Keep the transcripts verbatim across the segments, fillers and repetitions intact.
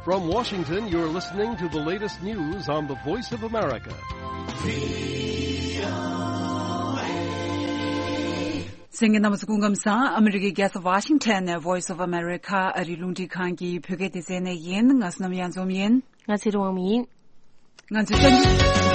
From Washington, you're listening to the latest news on the Voice of America. གསན་མཁན་རྣམ་པ་ཚོ་སྐུ་ཁམས་བཟང་། ཨ་མི་རི་ཀའི་རྒྱལ་ས་ཝ་ཤིང་ཊོན་ནས་Voice of America ཨ་རིའི་རླུང་འཕྲིན་ཁང་གི་བོད་སྐད་སྡེ་ཚན་ནས་ཡིན། ང་བསོད་ནམས་གཡང་འཛོམས་ཡིན། ང་ཚོའི་གསར་འགྱུར།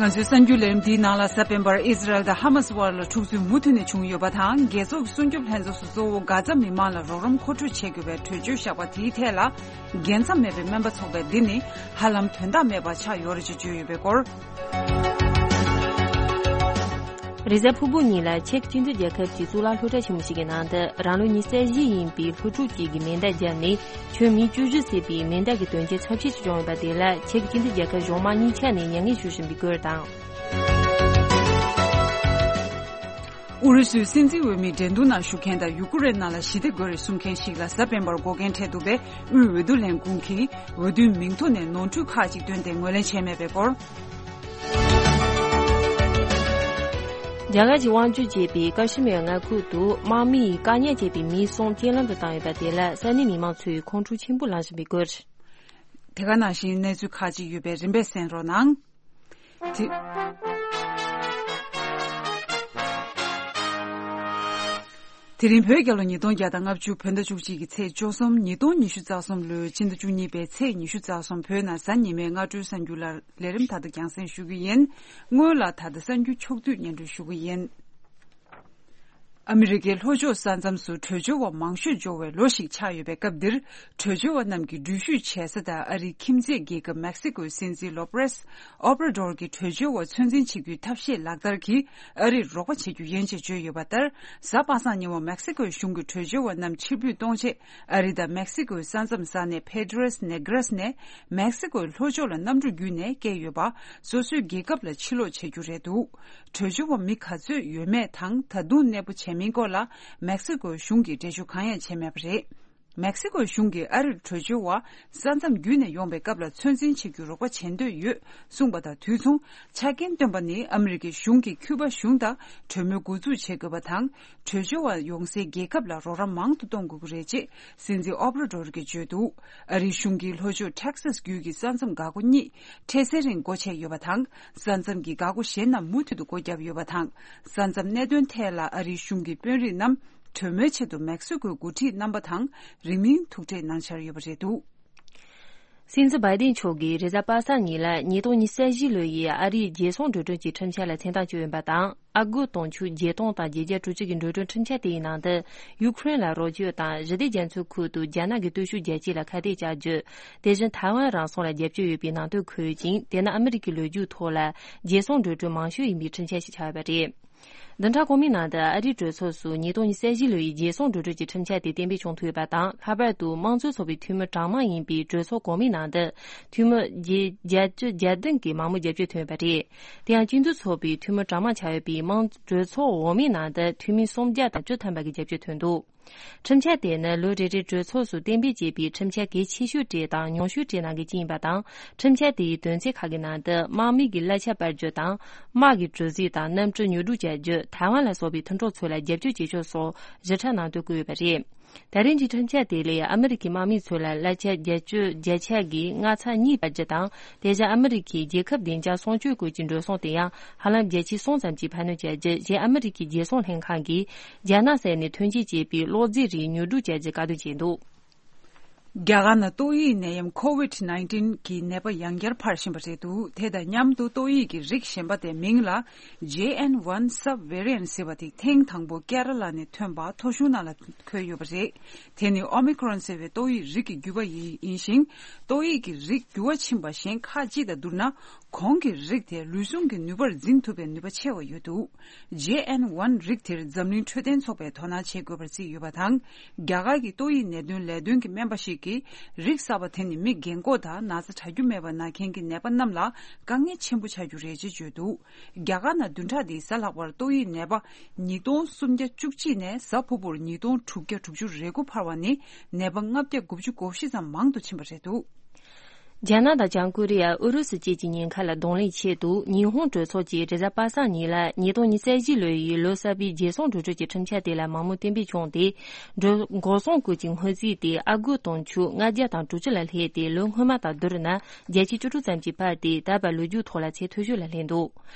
ང་ཚོའི་གསར་འགྱུར་ལས་རིམ་འདིའི་ནང་ལ། གཟའ་སྤེན་པར་ཨི་ཟི་རལ་དང་ཧ་མ་སི་དབར་ལ་འཁྲུག་རྩོད་མུ་མཐུད་ནས་བྱུང་ཡོད་པ་དང་། རྒྱལ་ཚོགས་ཀྱི་སྲུང་སྐྱོབ་ལྷན་ཚོགས་སུ་གཙོ་བོ་གྷ་ཛ་མི་མང་ལ་རོགས་རམ་མཁོ་སྤྲོད་བྱེད་དགོས་པའི་གྲོས་ཆོད་བཞག་པ་དེའི་ཐད་ལ། རྒྱལ་མཚམས་མེད་པའི་སྨན་པ་ཚོགས་པས་འདི་ནི་ཧ་ལམ་དོན་དག་མེད་པ་ཆགས་ཡོད་རེད་ཅེས་བརྗོད་ཡོད་པའི་སྐོར། རེས་གཟའ་ཕུར་བུ་ཉིན་ལ་ཅེཀ་སྤྱི་མཐུན་རྒྱལ་ཁབ་ཀྱི་གཙུག་ལག་སློབ་གྲྭ་ཆེན་མོ་ཞིག་གི་ནང་དུ་རང་ལོ་ཉི་ཤུ་རྩ་བཞི་ཡིན་པའི་སློབ་ཕྲུག་ཅིག་གིས་མེ་མདའ་བརྒྱབ་ནས་ཁྱོན་མི་བཅུ་བཞི་བསད་པའི་མེ་མདའ་གི་དོན་རྐྱེན་ཚབས་ཆེ་ཞིག་བྱུང་ཡོད་པ་དེ་ལ་ཅེཀ་སྤྱི་མཐུན་རྒྱལ་ཁབ་གཞུང་མང་གཉིས་ཆ་ནས་མྱ་ངན་ཞུ་བཞིན་པའི་སྐོར་དང་། ཨུ་རུ་སུའི་སྲིད་འཛིན་འོས་མིའི་འགྲན་བསྡུར་ནང་ཞུགས་མཁན་དང་ཡུ་ཀེ་རེན་ནང་ལ་ཞི་བདེ་དགོས་རེད་གསུང་མཁན་ཞིག་ལ་གཟའ་སྤེན་པར་འགོག་རྐྱེན་འཕྲད་འདུག་པས། དབུས་འོས་བསྡུ་ལས་ཁུངས་ཀྱིས་འོས་བསྡུའི་མིང་ཐོ་ནས་ནོར་འཁྲུལ་ཁག་ཅིག་བཏོན་ཏེ་ངོས་ལེན་བྱས་མེད་པའི་སྐོར། རྒྱ་གར་གྱི་དབང་སྒྱུར་བྱས་པའི་ཀ་ཤི་མིར་མངའ་ཁུལ་དུ་དམག་མིས་བཀག་ཉར་བྱས་པའི་མི་གསུམ་རྐྱེན་ལམ་དུ་བཏང་ཡོད་པ་དེ་ལ་ས་གནས་མི་མང་ཚོས་ཁོང་ཁྲོ་ཆེན་པོ་ལངས་བཞིན་པའི་སྐོར། དེ་ག་ནང་བཞིན་གནས་ཚུལ་ཁག་ཅིག་ཡོད་པས་རིམ་པས་གསན་རོགས་གནང་། དེ། དེ་རིང་བོད་རྒྱལ་ལོ་ཉིས་སྟོང་བརྒྱ་དང་ལྔ་བཅུ་བོད་ཟླ་བཅུ་གཅིག་གི་ཚེས་བཅུ་གསུམ། ཉིས་སྟོང་ཉི་ཤུ་རྩ་གསུམ་ལོའི་ཕྱི་ཟླ་བཅུ་གཉིས་པའི་ཚེས་ཉི་ཤུ་རྩ་གསུམ། བོད་ནང་གཟའ་ཉི་མའི་སྔ་དྲོའི་གསར་འགྱུར་ལ་ལས་རིམ་དག་ཏུ་རྒྱང་སྲིང་ཞུ་གི་ཡིན། སྔོན་ལ་ད་ལྟ་གསར་འགྱུར་ཕྱོགས་བསྡུས་སྙན་སྒྲོན་ཞུ་གི་ཡིན། ཨ་མི་རི་ཀའི་ལྷོ་ཕྱོགས་ས་མཚམས་སུ་བྲོས་བྱོལ་བ་མང་ཤོས་འབྱོར་བའི་ལོ་ཞིག་ཆགས་ཡོད་པའི་སྐབས་འདིར། བྲོས་བྱོལ་བ་རྣམས་ཀྱི་འགྲུལ་བཞུད་བྱེད་ས་དང་ཨ་རིའི་ཁྱིམ་མཚེས་རྒྱལ་ཁབ་མེག་སི་ཀོའི་སྲིད་འཛིན་ལོ་པེ་རེས་ཨོབ་ར་ཌོར་གྱིས་བྲོས་བྱོལ་བ་ཚོད་འཛིན་བྱེད་རྒྱུའི་ཐབས་ཤེས་ལག་བསྟར་གྱིས་ཨ་རིར་རོགས་པ་བྱེད་རྒྱུ་ཡིན་ཞེས་བརྗོད་ཡོད་པ་ལྟར། གཟའ་པ་སངས་ཉིན་མོ་མེག་སི་ཀོའི་གཞུང་གིས་བྲོས་བྱོལ་བ་རྣམས་ཕྱིར་འབུད་གཏོང་ཆེད་ཨ་རི་དང་མེག་སི་ཀོའི་ས་མཚམས་ས་གནས་ཕེ་ཏྲེས་ནེ་གྲེས་ནས་མེག་སི་ཀོའི་ལྷོ་ཕྱོགས་ལ་གནམ་གྲུ་བརྒྱུད་ནས་བསྐྱལ་ཡོད་པ། སོ་སོའི་རྒྱལ་ཁབ་ལ་ཕྱིར་ལོག་བྱེད་རྒྱུ་རེད་འདུག་བྲོས་བྱོལ་བ་མི་ག་ཚོད་ཡོད་མེད་དང་ད་དུང་གནས་སྤོ་བྱས་མིན་སྐོར་ལ་མེག་སི་ཀོའི་གཞུང་གིས་འགྲེལ་བརྗོད་གང་ཡང་བྱས་མེད་པ་རེད། མེག་སི་ཀོའི་གཞུང་གིས་ཨ་རིར་བྲོས་བྱོལ་བ་ས་མཚམས་བརྒྱུད་ནས་ཡོང་པའི་སྐབས་ལ་ཚོད་འཛིན་བྱེད་རྒྱུའི་རོགས་པ་བྱེད་འདོད་ཡོད་གསུངས་པ་དང་དུས་མཚུངས། ཆ་རྐྱེན་བཏོན་པ་ནི་ཨ་མི་རི་ཀའི་གཞུང་གིས་ཁྱུ་པ་གཞུང་དང་གྲོས་མོལ་འགོ་འཛུགས་བྱེད་དགོས་པ་དང་། བྲོས་བྱོལ་བ་ཡོང་སའི་རྒྱལ་ཁབ་ལ་རོགས་རམ་མང་དུ་གཏོང་དགོས་ཀྱི་རེད་ཅེས་སྲིད་འཛིན་ཨོབ་ར་ཌོར་གྱིས་བརྗོད་འདུག་ཨ་རིའི་གཞུང་གིས་ལྷོ་ཕྱོགས་ཊེག་སཱས་བརྒྱུད་ཀྱི་ས་མཚམས་འགག་སྒོ་གཉིས་འཕྲལ་སེལ་རིང་སྒོ་ཕྱེ་ཡོད་པ་དང་། ས་མཚམས་ཀྱི་འགག་སྒོ་གཞན་རྣམས་མུ་མཐུད་དུ་སྒོ་བརྒྱབ་ཡོད་པ་དང་། ས་མཚམས་གནད་དོན་ཐད་ལ་ཨ་རིའི་གཞུང་གི་དཔོན་རིགས་རྣམས་གྲོས་མོལ་ཆེད་དུ་མེག་སི་ཀོའི་འགོ་ཁྲིད་རྣམ་པ་དང་རིང་མིན་ཐུག་འཕྲད་གནང་འཆར་ཡོད་པ་རེད་འདུག་སྲིད་འཛིན་བྷའི་ཏིན་མཆོག་གིས་རེས་གཟའ་པ་སངས་ཉིན་ལ་ཉིས་སྟོང་ཉི་ཤུ་རྩ་བཞི་ལོ་ཡི་ཨ་རིའི་རྒྱལ་སྲུང་འགྲོ་གྲོན་གྱི་ཁྲིམས་འཆར་ལ་མཚན་རྟགས་བཅོལ་ཡོད་པ་དང་། ཨ་སྒོར་དུང་ཕྱུར་བརྒྱད་སྟོང་དང་བརྒྱད་བརྒྱ་དྲུག་ཅུ་གི་འགྲོ་གྲོན་ཁྲིམས་འཆར་དེའི་ནང་དུ། ཡུ་ཁུ་རེན་ལ་རོགས་སྐྱོར་དང་ཞི་བདེ་རྒྱ་མཚོའི་ཁུལ་དུ་རྒྱ་ནག་གི་སྟོབས་ཤུགས་རྒྱ་སྐྱེད་ལ་ཁ་གཏད་བཅག་རྒྱུ། དེ་བཞིན་ཐའེ་ཝན་རང་སྲུང་ལ་རྒྱབ་སྐྱོར་ཡོད་པའི་ནང་དོན་འཁོད་ཅིང་། དེ་ནི་ཨ་མི་རི་ཀའི་ལོ་རྒྱུས་ཐོག་ལ་རྒྱལ་སྲུང་འགྲོ་གྲོན་མང་ཤོས་ཡིན་པའི་ཁྲིམས་འཆར་ཞིག་ཆགས་ཡོད་པ་རེད། བདུན་ཕྲག་གོང་མའི་ནང་དུ་ཨ་རིའི་གྲོས་ཚོགས་སུ་ཉིས་སྟོང་ཉི་ཤུ་རྩ་བཞི་ལོའི་རྒྱལ་སྲུང་འགྲོ་གྲོན་གྱི་ཁྲིམས་འཆར་དེ་གཏན་འབེབས་བྱུང་ཐུབ་ཡོད་པ་དང་། ལྷག་པར་དུ་དམངས་གཙོའི་ཚོགས་པའི་འཐུས་མི་གྲངས་མང་ཡིན་པའི་གྲོས་ཚོགས་གོང་མའི་ནང་དུ་འཐུས་མི་བརྒྱད་བརྒྱད་ཅུ་གྱ་བདུན་གྱིས་མང་མོས་རྒྱབ་སྐྱོར་ཐོན་ཡོད་པ་རེད། དེ་ཡང་སྤྱི་འཐུས་ཚོགས་པའི་འཐུས་མི་གྲངས་མང་ཆགས་ཡོད་པའི་དམངས་གྲོས་ཚོགས་འོག་མའི་ནང་དུ་འཐུས་མི་སུམ་བརྒྱ་དང་བཅུ་ཐམ་པ་གིས་རྒྱབ་སྐྱོར་ཐོན་འདུག་ཁྲིམས་འཆར་དེ་ནི་ལོ་རེ་རེའི་གྲོས་ཚོགས་སུ་གཏན་འབེབས་བྱས་པའི་ཁྲིམས་འཆར་གལ་ཆེ་ཤོས་གྲས་དང་ཉུང་ཤོས་གྲས་ནང་གི་གཅིག་ཡིན་པ་དང་། ཁྲིམས་འཆར་དེའི་དོན་ཚན་ཁག་གི་ནང་དུ་དམག་མིའི་གི་གླ་ཆ་སྤར་རྒྱུ་དང་། དམག་གི་གྲུ་གཟིངས་དང་གནམ་གྲུ་ཉོ་སྒྲུབ་བྱ་རྒྱུ། ཐའེ་ཝན་ལ་སོགས་པའི་མཐུན་གྲོགས་ཚོ་ལ་རྒྱབ་སྐྱོར་བྱེད་ཕྱོགས་སོགས་བཞི་ཕྲག་ནང་དུ་བཀོད་ཡོད་པ་རེད། ད་རེས་ཀྱི་ཁྲིམས་འཆར་དེ་ལས་ཨ་མི་རི་ཀའི་དམག་མི་ཚོ་ལ་གླ་ཆ་བརྒྱད་ཅུ་བརྒྱ་ཆ་གི་ལྔ་ཚེག་གཉིས་སྤར་རྒྱུ་དང་། དེ་བཞིན་ཨ་མི་རི་ཀའི་རྒྱལ་ཁབ་བདེ་འཇགས་སྲུང་སྐྱོབ་སྐོར་གྱི་འགྲོ་སོང་དེ་ཡང་ཧ་ལམ་བརྒྱ་ཆ་གསུམ་ཙམ་གྱིས་འཕར་སྣོན་བྱ་རྒྱུ། གཞན་ཨ་མི་རི་ཀའི་རྒྱལ་སྲུང་ལྷན་ཁང་གིས་རྒྱ་ནག་སར་ནས་ཐོན་སྐྱེད་བྱས་པའི་གློག་རྫས་རིགས་ཉོ་སྒྲུབ་བྱ་རྒྱུ་བཀག་སྡོམ་བྱས་འདུག་རྒྱ་གར་ནང་ཏོག་དབྱིབས་ནད་ཡམས་ཁོ་ཝིད་ནའིན་ཊིན་གྱི་ནད་པ་ཡང་བསྐྱར་འཕར་བཞིན་པ་རེད་འདུག་དེ་དང་མཉམ་དུ་ཏོག་དབྱིབས་ཀྱི་རིགས་གཞན་པ་དེ་མིང་ལ་ཇེ་ཨེན་ཝན་སབ་ཝེ་རི་ཡན་ཟེར་བ་དེ་ཐེངས་དང་པོ་ཀེ་ར་ལ་ནས་ཐོན་པ་ཐོ་གཞུང་ནང་ལ་འཁོད་ཡོད་པ་རེད། དེ་ནི་ཨོ་མི་ཁོ་རོན་ཟེར་བའི་ཏོག་དབྱིབས་རིགས་ཀྱི་རྒྱུ་བ་ཡིན་ཡིན་ཞིང་། ཏོག་དབྱིབས་ཀྱི་རིགས་འགྱུར་བ་ཕྱིན་པ་གཞན་ཁག་ཅིག་དང་བསྡུར་ན། གོང་གི་རིགས་དེ་ལུས་ཟུངས་ཀྱི་ནུས་པར་འཛིན་ཐུབ་པའི་ནུས་པ་ཆེ་བ་ཡོད་འདུག་ཇེ་ཨེན་ཝན་རིགས་དེར་འཛམ་གླིང་འཕྲོད་བསྟེན་ཚོགས་པས་དོ་སྣང་བྱེད་དགོས་པར་བརྩིས་ཡོད་པ་དང་། རྒྱ་གར་གྱི་ཏོག་དབྱིབས་ནད་དོན་ལས་དོན་གྱི་སྨན་པ་ཞིག་གིས། རིགས་གསར་པ་དེ་ནི་མི་རྒན་འཁོགས་དང་ན་ཚ་དྲག་རྒྱུ་མེད་པ་ན་མཁན་གྱི་ནད་པ་རྣམས་ལ་དཀའ་ངལ་ཆེན་པོ་ཆགས་རྒྱུ་རེད་ཅེས་བརྗོད་འདུག་རྒྱ་གར་ནང་བདུན་ཕྲག་འདིའི་གཟའ་ལྷག་པར་ཏོག་དབྱིབས་ནད་པ་ཉིས་སྟོང་སུམ་བརྒྱ་བཅུ་གཅིག་ནས་གཟའ་ཕུར་བུར་ཉིས་སྟོང་དྲུག་བརྒྱ་དྲུག་ཅུ་རེ་དགུ་འཕར་བ་ནི། ནད་པ་ལྔ་བརྒྱ་དགུ་བཅུ་གོ་བཞི་ཙམ་མང་དུ་ཕྱིན་པ་རེད་འདུག་རྒྱ་ནག་དང་བྱང་ཀོ་རི་ཡ། ཨུ་རུ་སུ་བཅས་ཀྱི་ཉེན་ཁ་ལ་གདོང་ལེན་ཆེད་དུ། ཉི་ཧོང་གྲོས་ཚོགས་ཀྱིས་རེས་གཟའ་པ་སངས་ཉིན་ལ་ཉིས་སྟོང་ཉི་ཤུ་རྩ་བཞི་ལོ་ཡི་ལོ་གསར་པའི་རྒྱལ་སྲུང་གྲོས་ཚོགས་ཀྱི་ཁྲིམས་འཆར་དེ་ལ་མང་མོས་གཏན་འབེབས་བྱུང་སྟེ། འགྲོ་འགོག་སྲུང་སྐོར་གྱི་སྔོན་རྩིས་དེ་ཨ་སྒོར་དུང་ཕྱུར་ལྔ་བརྒྱ་དང་དྲུག་ཅུ་ལ་སླེབས་ཏེ། ལོ་སྔོན་མ་དང་བསྡུར་ན་བརྒྱ་ཆ་བཅུ་དྲུག་ཙམ་གྱིས་འཕར་ཏེ། ད་བར་ལོ་རྒྱུས་ཐོག་ལ་ཚད་མཐོ་ཤོས་ལ་སླེབས་འདུག་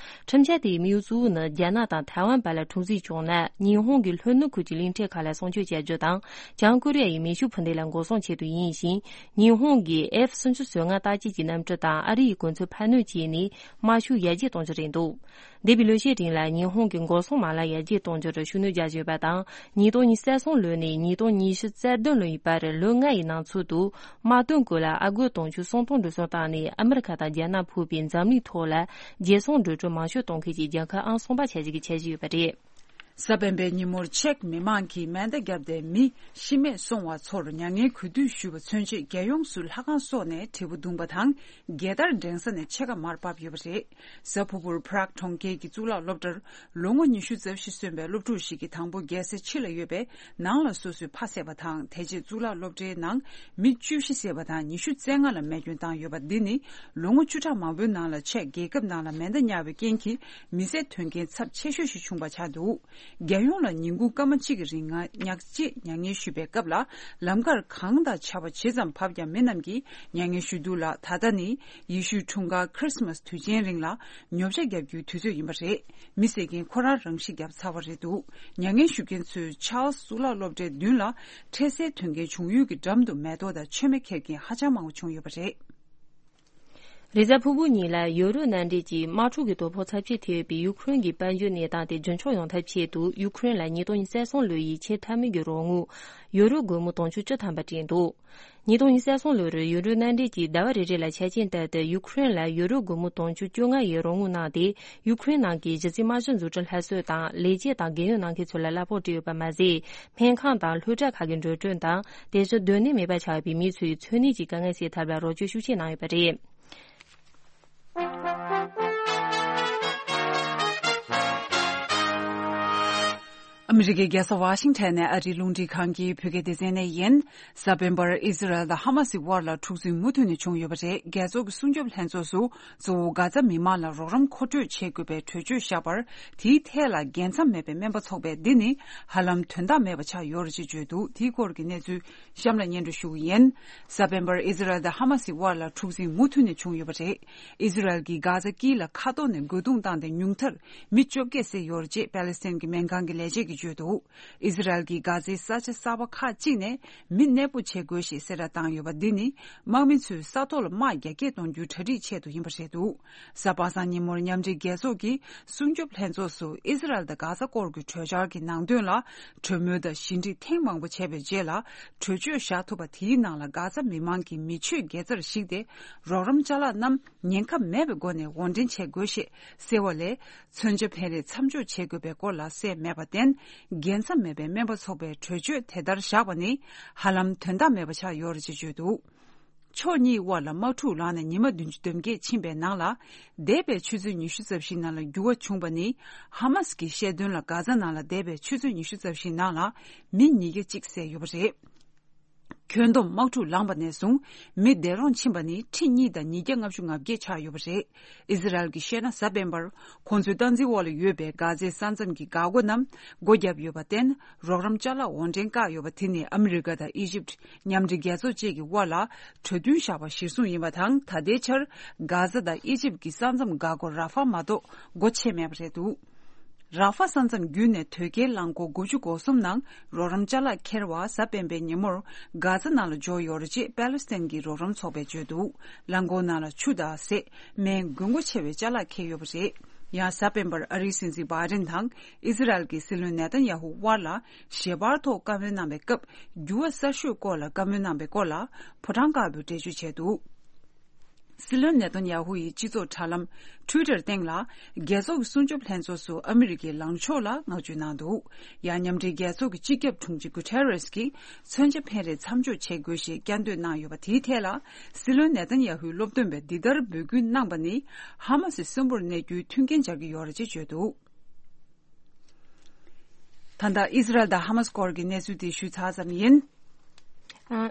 ཁྲིམས་འཆར་དེའི་དམིགས་ཡུལ་གཙོ་བོ་ནི། རྒྱ་ནག་དང་ཐའེ་ཝན་བར་ལ་འཁྲུག་འཛིང་བྱུང་ན། ཉི་ཧོང་གི་ལྷོ་ནུབ་ཁུལ་གྱི་གླིང་ཕྲན་ཁག་ལ་སྲུང་སྐྱོབ་བྱ་རྒྱུ་དང་། བྱང་ཀོ་རི་ཡ་ཡི་མེ་ཤུགས་འཕུར་མདེལ་ལ་འགོག་སྲུང་ཆེད་དུ་ཡིན་ཞིང་། ཉི་ཧོང་གིས་ཨེཕ་སུམ་ཅུ་སོ་ལྔ་རྟགས་ཅན་གྱི་གནམ་གྲུ་དང་ཨ་རི་ཡི་གོ་མཚོན་འཕར་སྣོན་བྱས་ནས། དམག་ཤུགས་ཡར་རྒྱས་གཏོང་རྒྱུ་རེད་འདུག་འདས་པའི་ལོ་ཤས་རིང་ལ་ཉི་ཧོང་གིས་འགོག་སྲུང་མ་ལག་ཡར་རྒྱས་གཏོང་རྒྱུར་ཤུགས་སྣོན་རྒྱག་བཞིན་ཡོད་པ་དང་། ཉིས་སྟོང་ཉི་ཤུ་རྩ་གསུམ་ལོ་ནས་ཉིས་སྟོང་ཉི་ཤུ་རྩ་བདུན་ལོ་ཡི་བར། ལོ་ལྔ་ཡི་ནང་ཚུད་དུ། དམག་དོན་སྐོར་ལ་ཨ་སྒོར་དུང་ཕྱུར་སུམ་སྟོང་འགྲོ་སོང་བཏང་ནས། ཨ་མི་རི་ཁ་དང་རྒྱ་ནག་ཕུད་པའི་འཛམ་གླིང་ཐོག་ལ་རྒྱལ་སྲུང་འགྲོ་གྲོན་མང་ཤོས་གཏོང་མཁན་གྱི་རྒྱལ་ཁབ་ཨང་གསུམ་པ་ཆགས་རྒྱུ་གི་འཆར་གཞི་ཡོད་པ་རེད། གཟའ་སྤེན་པའི་ཉིན་མོར་ཅེཀ་མི་དམངས་ཀྱིས་མེ་མདའ་བརྒྱབ་སྟེ། མི་ཤི་རྨས་སོང་བ་ཚོར་མྱ་ངན་གུས་འདུད་ཞུས་པ་མཚོན་ཆེད། རྒྱལ་ཡོངས་སུ་ལྷ་ཁང་སོགས་ནས་དྲིལ་བུ་བརྡུངས་པ་དང་། རྒྱལ་དར་བསྒྲེངས་ས་ནས་ཕྱེད་ཀ་མར་བབས་ཡོད་པ་རེད། གཟའ་ཕུར་བུར་Prague གྲོང་ཁྱེར་གྱི་གཙུག་ལག་སློབ་གྲྭར། ལོ་ངོ་ཉི་ཤུ་རྩ་བཞི་སོན་པའི་སློབ་ཕྲུག་ཞིག་གིས་དང་པོ་རྒྱལ་ས་ཕྱི་ལ་ཡོད་པའི་ནང་ལ་སོ་སོའི་ཕ་བསད་པ་དང་། དེ་རྗེས་གཙུག་ལག་སློབ་གྲྭའི་ནང་མི་བཅུ་བཞི་བསད་པ་དང་། ཉི་ཤུ་རྩ་ལྔ་ལ་རྨས་སྐྱོན་བཏང་ཡོད་པ་འདི་ནི། ལོ་ངོ་བཅུ་ཕྲག་མང་པོའི་ནང་ལ་ཅེཀ་རྒྱལ་ཁབ་ནང་ལ་མེ་མདའ་ཉར་བའི་རྐྱེན་གྱིས་མི་བསད་དོན་རྐྱེན་ཚབས་ཆེ་ཤོས་ཤིག་བྱུང་བ་ཆགས་འདུག་རྒྱལ་ཡོངས་ལ་ཉིན་གུང་སྐར་མ་གཅིག་གི་རིང་ང་ཉག་གཅིག་མྱ་ངན་ཞུས་པའི་སྐབས་ལ། ལམ་ཁར་གངས་དང་ཆར་པ་ཇི་ཙམ་བབས་ཀྱང་། མི་རྣམས་ཀྱིས་མྱ་ངན་ཞུ་དུས་ལ། ད་ལྟ་ནི་ཡེ་ཤུའི་འཁྲུངས་སྐར་Christmas དུས་ཆེན་རིང་ལ་ཉོ་ཆ་བརྒྱབ་རྒྱུའི་དུས་ཚོད་ཡིན་པ་རེད། མི་བསད་མཁན་ཁོ་རང་རང་ཤི་བརྒྱབ་ཚར་བ་རེད་འདུག་མྱ་ངན་ཞུ་མཁན་ཚོས་ཆཱལ་སི་གཙུག་ལག་སློབ་གྲྭའི་མདུན་ལ། འཕྲལ་སེལ་དོན་རྐྱེན་བྱུང་ཡུལ་གྱི་འགྲམ་དུ་མེ་ཏོག་དང་མཆོད་མེ་འཁྱེར་མཁན་ཧ་ཅང་མང་པོ་བྱུང་ཡོད་པ་རེད། རེས་གཟའ་ཕུར་བུ་ཉིན་ལ་ཡུ་རོབ་མནའ་འབྲེལ་གྱིས་དམག་འཁྲུག་གི་དོ་ཕོག་ཚབས་ཆེ་ཐེབས་པའི་ཡུ་ཁུ་རེན་གྱི་དཔལ་འབྱོར་གནས་སྟངས་དེ་རྒྱུན་འཁྱོངས་ཡོང་ཐབས་ཆེད་དུ། ཡུ་ཁུ་རེན་ལ་ཉིས་སྟོང་ཉི་ཤུ་རྩ་གསུམ་ལོ་ཡི་ཆེས་མཐའ་མའི་གི་རོགས་དངུལ་ཡུ་རོ་སྒོར་མོ་དུང་ཕྱུར་བཅུ་ཐམ་པ་སྤྲད་འདུག་ཉིས་སྟོང་ཉི་ཤུ་རྩ་གསུམ་ལོར་ཡུ་རོབ་མནའ་འབྲེལ་གྱིས་ཟླ་བ་རེ་རེ་ལ་ཆ་རྐྱེན་ལྟར་དུ་ཡུ་ཁུ་རེན་ལ་ཡུ་རོ་སྒོར་མོ་དུང་ཕྱུར་བཅོ་ལྔ་ཡི་རོགས་དངུལ་གནང་སྟེ། ཡུ་ཁུ་རེན་ནང་གི་གཞི་རྩའི་དམག་གཞི་འཛུགས་སྐྲུན་སླར་གསོ་དང་། ལས་བྱེད་དང་རྒས་ཡོལ་གནང་མཁན་ཚོ་ལ་གླ་ཕོགས་སྤྲད་ཡོད་པ་མ་ཟད། སྨན་ཁང་དང་སློབ་གྲྭ་ཁག་གི་འགྲོ་གྲོན་དང་། དེ་བཞིན་སྡོད་གནས་མེད་པ་ཆགས་པའི་མི་ཚོའི་འཚོ་གནས་ཀྱི་དཀའ་ངལ་སེལ་ཐབས་ལ་རོགས་སྐྱོར་ཤུགས་ཆེ་གནང་ཡོད་པ་རེད། ཨ་མི་རི་ཀའི་རྒྱལ་ས་ཝ་ཤིང་ཊོན་ནས་ཨ་རིའི་རླུང་འཕྲིན་ཁང་གི་བོད་སྐད་སྡེ་ཚན་ནས་ཡིན། གཟའ་སྤེན་པར་ཨི་ཟི་རལ་དང་ཧ་མ་སི་དབར་ལ་འཁྲུག་འཛིང་མུ་མཐུད་ནས་བྱུང་ཡོད་པ་རེད། རྒྱལ་ཚོགས་ཀྱི་སྲུང་སྐྱོབ་ལྷན་ཚོགས་སུ། གཙོ་བོ་གྷ་ཛ་མི་མང་ལ་རོགས་རམ་མཁོ་སྤྲོད་བྱེད་དགོས་པའི་གྲོས་ཆོད་བཞག་པར། དེའི་ཐད་ལ་རྒྱལ་མཚམས་མེད་པའི་སྨན་པ་ཚོགས་པས་འདི་ནི་ཧ་ལམ་དོན་དག་མེད་པ་ཆགས་ཡོད་རེད་ཅེས་བརྗོད་འདུག་དེའི་སྐོར་གྱི་གནས་ཚུལ་གཤམ་ལ་སྙན་སྒྲོན་ཞུ་གི་ཡིན། གཟའ་སྤེན་པར་ཨི་ཟི་རལ་དང་ཧ་མ་སི་དབར་ལ་འཁྲུག་འཛིང་མུ་མཐུད་ནས་བྱུང་ཡོད་པ་རེད། ཨི་ཟི་རལ་གྱིས་གྷ་ཛ་དཀྱིལ་ལ་མཁའ་ཐོག་ནས་རྒོལ་རྡུང་བཏང་སྟེ། ཉུང་མཐར་མི་བཅོ་བརྒྱད་བསད་ཡོད་རེད་ཅེས་པ་ལི་སི་ཐན་གྱི་སྨན་ཁང་གི་ལས་བྱེད་ཀྱིས་བརྗོད་འདུག་ཨི་ཟི་རལ་གྱིས་གྷ་ཛའི་ས་ཆ་གསར་པ་ཁག་ཅིག་ནས་མི་གནས་སྤོ་བྱེད་དགོས་ཞེས་གསལ་བསྒྲགས་བཏང་ཡོད་པ་འདི་ནི། དམག་མི་ཚོས་ས་ཐོག་ལ་དམག་རྒྱ་སྐྱེད་གཏོང་རྒྱུའི་གྲ་སྒྲིག་ཆེད་དུ་ཡིན་པ་རེད་འདུག་གཟའ་པ་སངས་ཉིན་མོར་མཉམ་འབྲེལ་རྒྱལ་ཚོགས་ཀྱི་སྲུང་སྐྱོབ་ལྷན་ཚོགས་སུ་ཨི་ཟི་རལ་དང་གྷ་ཛ་སྐོར་གྱི་གྲོས་འཆར་གྱི་ནང་དོན་ལ་གྲོས་མོལ་དང་ཞི་འགྲིག་ཐེངས་མང་པོ་བྱས་པའི་རྗེས་ལ། གྲོས་ཆོད་བཞག་ཐུབ་པ་དེའི་ནང་ལ། གྷ་ཛ་མི་མང་གི་མི་ཆོས་དགེ་རྩར་གཞིགས་ཏེ། རོགས་རམ་ཅ་ལག་རྣམས་ཉེན་ཁ་མེད་པའི་སྒོ་ནས་དབོར་འདྲེན་བྱེད་དགོས་ཞེས་གསལ་བ་ལས། མཚོན་ཆ་འཕེན་རེས་མཚམས་འཇོག་བྱེད་དགོས་པའི་སྐོར་ལ་གསལ་མེད་པར་བརྟེན། རྒྱལ་མཚམས་མེད་པའི་སྨན་པ་ཚོགས་པས་གྲོས་ཆོད་དེ་ལྟར་བཞག་པ་ནི། ཧ་ལམ་དོན་དག་མེད་པ་ཆགས་ཡོད་རེད་ཅེས་བརྗོད་འདུག་ཕྱོགས་གཉིས་དབར་ལ་དམག་འཁྲུག་ལངས་ནས་ཉི་མ་བདུན་ཅུ་དོན་བརྒྱད་ཕྱིན་པའི་ནང་ལ། འདས་པའི་ཆུ་ཚོད་ཉི་ཤུ་རྩ་བཞིའི་ནང་ལ་འགྱུར་བ་བྱུང་བ་ནི། ཧ་མ་སི་གིས་བཤད་དོན་ལ། གྷ་ཛ་ནང་ལ་འདས་པའི་ཆུ་ཚོད་ཉི་ཤུ་རྩ་བཞིའི་ནང་ལ་མི་ཉིས་བརྒྱ་གཅིག་བསད་ཡོད་པ་རེད། ཁྱོན་བསྡོམས་དམག་འཁྲུག་ལངས་པ་ནས་བཟུང་མི་བདེ་རོགས་ཕྱིན་པ་ནི་ཁྲི་གཉིས་དང་ཉིས་བརྒྱ་ལྔ་བཅུ་ང་བརྒྱད་ཆགས་ཡོད་པ་རེད། ཨི་ཟི་རལ་གྱིས་བཤད་ན། གཟའ་སྤེན་པར་ཁོང་ཚོའི་སྟངས་འཛིན་འོག་ལ་ཡོད་པའི་གྷ་ཛའི་ས་མཚམས་ཀྱི་འགག་སྒོ་རྣམས་སྒོ་བརྒྱབ་ཡོད་པར་བརྟེན། རོགས་རམ་ཅ་ལག་དབོར་འདྲེན་བཀག་ཡོད་པ་དེ་ནི་ཨ་མི་རི་ཀ་དང་ཨི་ཇིབ། མཉམ་འབྲེལ་རྒྱལ་ཚོགས་བཅས་ཀྱི་དབར་ལ་གྲོས་མཐུན་བཞག་པ་གཞིར་བཟུང་ཡིན་པ་དང་། ད་ལྟའི་ཆར་གྷ་ཛ་དང་ཨི་ཇིབ་ཀྱི་ས་མཚམས་འགག་སྒོ་ར་ཧྥ་མ་གཏོགས་སྒོ་ཕྱེ་མེད་པ་རེད་འདུག་ར་ཧྥ་ས་མཚམས་བརྒྱུད་ནས་དོས་སྐྱེལ་རླངས་འཁོར་དགུ་བཅུ་གོ་གསུམ་ནང་རོགས་རམ་ཅ་ལག་འཁྱེར་བ་གཟའ་སྤེན་པའི་ཉིན་མོར་གྷ་ཛ་ནང་ལ་འབྱོར་ཡོད་རེད་ཅེས་པ་ལི་སི་ཐན་གྱི་རོགས་རམ་ཚོགས་པས་བརྗོད་འདུག་རླངས་འཁོར་ནང་ལ་ཆུ་དང་ཟས། སྨན། དགོས་མཁོ་ཆེ་བའི་ཅ་ལག་འཁྱེར་ཡོད་པ་རེད། ཡང་གཟའ་སྤེན་པར་ཨ་རིའི་སྲིད་འཛིན་བྷའི་ཌེན་དང་ཨི་ཟི་རལ་གྱི་སྲིད་བློན་ནེ་ཐན་ཡ་ཧུ་དབར་ལ་ཞལ་པར་ཐོག་བཀའ་མོལ་གནང་བའི་སྐབས། འགྱུར་བ་གསར་ཤོས་སྐོར་ལ་བཀའ་མོལ་གནང་བའི་སྐོར་ལ་ཕོ་བྲང་དཀར་པོས་འགྲེལ་བརྗོད་བྱས་འདུག་སྲིད་བློན་ནེ་ཐན་ཡ་ཧུ་ཡིས་སྤྱི་ཚོགས་དྲ་ལམ་Twitter་སྟེང་ལ། རྒྱལ་ཚོགས་ཀྱི་སྲུང་སྐྱོབ་ལྷན་ཚོགས་སུ་ཨ་མི་རི་ཀའི་ལངས་ཕྱོགས་ལ་བསྔགས་བརྗོད་གནང་འདུག་ཡང་མཉམ་འབྲེལ་རྒྱལ་ཚོགས་ཀྱི་སྤྱི་ཁྱབ་དྲུང་ཆེ་གུ་ཐེ་རེས་ཀྱིས་མཚོན་ཆ་འཕེན་རེས་མཚམས་འཇོག་བྱེད་དགོས་ཞེས་བསྐྱར་ཟློས་གནང་ཡོད་པ། དེའི་ཐད་ལ། སྲིད་བློན་ནེ་ཐན་ཡ་ཧུའི་སློབ་སྟོན་པས་འདི་ལྟར་འབོད་སྐུལ་གནང་པ་ནི། ཧ་མ་སི་གསོན་པོར་གནས་རྒྱུའི་མཐུན་རྐྱེན་སྦྱར་གྱི་ཡོད་རེད་ཅེས་བརྗོད་འདུག་ད་ལྟ་ཨི་ཟི་རལ་དང་ཧ་མ་སི་སྐོར་གྱི་གནས་ཚུལ་དེ་ཞུས་ཚར་ཙམ་ཡིན། ཨ།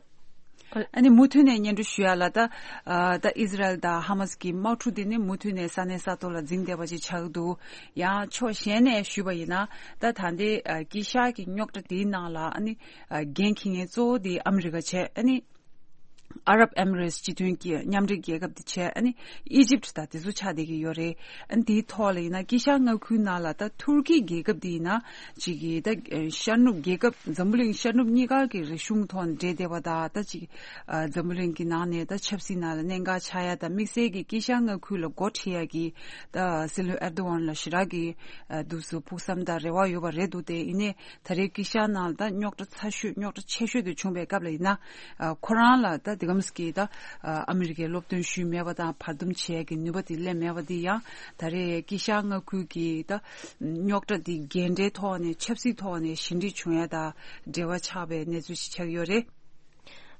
ཨ་ནི་མུ་མཐུད་ནས་སྙན་སྒྲོན་ཞུ་ཡ་ལ། ད་ཨ་ད་ཨི་ཟི་རལ་དང་ཧ་མ་སི་གི་དམག་འཁྲུག་དེ་ནི་མུ་མཐུད་ནས་ས་གནས་ས་ཐོག་ལ་འཛིང་བསྡད་པ་ཅིག་ཆགས་ཀྱི་འདུག། ཡང་ཕྱོགས་གཞན་ནས་ཞུས་པ་ཡིན་ན། ད་ད་ལྟའི་ཨ་དཀྱིལ་ཤར་གྱི་རྙོག་དྲ་དེའི་ནང་ལ་ཨ་ནི་ཨ་འགན་འཁྱེར་མཁན་གཙོ་བོ་དེ་ཨ་མི་རི་ཀ་བྱས། ཨ་ནི་ཨ་རབ་ཨེ་མི་རེ་ཊི་སྤྱི་མཐུན་གྱི་མཉམ་འབྲེལ་རྒྱལ་ཁབ་དེ་བྱས། ཨ་ནི་ཨི་ཇིབ་དང་དེ་ཚོ་ཆགས་བསྡད་ཀྱི་ཡོད་རེད། ཨ་ནི་དེའི་ཐོག་ལ་ཡིན་ན་དཀྱིལ་ཤར་མངའ་ཁུལ་ནང་ལ་ད་ཐུར་ཀི་རྒྱལ་ཁབ་དེ་ཡིན་ན་ཅིག་གིས་ད་ཤར་ནུབ་རྒྱལ་ཁབ་འཛམ་བུ་གླིང་ཤར་ནུབ་གཉིས་ཀ་གི་རིག་གཞུང་ཐོག་ནས་འབྲེལ་བསྡད་པ་དང་། ད་ཅིག་ཨ་འཛམ་བུ་གླིང་གི་ནང་ནས་ད་ཆབ་སྲིད་ནང་ལ་གནད་འགག་ཆགས་ཡ་དང་། དམིགས་བསལ་གྱི་དཀྱིལ་ཤར་མངའ་ཁུལ་ལ་འགོ་ཁྲིད་ཡ་གི་ད་སྲིད་བློན་ཨེར་དོ་ཝན་ལ་ཞེ་དྲག་གི་ཨ་འདུག་སེ་ཕུགས་བསམ་དང་རེ་བ་ཡོད་པ་རེད་འདུག་སྟེ། ཡིན་ནའི་ད་རེས་དཀྱིལ་ཤར་ནང་ལ་ད་རྙོག་དྲ་ཚ་ཤོས་རྙོག་དྲ་ཆེ་ཤོས་དེ་བྱུང་བའི་སྐབས་ལ་ཡིན་ན། ཨ་ཁོ་རང་ལ་ད་དེ་གམ་སི་ཀི་ད་ཨ་ཨ་མི་རི་ཀའི་སློབ་སྟོན་ཞུས་མེད་པ་དང་། བར་འདུམ་བྱེད་ཡ་གི་ནུས་པ་དེ་སླེབས་མེད་པ་དེ་ཡང་ད་རེས་དཀྱིལ་ཤར་མངའ་ཁུལ་གྱི་ད་རྙོག་དྲ་དེ་འགན་འཁྲིའི་ཐོག་ནས་ཆབ་སྲིད་ཐོག་ནས་ཞི་འགྲིག་བྱུང་ཡ་དང་འབྲེལ་བ་ཆགས་པའི་གནས་ཚུལ་ཞིག་ཆགས་ཡོད་རེད།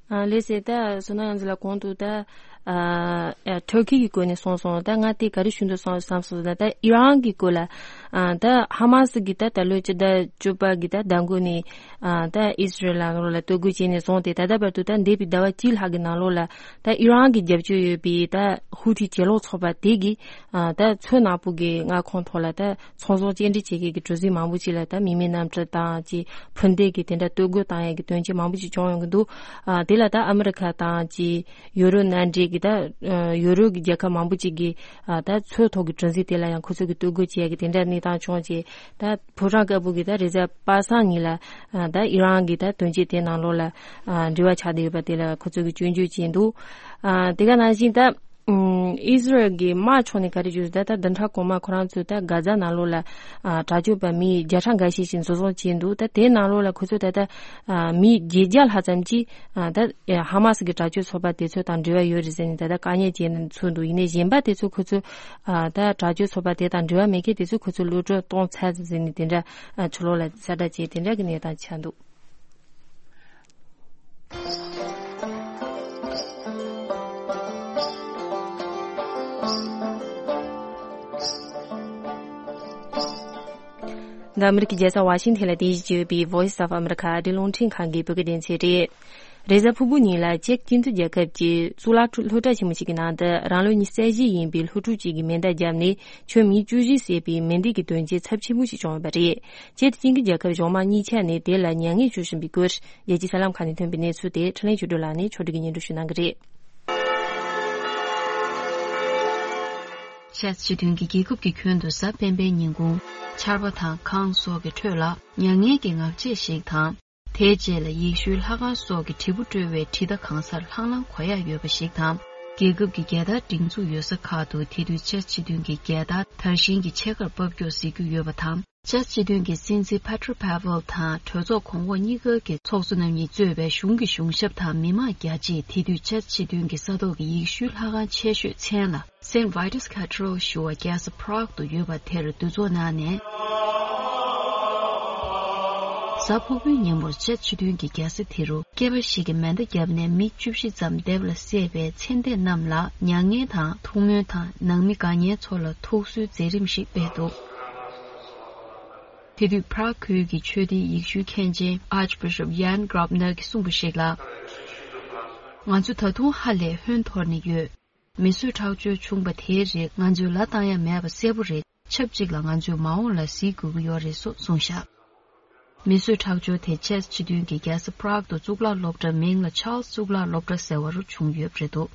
ཨ་ལགས་སོ། ད་བསོད་ནམས་དབྱངས་འཛིན་ལགས་གོང་དུ་ད་ཨ་ཨ་ཐུར་ཁི་གི་སྐོར་ནས་གསུངས་སོང་། ད་ང་དེ་ག་རེ་ཞུ་འདོད་སོང་བསམ་སོང་། ད་ད་ཨི་རན་གི་སྐོར་ལ། ཨ་ད་ཧ་མ་སི་གི་ད་ད་ལོ་ཕྱི་ཟླ་བཅུ་པ་གི་ད་ཟླ་མགོ་ནས་ཨ་ད་ཨི་སི་རལ་ལ་ལོ་ལ་གཏོར་རྒོལ་བྱས་ནས་བཟུང་སྟེ། ད་ལྟ་བར་དུ་ད་འདས་པའི་ཟླ་བ་གཅིག་ལྷག་གི་ནང་ལོགས་ལ་ད་ཨི་རན་གི་རྒྱབ་སྐྱོར་ཡོད་པའི་ད་ཧུ་ཐི་གྱེན་ལོག་ཚོགས་པ་དེ་གིས་ཨ་ད་མཚོ་ནག་པོ་གི་མངའ་ཁོངས་ཐོག་ལ་ད་ཚོང་ཟོག་སྐྱེལ་འདྲེན་བྱེད་མཁན་གྱི་གྲུ་གཟིངས་མང་པོ་ཅིག་ལ་ད་མི་མེད་གནམ་གྲུ་དང་ཅིག་འཕུར་མདེལ་གྱི་དེ་འདྲ་གཏོར་རྒོལ་བཏང་ཡས་ཀྱི་དོན་རྐྱེན་མང་པོ་ཅིག་བྱུང་ཡོང་གི་འདུག། ཨ་དེ་ལ་ད་ཨ་མི་རི་ཁ་དང་ཅིག་ཡུ་རོབ་མནའ་འབྲེལ་གྱི་ད་ཨ་ཡུ་རོབ་ཀྱི་རྒྱལ་ཁབ་མང་པོ་ཅིག་གིས་ཨ་ད་མཚོ་ཐོག་གི་གྲུ་གཟིངས་དེ་ལ་ཡང་ཁོ་ཚོ་གིས་གཏོར་རྒོལ་བྱེད་ཡས་ཀྱི་དེ་འདྲ་གནས་སྟངས་བྱུང་རྗེས། ད་ཕོ་བྲང་དཀར་པོ་གི་ད་རེས་གཟའ་པ་སངས་ཉིན་ལ་ཨ་ད་ཨི་རན་གྱི་ད་དོན་རྐྱེན་དེ་ནང་ལོགས་ལ་ཨ་འབྲེལ་བ་ཆགས་བསྡད་ཡོད་པ་དེ་ལ་ཁོ་ཚོ་གིས་སྐྱོན་བརྗོད་བྱས་འདུག། ཨ་དེ་ག་ནང་བཞིན་ད་ཨམ་ཨི་སི་རལ་གྱི་དམག་ཕྱོགས་ནས་ག་རེ་བརྗོད། ད་ད་བདུན་ཕྲག་གོང་མ་ཁོ་རང་ཚོས་ད་གྷ་ཛ་ནང་ལོགས་ལ་ཨ་དྲག་སྤྱོད་པ་མི་བརྒྱ་ཕྲག་འགའ་ཤས་ཤིག་འཛིན་བཟུང་བྱས་འདུག། ད་དེའི་ནང་ལོགས་ལ་ཁོ་ཚོས་ད་ད་ཨ་མི་བརྒྱད་བརྒྱ་ལྷག་ཙམ་ཅིག་ཨ་ད་ཧ་མ་སི་གི་དྲག་སྤྱོད་ཚོགས་པ་དེ་ཚོ་དང་འབྲེལ་བ་ཡོད་རེད་ཟེར་ནས་ད་ལྟ་དཀའ་ཉེན་བྱས་ནས་ཚུད་འདུག། ཡིན་ནའི་གཞན་པ་དེ་ཚོ་ཁོ་ཚོས་ཨ་ད་དྲག་སྤྱོད་ཚོགས་པ་དེ་དང་འབྲེལ་བ་མེད་མཁན་དེ་ཚོ་ཁོ་ཚོས་གློད་བཀྲོལ་གཏོང་ཚར་ཟེར་ནས་དེ་འདྲ་ཨ་ཕྱི་ལོགས་ལ་གསལ་བསྒྲགས་བྱས། དེ་འདྲ་གི་གནས་སྟངས་ཆགས་འདུག། འདི་ཨ་མི་རི་ཀའི་རྒྱལ་ས་ཝ་ཤིང་ཐན་ལ་རྟེན་གཞི་བྱས་ཡོད་པའི་Voice of America ཨ་རིའི་རླུང་འཕྲིན་ཁང་གི་བོད་སྐད་སྡེ་ཚན་རེད། རེས་གཟའ་ཕུར་བུ་ཉིན་ལ་ཅེཀ་སྤྱི་མཐུན་རྒྱལ་ཁབ་ཀྱི་གཙུག་ལག་སློབ་གྲྭ་ཆེན་མོ་ཞིག་གི་ནང་དུ་རང་ལོ་ཉི་ཤུ་རྩ་བཞི་ཡིན་པའི་སློབ་ཕྲུག་ཅིག་གིས་མེ་མདའ་བརྒྱབ་ནས་ཁྱོན་མི་བཅུ་བཞི་བསད་པའི་མེ་མདེལ་གྱི་དོན་རྐྱེན་ཚབས་ཆེན་པོ་ཞིག་བྱུང་ཡོད་པ་རེད། སྤྱིར་དེང་གི་རྒྱལ་ཁབ་གཞུང་མང་གཉིས་ཆ་ནས་དེ་ལ་མྱ་ངན་བྱུང་བཞིན་པའི་སྐོར་རྒྱལ་སྤྱིའི་གསར་ལམ་ཁག་ནས་ཐོན་པའི་གནས་ཚུལ་དེ་འཕྲིན་ལས་ཆོས་སྒྲོན་ལགས་ནས་ཕྱོགས་སྒྲིག་གིས་སྙན་སྒྲོན་ཞུ་གནང་གི་རེད། ཆེས་སྤྱི་མཐུན་གྱི་རྒྱལ་ཁབ་ཀྱི་ཁྱོན་དུ་གཟའ་སྤེན་པའི་ཉིན་གུང་ཆར་པ་དང་གངས་སོགས་ཀྱི་ཁྲོད་ལ་མྱ་ངན་གྱི་ངག་བཅད་ཞིག་དང་། དེའི་རྗེས་ལ་ཡེ་ཤུའི་ལྷ་ཁང་སོགས་ཀྱི་དྲིལ་བུ་དཀྲོལ་བའི་དྲིལ་མདའ་གང་སར་ལྷང་ལྷང་གོ་ཡག་ཡོད་པ་ཞིག་དང་། རྒྱལ་ཁབ་ཀྱི་རྒྱལ་དར་སྒྲེང་འཛུགས་ཡོད་ས་ཁག་ཏུ་དེ་དུས་ཆེས་སྤྱི་མཐུན་གྱི་རྒྱལ་དར་དར་ཞིང་གི་ཕྱེད་ཀར་ཕབ་སྐྱོར་གཟིགས་རྒྱུ་ཡོད་པ་དང་། ཆེས་སྤྱི་མཐུན་གྱི་སྲིད་འཛིན་Petro Pavel་དང་གྲོས་ཚོགས་གོང་འོག་གཉིས་ཀ་གི་ཚོགས་གཙོ་རྣམ་གཉིས་གཙོས་པའི་གཞུང་གི་གཞུང་ཞབས་དང་མི་མང་རྒྱ་ཆེས་དེ་དུས་ཆེས་སྤྱི་མཐུན་གྱི་ས་ཐོག་གི་ཡེ་ཤུའི་ལྷ་ཁང་ཆེ་ཤོས་མཚན་ལ་Saint Vitus Cathedral་ཞུ་བ་རྒྱལ་ས་Prague་དུ་ཡོད་པ་དེར་འདུ་ཚོགས་གནང་ནས། གཟའ་ཕུར་བུའི་ཉིན་མོར་ཆེས་སྤྱི་མཐུན་གྱི་རྒྱལ་ས་དེ་རུ་སྐྱེས་པ་ཞིག་གིས་མེ་མདའ་བརྒྱབ་ནས་མི་བཅུ་བཞི་ཙམ་སྡེབ་ལ་བསད་པའི་ཚེ་འདས་རྣམས་ལ་མྱ་ངན་དང་ཐུགས་སྨོན་དང་ནང་མི་དགའ་ཉེ་ཚོ་ལ་ཐུགས་གསོའི་མཛད་རིམ་ཞིག་སྤེལ་འདུག། དེ་དུས་Prague་ཁུལ་གྱི་ཆོས་སྡེའི་ཡེ་ཤུའི་མཁན་ཆེན་Archbishop Jan Grobner་གྱིས་གསུངས་པ་ཞིག་ལ། ང་ཚོ་ད་དུང་ཧ་ལས་ཧོན་འཐོར་ནས་ཡོད། མི་གསོད་ཁྲག་སྦྱོར་བྱུང་བ་དེའི་རིགས་ང་ཚོས་ལ་བཏང་ཡ་མེད་པ་གསལ་པོ་རེད། ཆབས་ཅིག་ལ་ང་ཚོས་མ་འོངས་ལ་གཟིགས་དགོས་ཀྱི་ཡོད་རེད་སོགས་གསུངས་བཞག། མི་གསོད་ཁྲག་སྦྱོར་དེ་ཆེས་སྤྱི་མཐུན་གྱི་རྒྱལ་ས་Prague་དུ་གཙུག་ལག་སློབ་གྲྭ་མིང་ལ་Charles་གཙུག་ལག་སློབ་གྲྭ་ཟེར་བ་རུ་བྱུང་ཡོད་པ་རེད་འདུག།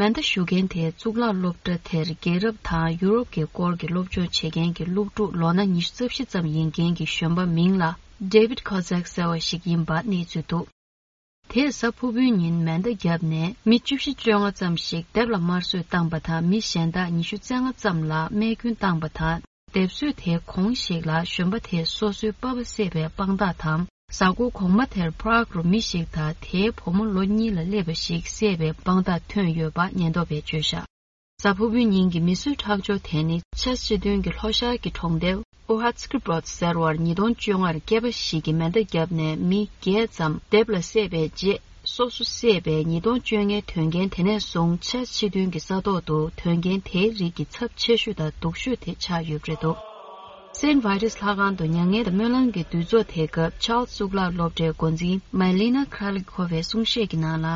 མེ་མདའ་གཞུ་མཁན་དེ་གཙུག་ལག་སློབ་གྲྭ་དེར་རྒྱལ་རབས་དང་ཡུ་རོབ་ཀྱི་སྐོར་གྱི་སློབ་སྦྱོང་བྱེད་མཁན་གྱི་སློབ་ཕྲུག་ལོ་ན་ཉི་ཤུ་རྩ་བཞི་ཙམ་ཡིན་མཁན་གྱི་གཞོན་པ་མིང་ལ་David Kozak་ཟེར་བ་ཞིག་ཡིན་པ་གནས་ཚུལ་འདུག། དེས་གཟའ་ཕུར་བུའི་ཉིན་མེ་མདའ་བརྒྱབ་ནས་མི་བཅུ་བཞི་བཅོ་ལྔ་ཙམ་ཞིག་སྡེབ་ལ་དམར་གསོད་བཏང་པ་དང་། མི་གཞན་དག་ཉི་ཤུ་རྩ་ལྔ་ཙམ་ལ་རྨས་སྐྱོན་བཏང་པ་དང་། སྡེབ་གསོད་དེའི་གོང་ཞིག་ལ་གཞོན་པ་དེས་སོ་སོའི་པ་ཕ་བསད་པའི་དཔང་རྟགས་དང་། གཟའ་འཁོར་གོང་མ་དེར་Prague་རུ་མི་ཞིག་དང་དེའི་བུ་མོ་ལོ་གཉིས་ལ་སླེབས་པ་ཞིག་བསད་པའི་དཔང་རྟགས་ཐོན་ཡོད་པ་ཉེན་རྟོག་པས་བརྗོད་བཞག། གཟའ་ཕུར་བུའི་ཉིན་གྱི་མི་གསོད་ཁྲག་སྦྱོར་དེ་ནི་ཆེས་སྤྱི་མཐུན་གྱི་ལྷོ་ཤར་གྱི་གྲོང་རྡལ་Uhatskbrod་ཟེར་བར་ཉིས་སྟོང་བཅོ་ལྔར་སྐྱེས་པ་ཞིག་གིས་མེ་མདའ་བརྒྱབ་ནས་མི་བརྒྱད་ཙམ་སྡེབ་ལ་བསད་པའི་རྗེས། སོ་སོ་བསད་པའི་ཉིས་སྟོང་བཅོ་ལྔའི་དོན་རྐྱེན་དེ་ནས་བཟུང་ཆེས་སྤྱི་མཐུན་གྱི་ས་ཐོག་ཏུ་དོན་རྐྱེན་དེའི་རིགས་ཀྱི་ཚབས་ཆེ་ཤོས་དང་སྡུག་ཤོས་དེ་ཆགས་ཡོད་པ་རེད་འདུག། སེན་ཝི་རི་སི་ལྷ་ཁང་དུ་མྱ་ངན་དང་སྨོན་ལམ་གྱི་འདུ་ཚོགས་དེའི་སྐབས། ཆཱལ་སི་གཙུག་ལག་སློབ་གྲྭའི་འགོ་འཛིན་མེ་ལི་ན་ཁྲ་ལི་ཁོ་བའི་གསུང་བཤད་ཀྱི་ནང་ལ།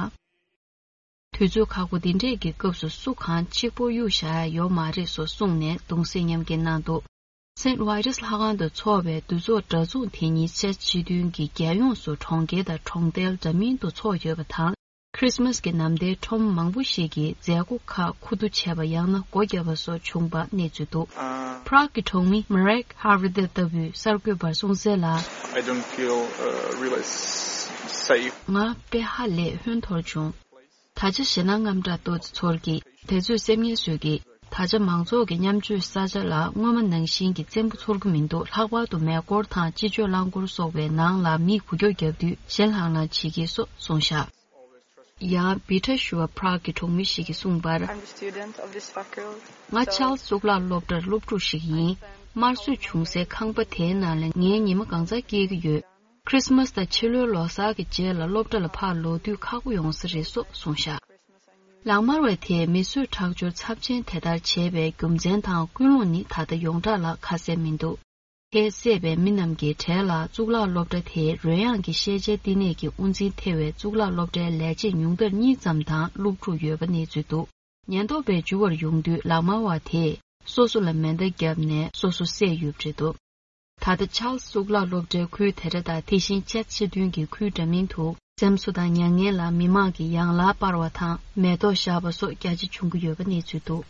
དུས་ཚོད་ཁག་པོ་འདི་འདྲས་ཀྱི་སྐབས་སུ་སུ་གང་གཅིག་པོ་གཡུག་བཞག་ཡ་ཡོད་མ་རེད་སོགས་གསུངས་ནས་གདུང་སེམས་མཉམ་སྐྱེད་གནང་འདུག་སེན་ཝི་རི་སི་ལྷ་ཁང་དུ་འཚོགས་པའི་འདུ་ཚོགས་འདྲ་མཚུངས་དེ་ཉིད་ཕྱི་ཕྱི་དོན་གྱི་རྒྱལ་ཡོངས་སུ་གྲོང་ཁྱེར་དང་གྲོང་རྡལ་འདྲ་མིན་དུ་འཚོགས་ཡོད་པ་དང་། ཁྲིས་མས་ཀྱི་ནམ་ཟླའི་ཁྲོམ་མང་པོ་ཞིག་གིས་མཛད་སྒོ་ཁག་ཁུ་བསྡུ་བྱས་པ་ཡང་ན་སྒོ་བརྒྱབ་པ་སོགས་བྱུང་པ་གནས་ཚུལ་འདུག་ཨ། པྲག་གི་གྲོང་མི་མ་རེག་ཧ་རི་དེ་ལྟ་བུས་གསར་འགོད་པར་གསུངས་གསལ་ལ། I don't feel, uh, really s- safe. ང་དཔེ་ཧ་ལས་ཧོན་ཐོར་བྱུང་། ད་ཆ་ཞེད་སྣང་དངངས་སྐྲག་ཏོག་ཙམ་ཚོར་གི། དེ་ཚོས་སེམས་ངལ་གསོས་གི། ད་ཆ་མང་ཚོགས་ཀྱི་མཉམ་སྤྱོད་ས་ཆ་ལ་སྔོན་མ་ནང་བཞིན་གྱི་བཙན་པོ་ཚོར་གི་མི་འདུག་ལྷག་པར་དུ་མེ་འཁོར་དང་སྤྱི་སྤྱོད་རླངས་འཁོར་སོགས་པའི་ནང་ལ་མིས་འགུལ་སྐྱོད་བརྒྱབ་དུས་ཞེད་ལྷང་ལྷང་བྱེད་ཀྱི་སོགས་གསུངས་བཞག་ཡང་བི་ཁྲ་ཞུ་བ་པྲག་གི་གྲོང་མི་ཞིག་གིས་གསུངས་པར། I'm a student of this faculty. ང་ཆཱལ་སི་གཙུག་ལག་སློབ་གྲྭར་སློབ་ཕྲུག་ཞིག་ཡིན། དམར་གསོད་བྱུང་སའི་ཁང་པ་དེའི་ནང་ལ་ངས་ཉི་མ་གང་ཚང་སྐྱེལ་གྱི་ཡོད། ཁྲིས་མས་དང་ཕྱི་ལོའི་ལོ་གསར་གྱི་རྗེས་ལ་སློབ་གྲྭ་ལ་ཕར་ལོག་དུས་ཁག་པོ་ཡོང་ས་རེད་སོགས་གསུངས་བཞག་ལག་དམར་བ་དེས་མི་གསོད་ཁྲག་སྦྱོར་ཚབས་ཆེན་དེ་ལྟར་བྱས་པའི་རྒྱུ་མཚན་དང་ཀུན་སློང་ནི་ད་ལྟ་ཡོངས་གྲགས་ལ་ཁ་གསལ་མི་འདུག་དེས་བསད་པའི་མི་རྣམས་ཀྱི་གྲས་ལ་གཙུག་ལག་སློབ་གྲྭ་དེའི་རོལ་དབྱངས་ཀྱི་ཤེས་བྱའི་བསྟི་གནས་ཀྱི་དབུ་འཛིན་ཐེ་བའི་གཙུག་ལག་སློབ་གྲྭའི་ལས་བྱེད་ཉུང་མཐར་གཉིས་ཙམ་དང་སློབ་ཕྲུག་ཡོད་པ་གནས་ཚུལ་འདུག་ཉེན་རྟོག་པས་འཇུ་བར་ཡོང་དུས་ལག་དམར་བ་དེས་སོ་སོ་ལ་མེ་མདའ་བརྒྱབ་ནས་སོ་སོ་བསད་ཡོད་པ་རེད་འདུག་ད་ལྟ་ཆཱལ་སི་གཙུག་ལག་སློབ་གྲྭའི་ཁུལ་དེ་འདྲ་དང་དེ་བཞིན་ཆེས་ཕྱི་དོན་གྱི་ཁུལ་འདྲ་མིན་དུ་འཛེམ་བཟོ་དང་མྱ་ངན་ལ་མི་མང་གིས་ཡང་ལག་སྤར་བ་དང་མེ་ཏོག་བཞག་པ་སོགས་རྒྱ་ཆེ་བྱུང་གི་ཡོད་པ་གནས་ཚུལ་འདུག་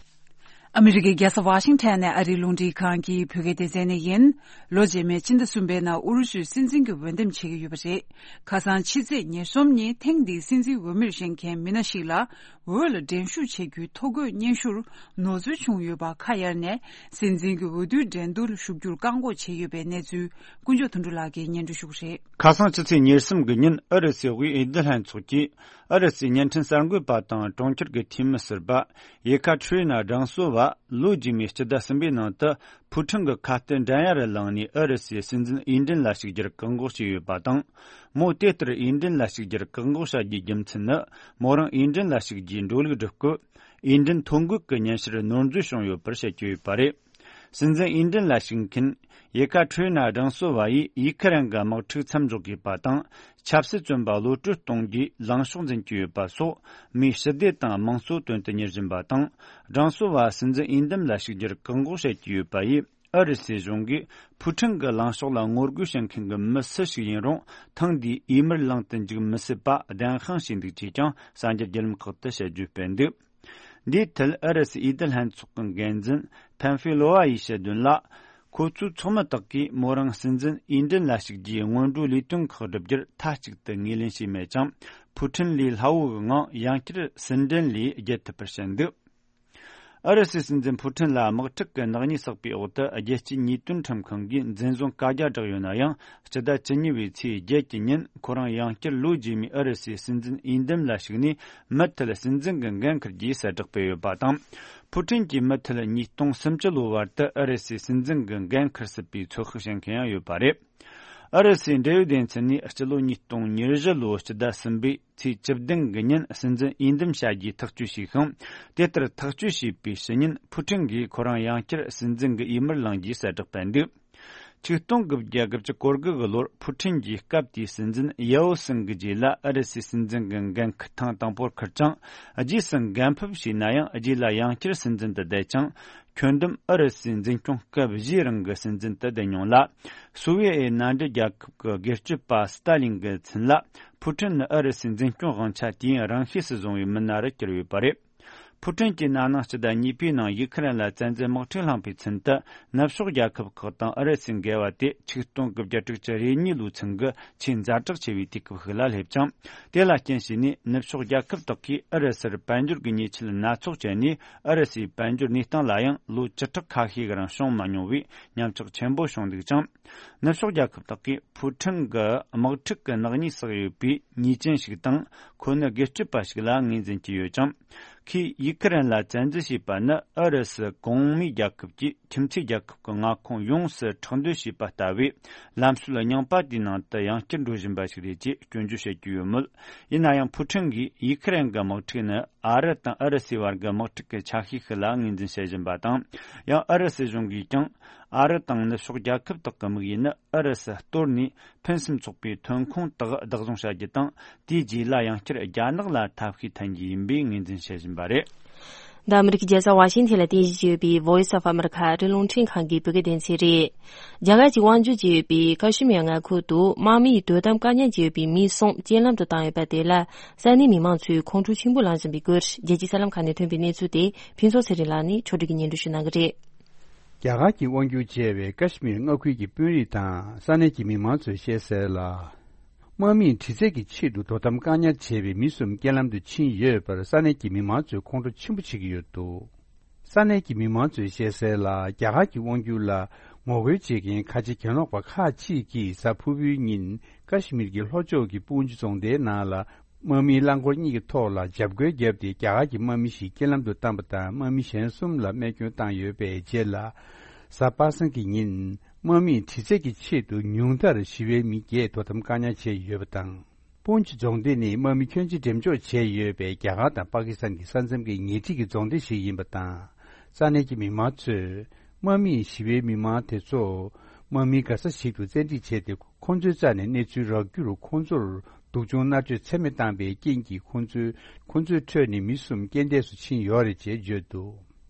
ཨ་མི་རི་ཀའི་རྒྱལ་ས་ཝ་ཤིང་ཊོན་ནས་ཨ་རིའི་རླུང་འཕྲིན་ཁང་གི་བོད་སྐད་སྡེ་ཚན་ནས་ཡིན། ལོ་རྗེས་མའི་ཕྱི་ཟླ་གསུམ་པའི་ནང་ཨུ་རུ་སུའི་སྲིད་འཛིན་གྱི་འོས་འདེམས་བྱེད་ཀྱི་ཡོད་པ་རེད། ཁ་སང་ཕྱི་ཚེས་ཉེར་གསུམ་ཉིན་ཐེངས་འདིའི་སྲིད་འཛིན་འོས་མིར་བཞེངས་མཁན་མི་སྣ་ཞིག་ལ། འོས་ལ་འགྲན་ཞུགས་བྱེད་རྒྱུའི་ཐོ་འགོད་སྙན་ཞུར་ནོར་འཛོལ་བྱུང་ཡོད་པ་ཁ་གཡར་ནས། སྲིད་འཛིན་གྱི་འོས་བསྡུའི་འགྲན་བསྡུར་ཞུགས་རྒྱུར་བཀག་འགོག་བྱས་ཡོད་པའི་གནས་ཚུལ་དཀོན་མཆོག་དོན་གྲུབ་ལགས་ཀྱིས་སྙན་སྒྲོན་ཞུ་གི་རེད། ཁ་སང་ཕྱི་ཚེས་ཉེར་གསུམ་གྱི་ཉིན་ཨུ་རུ་སུའི་དབུས་འོས་བསྡུ་ལྷན་ཚོགས་ཀྱིས་ཨུ་རུ་སུའི་བརྙན་འཕྲིན་གསར་འགོད་པ་དང་གྲོང་ཁྱེར་གྱི་འཐུས་མི་ཟུར་པ་ཡེ་ཁ་ཁྲི་ན་ཌང་སོ་བ་ལོ་རྗེས་མའི་སྤྱི་ཟླ་གསུམ་པའི་ནང་དུ། ཕུའུ་ཁྲིན་གྱི་ཁ་གཏད་འགྲན་ཡ་རུ་ལངས་ནས་ཨུ་རུ་སུའི་སྲིད་འཛིན་འོས་འགྲན་ལ་ཞུགས་རྒྱུར་བཀག་འགོག་བྱས་ཡོད་པ་དང་། མོ་དེ་ལྟར་འོས་འགྲན་ལ་ཞུགས་རྒྱུར་བཀག་འགོག་བྱ་རྒྱུའི་རྒྱུ་མཚན་ནི། མོ་རང་འོས་འགྲན་ལ་ཞུགས་རྒྱུའི་འགྲོ་ལུགས་སྒྲུབ་སྐབས། འོས་འགྲན་ཐོ་འགོད་ཀྱི་སྙན་ཞུར་ནོར་འཛོལ་བྱུང་ཡོད་པར་བཤད་ཀྱི་ཡོད་པ་རེད། སྲིད་འཛིན་འོས་འགྲན་ལ་ཞུགས་མཁན་ཡེ་ཁ་ཁྲི་ན་ཌང་སོ་བ་ཡིས་ཡུ་ཁི་རན་གྱི་དམག་འཁྲུག་མཚམས་འཇོག་དགོས་པ་དང་། ཆབ་སྲིད་བཙོན་པ་གློད་བཀྲོལ་གཏོང་རྒྱུའི་ལངས་ཕྱོགས་འཛིན་གྱི་ཡོད་པ་སོགས། མིའི་ཞི་བདེ་དང་དམངས་གཙོ་དོན་དུ་གཉེར་བཞིན་པ་དང་། ཀྲང་སོ་བ་སྲིད་འཛིན་འོས་འདེམས་ལ་ཞུགས་རྒྱུར་བཀག་འགོག་བྱེད་ཀྱི་ཡོད་པ་ཡིས། ཨུ་རུ་སུའི་གཞུང་གིས་ཕུའུ་ཁྲིན་གྱི་ལངས་ཕྱོགས་ལ་ངོ་རྒོལ་བྱེད་མཁན་གྱི་མི་སུ་ཞིག་ཡིན་རུང་། ཐེངས་འདིའི་འོས་མིར་ལངས་དུ་འཇུག་མི་སྲིད་པ་གདན་དཔང་བྱས་འདུག་ཅེས་ཀྱང་གསར་འགྱུར་བརྒྱུད་ལམ་ཁག་ཏུ་དཔྱད་བརྗོད་སྤེལ་འདུག་འདིའི་ཐད་ཨུ་རུ་སུའི་འོས་བསྡུ་ལྷན་ཚོགས་ཀྱི་འགན་འཛིན་ཕན་ཧྥེ་ལོ་ཝ་ཡིས་བཤད་དོན་ལ། ཁོ་ཚོའི་ཚོགས་མི་དག་གིས་མོ་རང་སྲིད་འཛིན་འོས་འགྲན་ལ་ཞུགས་རྒྱུའི་སྔོན་འགྲོའི་ལས་དོན་ཁག་བསྒྲུབ་རྒྱུར་མཐའ་གཅིག་ཏུ་ངོས་ལེན་བྱས་མེད་ཀྱང་། ཕུའུ་ཁྲིན་ལས་སླ་བོ་གི་ངང་ཡང་བསྐྱར་སྲིད་འགྲན་ལས་བརྒལ་ཐུབ་པར་བཤད་འདུག་ཨུ་རུ་སུའི་སྲིད་འཛིན་ཕུའུ་ཁྲིན་ལ་དམག་འཁྲུག་གི་ནག་ཉེས་བསགས་པའི་འོག་ཏུ། རྒྱལ་སྤྱིའི་ཉེས་དོན་ཁྲིམས་ཁང་གིས་འཛིན་བཟུང་བཀའ་རྒྱ་བསྒྲགས་ཡོད་ན་ཡང་། སྤྱི་ཟླ་བཅུ་གཉིས་པའི་ཚེས་བརྒྱད་ཀྱི་ཉིན་ཁོ་རང་ཡང་བསྐྱར་ལོ་རྗེས་མའི་ཨུ་རུ་སུའི་སྲིད་འཛིན་འོས་འདེམས་ལ་ཞུགས་ནས། མུ་མཐུད་སྲིད་འཛིན་གྱི་འགན་འཁུར་རྒྱུའི་གསལ་བསྒྲགས་སྤེལ་ཡོད་པ་དང་། ཕུའུ་ཁྲིན་གྱིས་མུ་མཐུད་ཉིས་སྟོང་སུམ་ཅུ་ལོའི་བར་དུ་ཨུ་རུ་སུའི་སྲིད་འཛིན་གྱི་འགན་འཁུར་སྲིད་པའི་ཚོད་དཔག་བྱེད་མཁན་ཡང་ཡོད་པ་རེད། ཨུ་རུ་སུའི་འབྲེལ་ཡོད་སྡེ་ཚན་ནས་སྤྱི་ལོ་ཉིས་སྟོང་ཉེར་བཞི་ལོའི་སྤྱི་ཟླ་གསུམ་པའི་ཚེས་བཅུ་བདུན་གྱི་ཉིན་སྲིད་འཛིན་འོས་འདེམས་བྱ་རྒྱུའི་ཐག་གཅོད་བྱས་ཤིང་། དེ་ལྟར་ཐག་གཅོད་བྱས་པའི་ཕྱི་ཉིན་ཕུའུ་ཁྲིན་གྱིས་ཁོ་རང་ཡང་བསྐྱར་སྲིད་འཛིན་གྱི་འོས་མིར་ལངས་རྒྱུའི་གསལ་བསྒྲགས་སྤེལ་འདུག་ཆིག་སྟོང་དགུ་བརྒྱ་དགུ་བཅུ་གོ་དགུ་གི་ལོར་ཕུའུ་ཁྲིན་གྱིས་སྐབས་དེའི་སྲིད་འཛིན་ཡའོ་སིན་གྱི་རྗེས་ལ་ཨུ་རུ་སུའི་སྲིད་འཛིན་གྱི་འགན་འཁུར་ཐེངས་དང་པོར་འཁུར་ཅིང་། རྗེས་སུ་འགན་ཕབ་བྱས་ན་ཡང་རྗེས་ལ་ཡང་བསྐྱར་སྲིད་འཛིན་དུ་བསྡད་ཅིང་། ཁྱོན་བསྡོམས་ཨུ་རུ་སུའི་འཛིན་སྐྱོང་སྐབས་བཞིའི་རིང་གི་སྲིད་འཛིན་དུ་བསྡད་མྱོང་ལ། སོ་བི་ཡེ་ཨེ་མནའ་འབྲེལ་རྒྱལ་ཁབ་ཀྱི་སྒེར་གཅོད་པ་སི་ཏཱ་ལིན་གྱི་མཚན་ལ། ཕུའུ་ཁྲིན་ནི་ཨུ་རུ་སུའི་འཛིན་སྐྱོང་དབང་ཆ་དུས་ཡུན་རིང་ཤོས་སུ་བཟུང་བའི་མི་སྣ་རུ་གྱུར་ཡོད་པ་རེད། ཕུའུ་ཁྲིན་གྱིས་ན་ནིང་སྤྱི་ཟླ་གཉིས་པའི་ནང་ཡུ་ཁི་རན་ལ་བཙན་འཛུལ་དམག་འཁྲུག་བསླངས་པའི་ཚུན་དུ། ནུབ་ཕྱོགས་རྒྱལ་ཁབ་ཁག་དང་ཨུ་རུ་སུའི་འགལ་བ་དེ་ཆིག་སྟོང་དགུ་བརྒྱ་དྲུག་ཅུ་རེ་གཉིས་ལོའི་ཚུན་གྱི་ཆེས་ཛ་དྲག་ཆེ་བའི་དུས་སྐབས་ཤིག་ལ་སླེབས་ཅིང་། དེ་ལ་རྐྱེན་བྱས་ནས་ནུབ་ཕྱོགས་རྒྱལ་ཁབ་དག་གིས་ཨུ་རུ་སུར་དཔལ་འབྱོར་གྱི་ཉེས་ཆད་སྣ་ཚོགས་བཅད་ནས། ཨུ་རུ་སུའི་དཔལ་འབྱོར་གནས་སྟངས་ལ་ཡང་ལོ་བཅུ་ཕྲག་ཁ་ཤས་ཀྱི་རིང་སྐྱོན་མ་མྱོང་བའི་ཉམས་ཆག་ཆེན་པོ་བྱུང་འདུག་ཅིང་། ནུབ་ཕྱོགས་རྒྱལ་ཁབ་དག་གིས་ཕུའུ་ཁྲིན་གྱི་དམག་འཁྲུག་གི་ནག་ཉེས་བསགས་ཡོད་པའི་ཉེས་ཅན་ཞིག་དང་། ཁོ་ནི་སྒེར་གཅོད་པ་ཞིག་ལ་ངོས་འཛིན་གྱི་ཡོད་ཅིང་། ཁོས་ཡུ་ཁི་རན་ལ་བཙན་འཛུལ་བྱས་པ་ནི་ཨུ་རུ་སུ་གོང་མའི་རྒྱལ་ཁབ་ཀྱིས་ཁྱིམ་མཚེས་རྒྱལ་ཁབ་ཀྱི་མངའ་ཁོངས་ཡོངས་སུ་དྲག་འདོད་བྱས་པ་ལྟ་བུའི་ལམ་སྲོལ་རྙིང་པ་དེའི་ནང་དུ་ཡང་བསྐྱར་འགྲོ་བཞིན་པ་ཞིག་རེད་ཅེས་སྐྱོན་བརྗོད་བྱེད་ཀྱི་ཡོད་མོད། ཡིན་ན་ཡང་ཕུའུ་ཁྲིན་གྱིས་ཡུ་ཁི་རན་གྱི་དམག་འཁྲུག་ནི་ ཨ་རི་དང་ཨུ་རུ་སུའི་བར་གྱི་དམག་འཁྲུག་གི་ཆ་ཤས་ཤིག་ལ་ངོས་འཛིན་བྱེད་བཞིན་པ་དང་། ཡང་ཨུ་རུ་སུ་གཞུང་གིས་ཀྱང་ཨ་རི་དང་ནུབ་ཕྱོགས་རྒྱལ་ཁབ་དག་གི་དམིགས་ཡུལ་ནི་ཨུ་རུ་སུ་གཏོར་ནས་ཕུན་སུམ་ཚོགས་པའི་ཐོན་ཁུངས་དག་བདག་བཟུང་བྱ་རྒྱུ་དང་། དེའི་རྗེས་ལ་ཡང་བསྐྱར་རྒྱ་ནག་ལ་ཐབས་ཤེས་འཐེན་རྒྱུ་ཡིན་པའི་ངོས་འཛིན་བྱེད་བཞིན་པ་རེད། འདི་ཨ་མི་རི་ཀའི་རྒྱལ་ས་ཝ་ཤིང་ཐན་ལ་རྟེན་གཞི་བྱས་ཡོད་པའི་Voice of America ཨ་རིའི་རླུང་འཕྲིན་ཁང་གི་བོད་སྐད་སྡེ་ཚན་རེད། རྒྱ་གར་གྱི་དབང་སྒྱུར་བྱས་ཡོད་པའི་ཀ་ཤི་མིར་མངའ་ཁུལ་དུ་དམག་མིའི་དོ་དམ་བཀག་ཉར་བྱས་ཡོད་པའི་མི་གསུམ་རྐྱེན་ལམ་དུ་བཏང་ཡོད་པ་དེ་ལ་ས་གནས་མི་མང་ཚོས་ཁོང་ཁྲོ་ཆེན་པོ་ལངས་བཞིན་པའི་སྐོར། རྒྱལ་སྤྱིའི་གསར་ལམ་ཁག་ནས་ཐོན་པའི་གནས་ཚུལ་དེ་ཕུན་ཚོགས་ཚེ་རིང་ལགས་ནས་ཕྱོགས་སྒྲིག་གིས་སྙན་སྒྲོན་ཞུ་གནང་གི་རེད། རྒྱ་གར་གྱིས་དབང་སྒྱུར་བྱས་པའི་ཀ་ཤི་མིར་མངའ་ཁུལ་གྱི་དཔོན་རིགས་དང་ས་གནས་ཀྱི་མི་མང་ཚོས་བཤད་གསལ་ལ། དམག་མིས་དྲི་རྩད་ཀྱི་ཆེད་དུ་དོ་དམ་བཀག་ཉར་བྱས་པའི་མི་གསུམ་རྐྱེན་ལམ་དུ་ཕྱིན་ཡོད་པར་ས་གནས་ཀྱི་མི་མང་ཚོས་ཁོང་ཁྲོ་ཆེན་པོ་བྱེད་ཀྱི་ཡོད་འདུག་ས་གནས་ཀྱི་མི་མང་ཚོས་བཤད་གསལ་ལ། རྒྱ་གར་གྱི་དབང་སྒྱུར་ལ་ངོ་རྒོལ་བྱེད་མཁན་ཁ་ཆེ་གྱེན་ལོག་པ་ཁག་ཅིག་གིས་གཟའ་ཕུར་བུའི་ཉིན་ཀ་ཤི་མིར་གྱི་ལྷོ་ཕྱོགས་ཀྱི་པུན་ཇི་རྫོང་སྡེའི་ནང་ལ་དམག་མིའི་རླངས་འཁོར་གཉིས་ཀྱི་ཐོག་ལ་འཇབ་རྒོལ་བརྒྱབ་སྟེ། རྒྱ་གར་གྱི་དམག་མི་ཞིག་རྐྱེན་ལམ་དུ་བཏང་བ་དང་། དམག་མི་གཞན་གསུམ་ལ་རྨས་སྐྱོན་བཏང་ཡོད་པའི་རྗེས་ལ། གཟའ་པ་སངས་ཀྱི་ཉིན་དམག་མིས་དྲི་རྩད་ཀྱི་ཆེད་དུ་ཉུང་མཐར་ཞི་བའི་མི་བརྒྱད་དོ་དམ་བཀག་ཉར་བྱས་ཡོད་པ་དང་། པུན་ཇི་རྫོང་སྡེ་ནི་དམག་མི་ཁྱོན་ཆེ་འགྲེམས་འཇོག་བྱས་ཡོད་པའི་རྒྱ་གར་དང་པ་ཀི་སི་ཐན་གྱི་ས་མཚམས་ཀྱི་ཉེ་འཁྲིས་ཀྱི་རྫོང་སྡེ་ཞིག་ཡིན་པ་དང་། ས་གནས་ཀྱི་མི་མང་ཚོས་དམག་མིས་ཞི་བའི་མི་མང་དེ་ཚོ་དམག་མིའི་ག་ས་ཞིག་ཏུ་བཙན་ཁྲིད་བྱས་ཏེ། ཁོ་ཚོའི་རྩ་ནས་གནས་ཚུལ་རག་རྒྱུར་ཁོ་ཚོར་སྡུག་སྦྱོང་མནར་གཅོད་ཚད་མེད་བཏང་པའི་རྐྱེན་གྱིས། ཁོ་ཚོའི་ཁོ་ཚོའི་ཁྲོད་ནས་མི་གསུམ་རྐྱེན་འདས་སུ་ཕྱིན་ཡོད་རེད་ཅེས་བརྗོད་འདུག་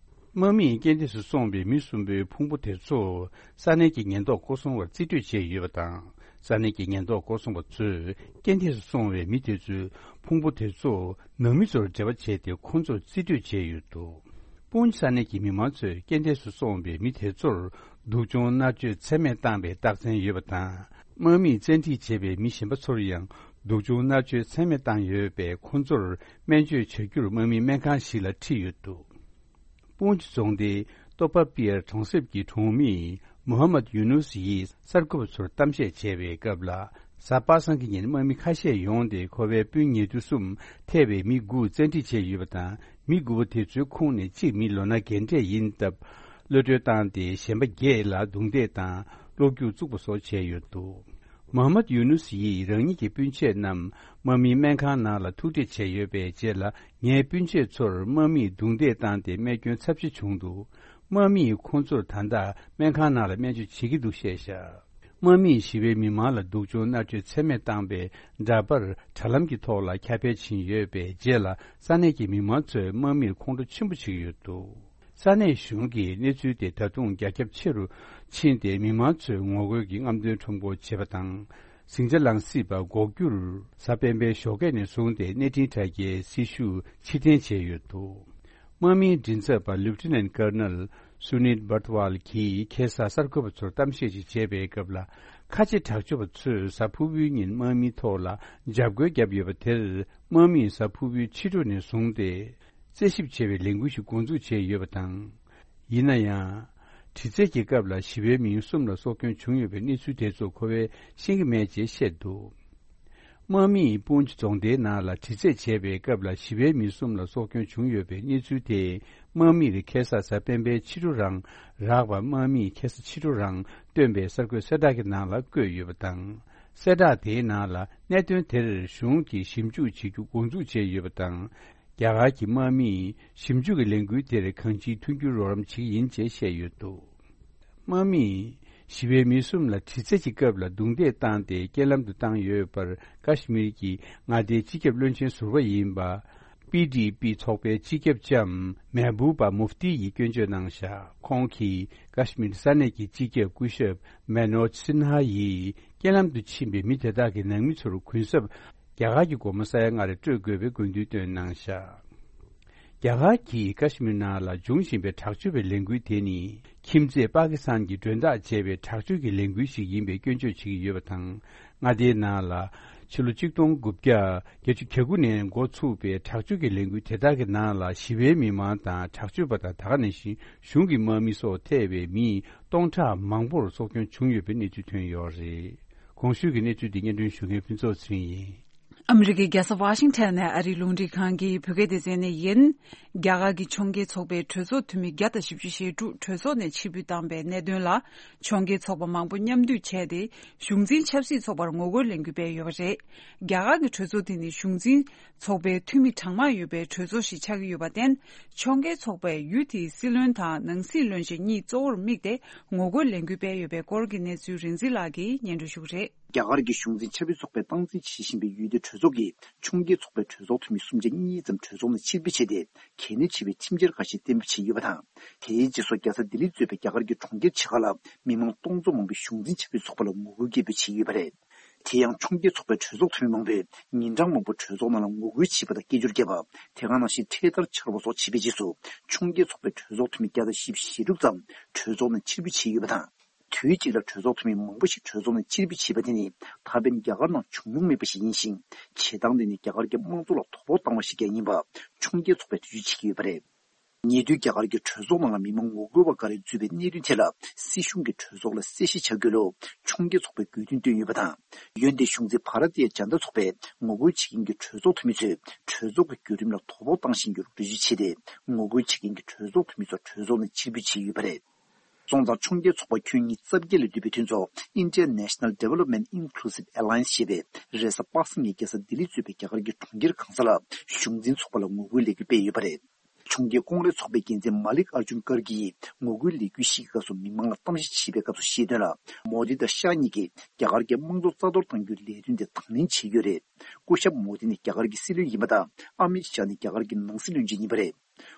དམག་མིས་རྐྱེན་འདས་སུ་སོང་བའི་མི་གསུམ་པོའི་ཕུང་པོ་དེ་ཚོ་ས་གནས་ཀྱི་ཉེན་རྟོག་སྐོར་སྲུང་བར་རྩིས་སྤྲོད་བྱས་ཡོད་པ་དང་། ས་གནས་ཀྱི་ཉེན་རྟོག་སྐོར་སྲུང་བ་ཚོས་རྐྱེན་འདས་སུ་སོང་བའི་མི་དེ་ཚོའི་ཕུང་པོ་དེ་ཚོ་ནང་མི་ཚོར་འབྲེལ་བ་བྱས་ཏེ། ཁོ་ཚོར་རྩིས་སྤྲོད་བྱས་ཡོད་འདུག་པུན་ཇི་ས་གནས་ཀྱི་མི་མང་ཚོས་རྐྱེན་འདས་སུ་སོང་བའི་མི་དེ་ཚོར་སྡུག་སྦྱོང་མནར་གཅོད་ཚད་མེད་བཏང་བའི་རྟགས་མཚན་ཡོད་པ་དང་། དམག་མིས་བཙན་ཁྲིད་བྱས་པའི་མི་གཞན་པ་ཚོར་ཡང་སྡུག་སྦྱོང་མནར་གཅོད་ཚད་མེད་བཏང་ཡོད་པས། ཁོ་ཚོར་སྨན་བཅོས་བྱ་རྒྱུར་དམག་མིའི་སྨན་ཁང་ཞིག་ལ་ཁྲིད་ཡོད་འདུག་པུན་ཇི་རྫོང་སྡེའི་ཏོ་པ་པི་ཡར་གྲོང་གསེབ་ཀྱི་གྲོང་མི་མོ་ཧ་མད་ཡུ་ནུས་ཡིས་གསར་འགོད་པ་ཚོར་གཏམ་བཤད་བྱས་པའི་སྐབས་ལ། གཟའ་པ་སངས་ཀྱི་ཉིན་དམག་མི་ཁ་ཤས་ཡོང་སྟེ། ཁོ་པའི་སྤུན་ཉེ་དུ་གསུམ་ཐེ་བའི་མི་དགུ་བཙན་ཁྲིད་བྱས་ཡོད་པ་དང་། མི་དགུ་པོ་དེ་ཚོའི་ཁོངས་ནས་གཅིག་མི་ལོ་ན་རྒན་གྲས་ཡིན་སྟབས། གློད་གྲོལ་བཏང་སྟེ། གཞན་པ་བརྒྱད་ལ་རྡུང་རྡེག་དང་གློ་རྒྱུག་བཙུགས་པ་སོགས་བྱས་ཡོད་འདུག་མོ་ཧ་མད་ཡུ་ནུས་ཡིས་རང་ཉིད་ཀྱི་སྤུན་མཆེད་རྣམས་དམག་མིའི་སྨན་ཁང་ནང་ལ་ཐུག་འཕྲད་བྱས་ཡོད་པའི་རྗེས་ལ། ངའི་སྤུན་མཆེད་ཚོར་དམག་མིས་རྡུང་རྡེག་བཏང་སྟེ། རྨས་སྐྱོན་ཚབས་ཆེ་བྱུང་འདུག་དམག་མིས་ཁོང་ཚོར་ད་ལྟ་སྨན་ཁང་ནང་ལ་སྨན་བཅོས་བྱེད་ཀྱི་འདུག་བཤད་བཞག་དམག་མིས་ཞི་བའི་མི་མང་ལ་སྡུག་སྦྱོང་མནར་གཅོད་ཚད་མེད་བཏང་པའི་འདྲ་པར་དྲ་ལམ་གྱི་ཐོག་ལ་ཁྱབ་སྤེལ་ཕྱིན་ཡོད་པའི་རྗེས་ལ། ས་གནས་ཀྱི་མི་མང་ཚོས་དམག་མིར་ཁོང་ཁྲོ་ཆེན་པོ་བྱེད་ཀྱི་ཡོད་འདུག་ས་གནས་གཞུང་གིས་གནས་ཚུལ་དེ་ད་དུང་རྒྱ་ཁྱབ་ཆེ་རུ་ཕྱིན་ཏེ། མི་མང་ཚོས་ངོ་རྒོལ་གྱི་རྔམ་སྟོན་ཁྲོམ་སྐོར་བྱེད་པ་དང་། ཟིང་ཆ་ལངས་སྲིད་པ་འགོག་རྒྱུར་གཟའ་སྤེན་པའི་ཞོགས་ཀས་ནས་བཟུང་སྟེ་གནས་འཕྲིན་དྲ་རྒྱའི་སྲི་ཞུ་ཕྱིར་འཐེན་བྱས་ཡོད་འདུག་དམག་མིའི་མགྲིན་ཚབ་པ་ལེབ་ཊི་ནན་ཊི་ཀར་ནལ་སུ་ནིད་བྷར་ཏི་ཝལ་གྱིས་ཁ་སང་གསར་འགོད་པ་ཚོར་གཏམ་བཤད་ཅིག་བྱས་པའི་སྐབས་ལ། ཁ་ཆེ་དྲག་སྤྱོད་པ་ཚོས་གཟའ་ཕུར་བུའི་ཉིན་དམག་མིའི་ཐོག་ལ་འཇབ་རྒོལ་བརྒྱབ་ཡོད་པ་དེར། དམག་མིས་གཟའ་ཕུར་བུའི་ཕྱི་དྲོ་ནས་བཟུང་སྟེ། རྩད་ཞིབ་བྱེད་པའི་ལས་འགུལ་ཞིག་འགོ་འཛུགས་བྱས་ཡོད་པ་དང་། ཡིན་ན་ཡང་། དྲི་རྩད་ཀྱི་སྐབས་ལ་ཞི་བའི་མི་གསུམ་ལ་སྲོག་སྐྱོན་བྱུང་ཡོད་པའི་གནས་ཚུལ་དེ་ཚོ་ཁོ་བས་ཤེས་ཀྱི་མེད་ཅེས་བཤད་འདུག་དམག་མིས་པུན་ཇི་རྫོང་སྡེའི་ནང་ལ་དྲི་རྩད་བྱས་པའི་སྐབས་ལ། ཞི་བའི་མི་གསུམ་ལ་སྲོག་སྐྱོན་བྱུང་ཡོད་པའི་གནས་ཚུལ་དེ། དམག་མིར་ཁ་སང་གཟའ་སྤེན་པའི་ཕྱི་དྲོ་རང་རག་པ། དམག་མིས་ཁ་སང་ཕྱི་དྲོ་རང་བཏོན་པའི་གསར་འགོད་གསལ་བསྒྲགས་ཀྱི་ནང་ལ་བཀོད་ཡོད་པ་དང་། གསལ་བསྒྲགས་དེའི་ནང་ལ། གནད་དོན་དེར་གཞུང་གིས་ཞིབ་འཇུག་བྱེད་རྒྱུ་འགོ་འཛུགས་བྱས་ཡོད་པ་དང་། རྒྱ་གར་གྱི་དམག་མིས་ཞིབ་འཇུག་གི་ལས་འགུལ་དེར་གང་ཅིའི་མཐུན་འགྱུར་རོགས་རམ་བྱེད་ཀྱི་ཡིན་ཅེས་བཤད་ཡོད་འདུག་དམག་མིས་ཞི་བའི་མི་གསུམ་ལ་དྲི་རྩད་ཀྱི་སྐབས་ལ་རྡུང་རྡེག་བཏང་སྟེ་རྐྱེན་ལམ་དུ་བཏང་ཡོད་པར། ཀ་ཤི་མིར་གྱི་མངའ་སྡེའི་སྤྱི་ཁྱབ་བློན་ཆེན་ཟུར་པ་ཡིན་པ། པི་ཌི་པི་ཚོགས་པའི་སྤྱི་ཁྱབ་ལྕམ་མེ་བུ་པ་མུབ་ཏི་ཡིས་སྐྱོན་བརྗོད་གནང་བཞག་ཁོང་གིས་ཀ་ཤི་མིར་ས་གནས་ཀྱི་སྤྱི་ཁྱབ་སྐུ་ཞབས་མེ་ནོ་ཇི་སིན་ཧ་ཡིས། རྐྱེན་ལམ་དུ་ཕྱིན་པའི་མི་དེ་དག་གི་ནང་མི་ཚོར་གུན་གསབ་རྒྱ་གར་གྱི་སྒོར་མོ་ས་ཡ་ལྔ་རེ་སྤྲོད་དགོས་པའི་དགོས་འདུན་བཏོན་གནང་བཞག་རྒྱ་གར་གྱིས་ཀ་ཤི་མིར་ནང་ལ་འབྱུང་བཞིན་པའི་དྲག་སྤྱོད་པའི་ལས་འགུལ་དེ་ནི། ཁྱིམ་མཚེས་པ་ཀི་སི་ཐན་གྱིས་མགྲོན་བདག་བྱས་པའི་དྲག་སྤྱོད་ཀྱི་ལས་འགུལ་ཞིག་ཡིན་པའི་སྐྱོན་བརྗོད་བྱེད་ཀྱི་ཡོད་པ་དང་། མངའ་སྡེའི་ནང་ལ་ཕྱི་ལོ་ཆིག་སྟོང་དགུ་བརྒྱ་བརྒྱད་ཅུ་གྱ་དགུ་ནས་འགོ་ཚུགས་པའི་དྲག་སྤྱོད་ཀྱི་ལས་འགུལ་དེ་དག་གི་ནང་ལ་ཞི་བའི་མི་མང་དང་། དྲག་སྤྱོད་པ་དང་། ད་ག་ནང་བཞིན་གཞུང་གི་དམག་མི་སོགས་ཐེ་བའི་མི་སྟོང་ཕྲག་མང་པོར་སྲོག་སྐྱོན་བྱུང་ཡོད་པའི་གནས་ཚུལ་ཐོན་ཡོད་རེད། གོང་ཞུས་ཀྱི་གནས་ཚུལ་འདི་སྙན་སྒྲོན་ཞུ་མཁན་ཕུན་ཚོགས་ཚེ་རིང་ཡིན། ཨ་མི་རི་ཀའི་རྒྱལ་ས་ཝ་ཤིང་ཊོན་ནས་ཨ་རིའི་རླུང་འཕྲིན་ཁང་གི་བོད་སྐད་སྡེ་ཚན་ནས་ཡིན། རྒྱ་གར་གྱི་ཕྱོགས་འགལ་ཚོགས་པའི་གྲོས་ཚོགས་འཐུས་མི་བརྒྱ་དང་བཞི་བཅུ་ཞེ་དྲུག་གྲོས་ཚོགས་ནས་ཕྱིར་འབུད་བཏང་པའི་གནད་དོན་ལ། ཕྱོགས་འགལ་ཚོགས་པ་མང་པོ་མཉམ་འདུས་བྱས་ཏེ། གཞུང་འཛིན་ཆབ་སྲིད་ཚོགས་པར་ངོ་རྒོལ་ལས་འགུལ་སྤེལ་ཡོད་པ་རེད། རྒྱ་གར་གྱི་གྲོས་ཚོགས་དེ་ནི་གཞུང་འཛིན་ཚོགས་པའི་འཐུས་མི་གྲངས་མང་ཡོད་པའི་གྲོས་ཚོགས་ཤིག་ཆགས་ཀྱི་ཡོད་པར་བརྟེན། ཕྱོགས་འགལ་ཚོགས་པས་ཡུལ་དེའི་སྲིད་བློན་དང་ནང་སྲིད་བློན་ཆེན་གཉིས་གཙོ་བོར་དམིགས་ཏེ་ངོ་རྒོལ་ལས་འགུལ་སྤེལ་ཡོད་པའི་སྐོར་གྱི་གནས་ཚུལ་རིག་འཛིན་ལགས་ཀྱིས་སྙན་སྒྲོན་ཞུ་གི་རེད། རྒྱ་གར་གྱི་གཞུང་འཛིན་ཆབ་སྲིད་ཚོགས་པས་སྟངས་འཛིན་བྱེད་བཞིན་པའི་ཡུལ་དེའི་གྲོས་ཚོགས་ཀྱིས་ཕྱོགས་འགལ་ཚོགས་པའི་གྲོས་ཚོགས་འཐུས་མི་སུམ་ཆ་གཉིས་ཙམ་གྲོས་ཚོགས་ནས་ཕྱིར་འབུད་བྱས་ཏེ། གལ་གནད་ཆེ་བའི་ཁྲིམས་འཆར་ཁ་ཤས་གཏན་འབེབས་བྱས་ཡོད་པ་དང་། དེའི་རྗེས་སུ་རྒྱལ་ས་ལྡི་ལིར་གཙོས་པའི་རྒྱ་གར་གྱི་གྲོང་ཁྱེར་ཆེ་ཁག་ལ་མི་མང་སྟོང་ཚོ་མང་པོས་གཞུང་འཛིན་ཆབ་སྲིད་ཚོགས་པ་ལ་ངོ་རྒོལ་སྐད་འབོད་བྱས་ཡོད་པ་རེད། དེ་ཡང་ཕྱོགས་འགལ་ཚོགས་པའི་གྲོས་ཚོགས་འཐུས་མི་མང་པོས་ཉིན་གྲངས་མང་པོ་གྲོས་ཚོགས་ནང་ལ་ངོ་རྒོལ་བྱས་པ་དང་སྐད་ཅོར་བརྒྱབ་པ། དེ་ག་ནང་བཞིན་འཕྲེད་དར་འཕྱར་བ་སོགས་བྱས་པའི་རྗེས་སུ། ཕྱོགས་འགལ་ཚོགས་པའི་གྲོས་ཚོགས་འཐུས་མི་བརྒྱ་དང་བཞི་བཅུ་ཞེ་དྲུག་ཙམ་གྲོས་ཚོགས་ནས་ཕྱིར་འབུད་བྱས་ཡོད་པ་དང་། དུས་གཅིག་ལ་གྲོས་ཚོགས་འཐུས་མི་མང་པོ་ཞིག་གྲོས་ཚོགས་ནས་ཕྱིར་འབུད་བྱས་པ་དེ་ནི་ད་ཕན་རྒྱ་གར་ནང་བྱུང་མྱོང་མེད་པ་ཞིག་ཡིན་ཞིང་། བྱེད་སྟངས་དེ་ནི་རྒྱ་གར་གྱི་དམངས་གཙོ་ལ་དོ་ཕོག་བཏང་བ་ཞིག་ཀྱང་ཡིན་པ་ཕྱོགས་འགལ་ཚོགས་པས་འགྲེལ་བརྗོད་བྱེད་ཀྱི་ཡོད་པ་རེད། ཉེ་དུས་རྒྱ་གར་གྱི་གྲོས་ཚོགས་ནང་ལ་མི་མང་ངོ་རྒོལ་བ་འགའ་རེ་འཛུལ་བའི་གནད་དོན་ཐད་ལ་སྲིད་གཞུང་གིས་གྲོས་ཚོགས་ལ་གསལ་བཤད་བྱ་དགོས་ལུགས་ཕྱོགས་འགལ་ཚོགས་པས་དགོས་འདུན་བཏོན་ཡོད་པ་དང་། འོན་ཏེ་གཞུང་འཛིན་བྷ་ར་ཏི་ཡ་ཇན་ད་ཚོགས་པས་ངོ་རྒོལ་བྱེད་མཁན་གྱི་གྲོས་ཚོགས་འཐུས་མི་ཚོས་གྲོས་ཚོགས་ཀྱི་བརྒྱུད་རིམ་ལ་དོ་ཕོག་བཏང་བཞིན་ཡོད་ལུགས་འགྲེལ་བརྗོད་བྱས་ཏེ། ངོ་རྒོལ་བྱེད་མཁན་གྱི་གྲོས་ཚོགས་འཐུས་མི་ཚོ་གྲོས་ཚོགས་ནས་ཕྱིར་འབུད་བྱས་ཡོད་པ་རེད། སོང་ཙང་ཕྱོགས་འགལ་ཚོགས་པ་ཁྱོན་ཉིས་རྩ་བརྒྱད་ལས་འདུས་པའི་མཐུན་ཚོགས་Indian National Development Inclusive Alliance ཞེས་པས་རེས་གཟའ་པ་སངས་ཉིན་རྒྱལ་ས་ལྡི་ལི་གཙོས་པའི་རྒྱ་གར་གྱི་གྲོང་ཁྱེར་གང་ས་ལ་གཞུང་འཛིན་ཚོགས་པ་ལ་ངོ་རྒོལ་ལས་འགུལ་སྤེལ་ཡོད་པ་རེད། ཕྱོགས་འགལ་ཀོང་རེས་ཚོགས་པའི་འགན་འཛིན་མ་ལིག་ཨར་ཇུན་ཀར་གྱིས་ངོ་རྒོལ་ལས་འགུལ་ཞིག་གི་སྐབས་སུ་མི་མང་ལ་གཏམ་བཤད་བྱེད་པའི་སྐབས་སུ་བཤད་དོན་ལ། མོ་དི་དང་ཤཱ་གཉིས་ཀྱིས་རྒྱ་གར་གྱི་དམངས་གཙོ་རྩ་གཏོར་གཏང་རྒྱུའི་ལས་དོན་དེ་དང་ལེན་བྱེད་ཀྱི་ཡོད་རེད། སྐུ་ཞབས་མོ་དི་ནི་རྒྱ་གར་གྱི་སྲིད་བློན་ཡིན་པ་དང་། ཨ་མིད་ཤཱ་ནི་རྒྱ་གར་གྱི་ནང་སྲིད་བློན་ཆེན་ཡིན་པ་རེད།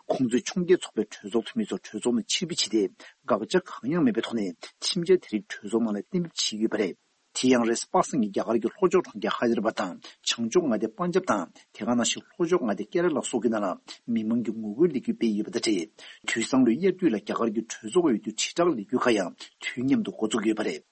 ཁོང་ཚོས་ཕྱོགས་འགལ་ཚོགས་པའི་གྲོས་ཚོགས་འཐུས་མི་ཚོ་གྲོས་ཚོགས་ནས་ཕྱིར་འབུད་བྱས་ཏེ། དགག་བྱ་གང་ཡང་མེད་པའི་ཐོག་ནས་ཁྲིམས་འཆར་དེ་རིགས་གྲོས་ཚོགས་ནང་ལ་གཏན་འབེབས་བྱས་ཡོད་པ་རེད། དེ་ཡང་རེས་གཟའ་པ་སངས་ཉིན་རྒྱ་གར་གྱི་ལྷོ་ཕྱོགས་གྲོང་ཁྱེར་ཧའི་དར་བྷ་དང་བྱང་ཕྱོགས་མངའ་སྡེ་པན་ཇབ་དང་། དེ་ག་ནང་བཞིན་ལྷོ་ཕྱོགས་མངའ་སྡེ་ཀེ་ར་ལ་སོགས་ཀྱི་ནང་ལ་མི་མང་གིས་ངོ་རྒོལ་ལས་འགུལ་སྤེལ་ཡོད་པ་དང་འབྲེལ། དུས་སང་ལོའི་དབྱར་དུས་ལ་རྒྱ་གར་གྱི་གྲོས་ཚོགས་འོས་བསྡུ་དྲིལ་བསྒྲགས་ལས་འགུལ་ཁག་ཡང་དུས་མཉམ་དུ་འགོ་འཛུགས་ཡོད་པ་རེད།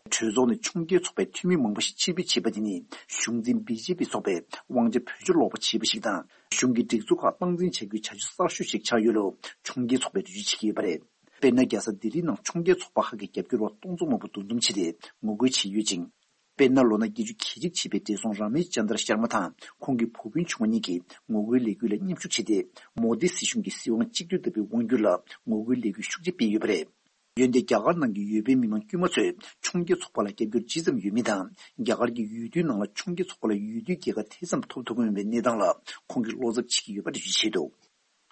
གྲོས་ཚོགས་ནས་ཕྱོགས་འགལ་ཚོགས་པའི་འཐུས་མི་མང་པོ་ཞིག་ཕྱིར་འབུད་བྱས་པ་དེ་ནི་གཞུང་འཛིན་བི་ཇེ་པི་ཚོགས་པས་དབང་ཆ་བེད་སྤྱོད་ལོག་པ་བྱས་པ་ཞིག་དང་། གཞུང་གི་སྒྲིག་འཛུགས་ཁག་སྟངས་འཛིན་བྱ་རྒྱུའི་བྱ་སྤྱོད་གསར་ཤོས་ཤིག་ཆགས་ཡོད་ལུགས་ཕྱོགས་འགལ་ཚོགས་པས་འགྲེལ་བརྗོད་བྱེད་ཀྱི་ཡོད་པ་རེད། དཔེར་ན། རྒྱལ་ས་ལྡི་ལི་ནང་ཕྱོགས་འགལ་ཚོགས་པ་ཁག་གི་རྒྱབ་སྐྱོར་བ་སྟོང་ཚོ་མང་པོ་འདུ་འཛོམས་བྱས་ཏེ་ངོ་རྒོལ་བྱས་ཡོད་ཅིང་། དཔེར་ན། ལོ་ན་བརྒྱད་ཅུ་གྱ་གཅིག་བྱས་པའི་བགྲེས་སོང་ར་མེཤ་ཅན་དྲ་ཤར་མ་དང་ཁོང་གི་བུ་སྤུན་ཆུང་བ་གཉིས་ཀྱིས་ངོ་རྒོལ་ལས་འགུལ་ལ་མཉམ་ཞུགས་བྱས་ཏེ། མོ་དི་སྲིད་གཞུང་གི་སྲིད་དབང་གཅིག་སྡུད་ལྟ་བུའི་དབང་སྒྱུར་ལ་ངོ་རྒོལ་ལས་འགུལ་ཤུགས་ཆེ་སྤེལ་ཡོད་པ་རེད། འོན་ཏེ། རྒྱ་གར་ནང་གི་ཡུལ་དཔོན་མི་མང་དཀྱུས་མ་ཚོས་ཕྱོགས་འགལ་ཚོགས་པ་ལ་རྒྱབ་སྐྱོར་ཇི་ཙམ་ཡོད་མིན་དང་། རྒྱ་གར་གྱི་ཡུལ་དུས་ནང་ལ་ཕྱོགས་འགལ་ཚོགས་པ་ལ་ཡུལ་དུས་རྒྱལ་ཁ་དེ་ཙམ་ཐོབ་ཐུབ་ཀྱི་མེད་པའི་གནས་སྟངས་ལ་ཁོང་གིས་བློ་འཚབ་བྱེད་ཀྱི་ཡོད་པ་འགྲེལ་བརྗོད་བྱས་འདུག་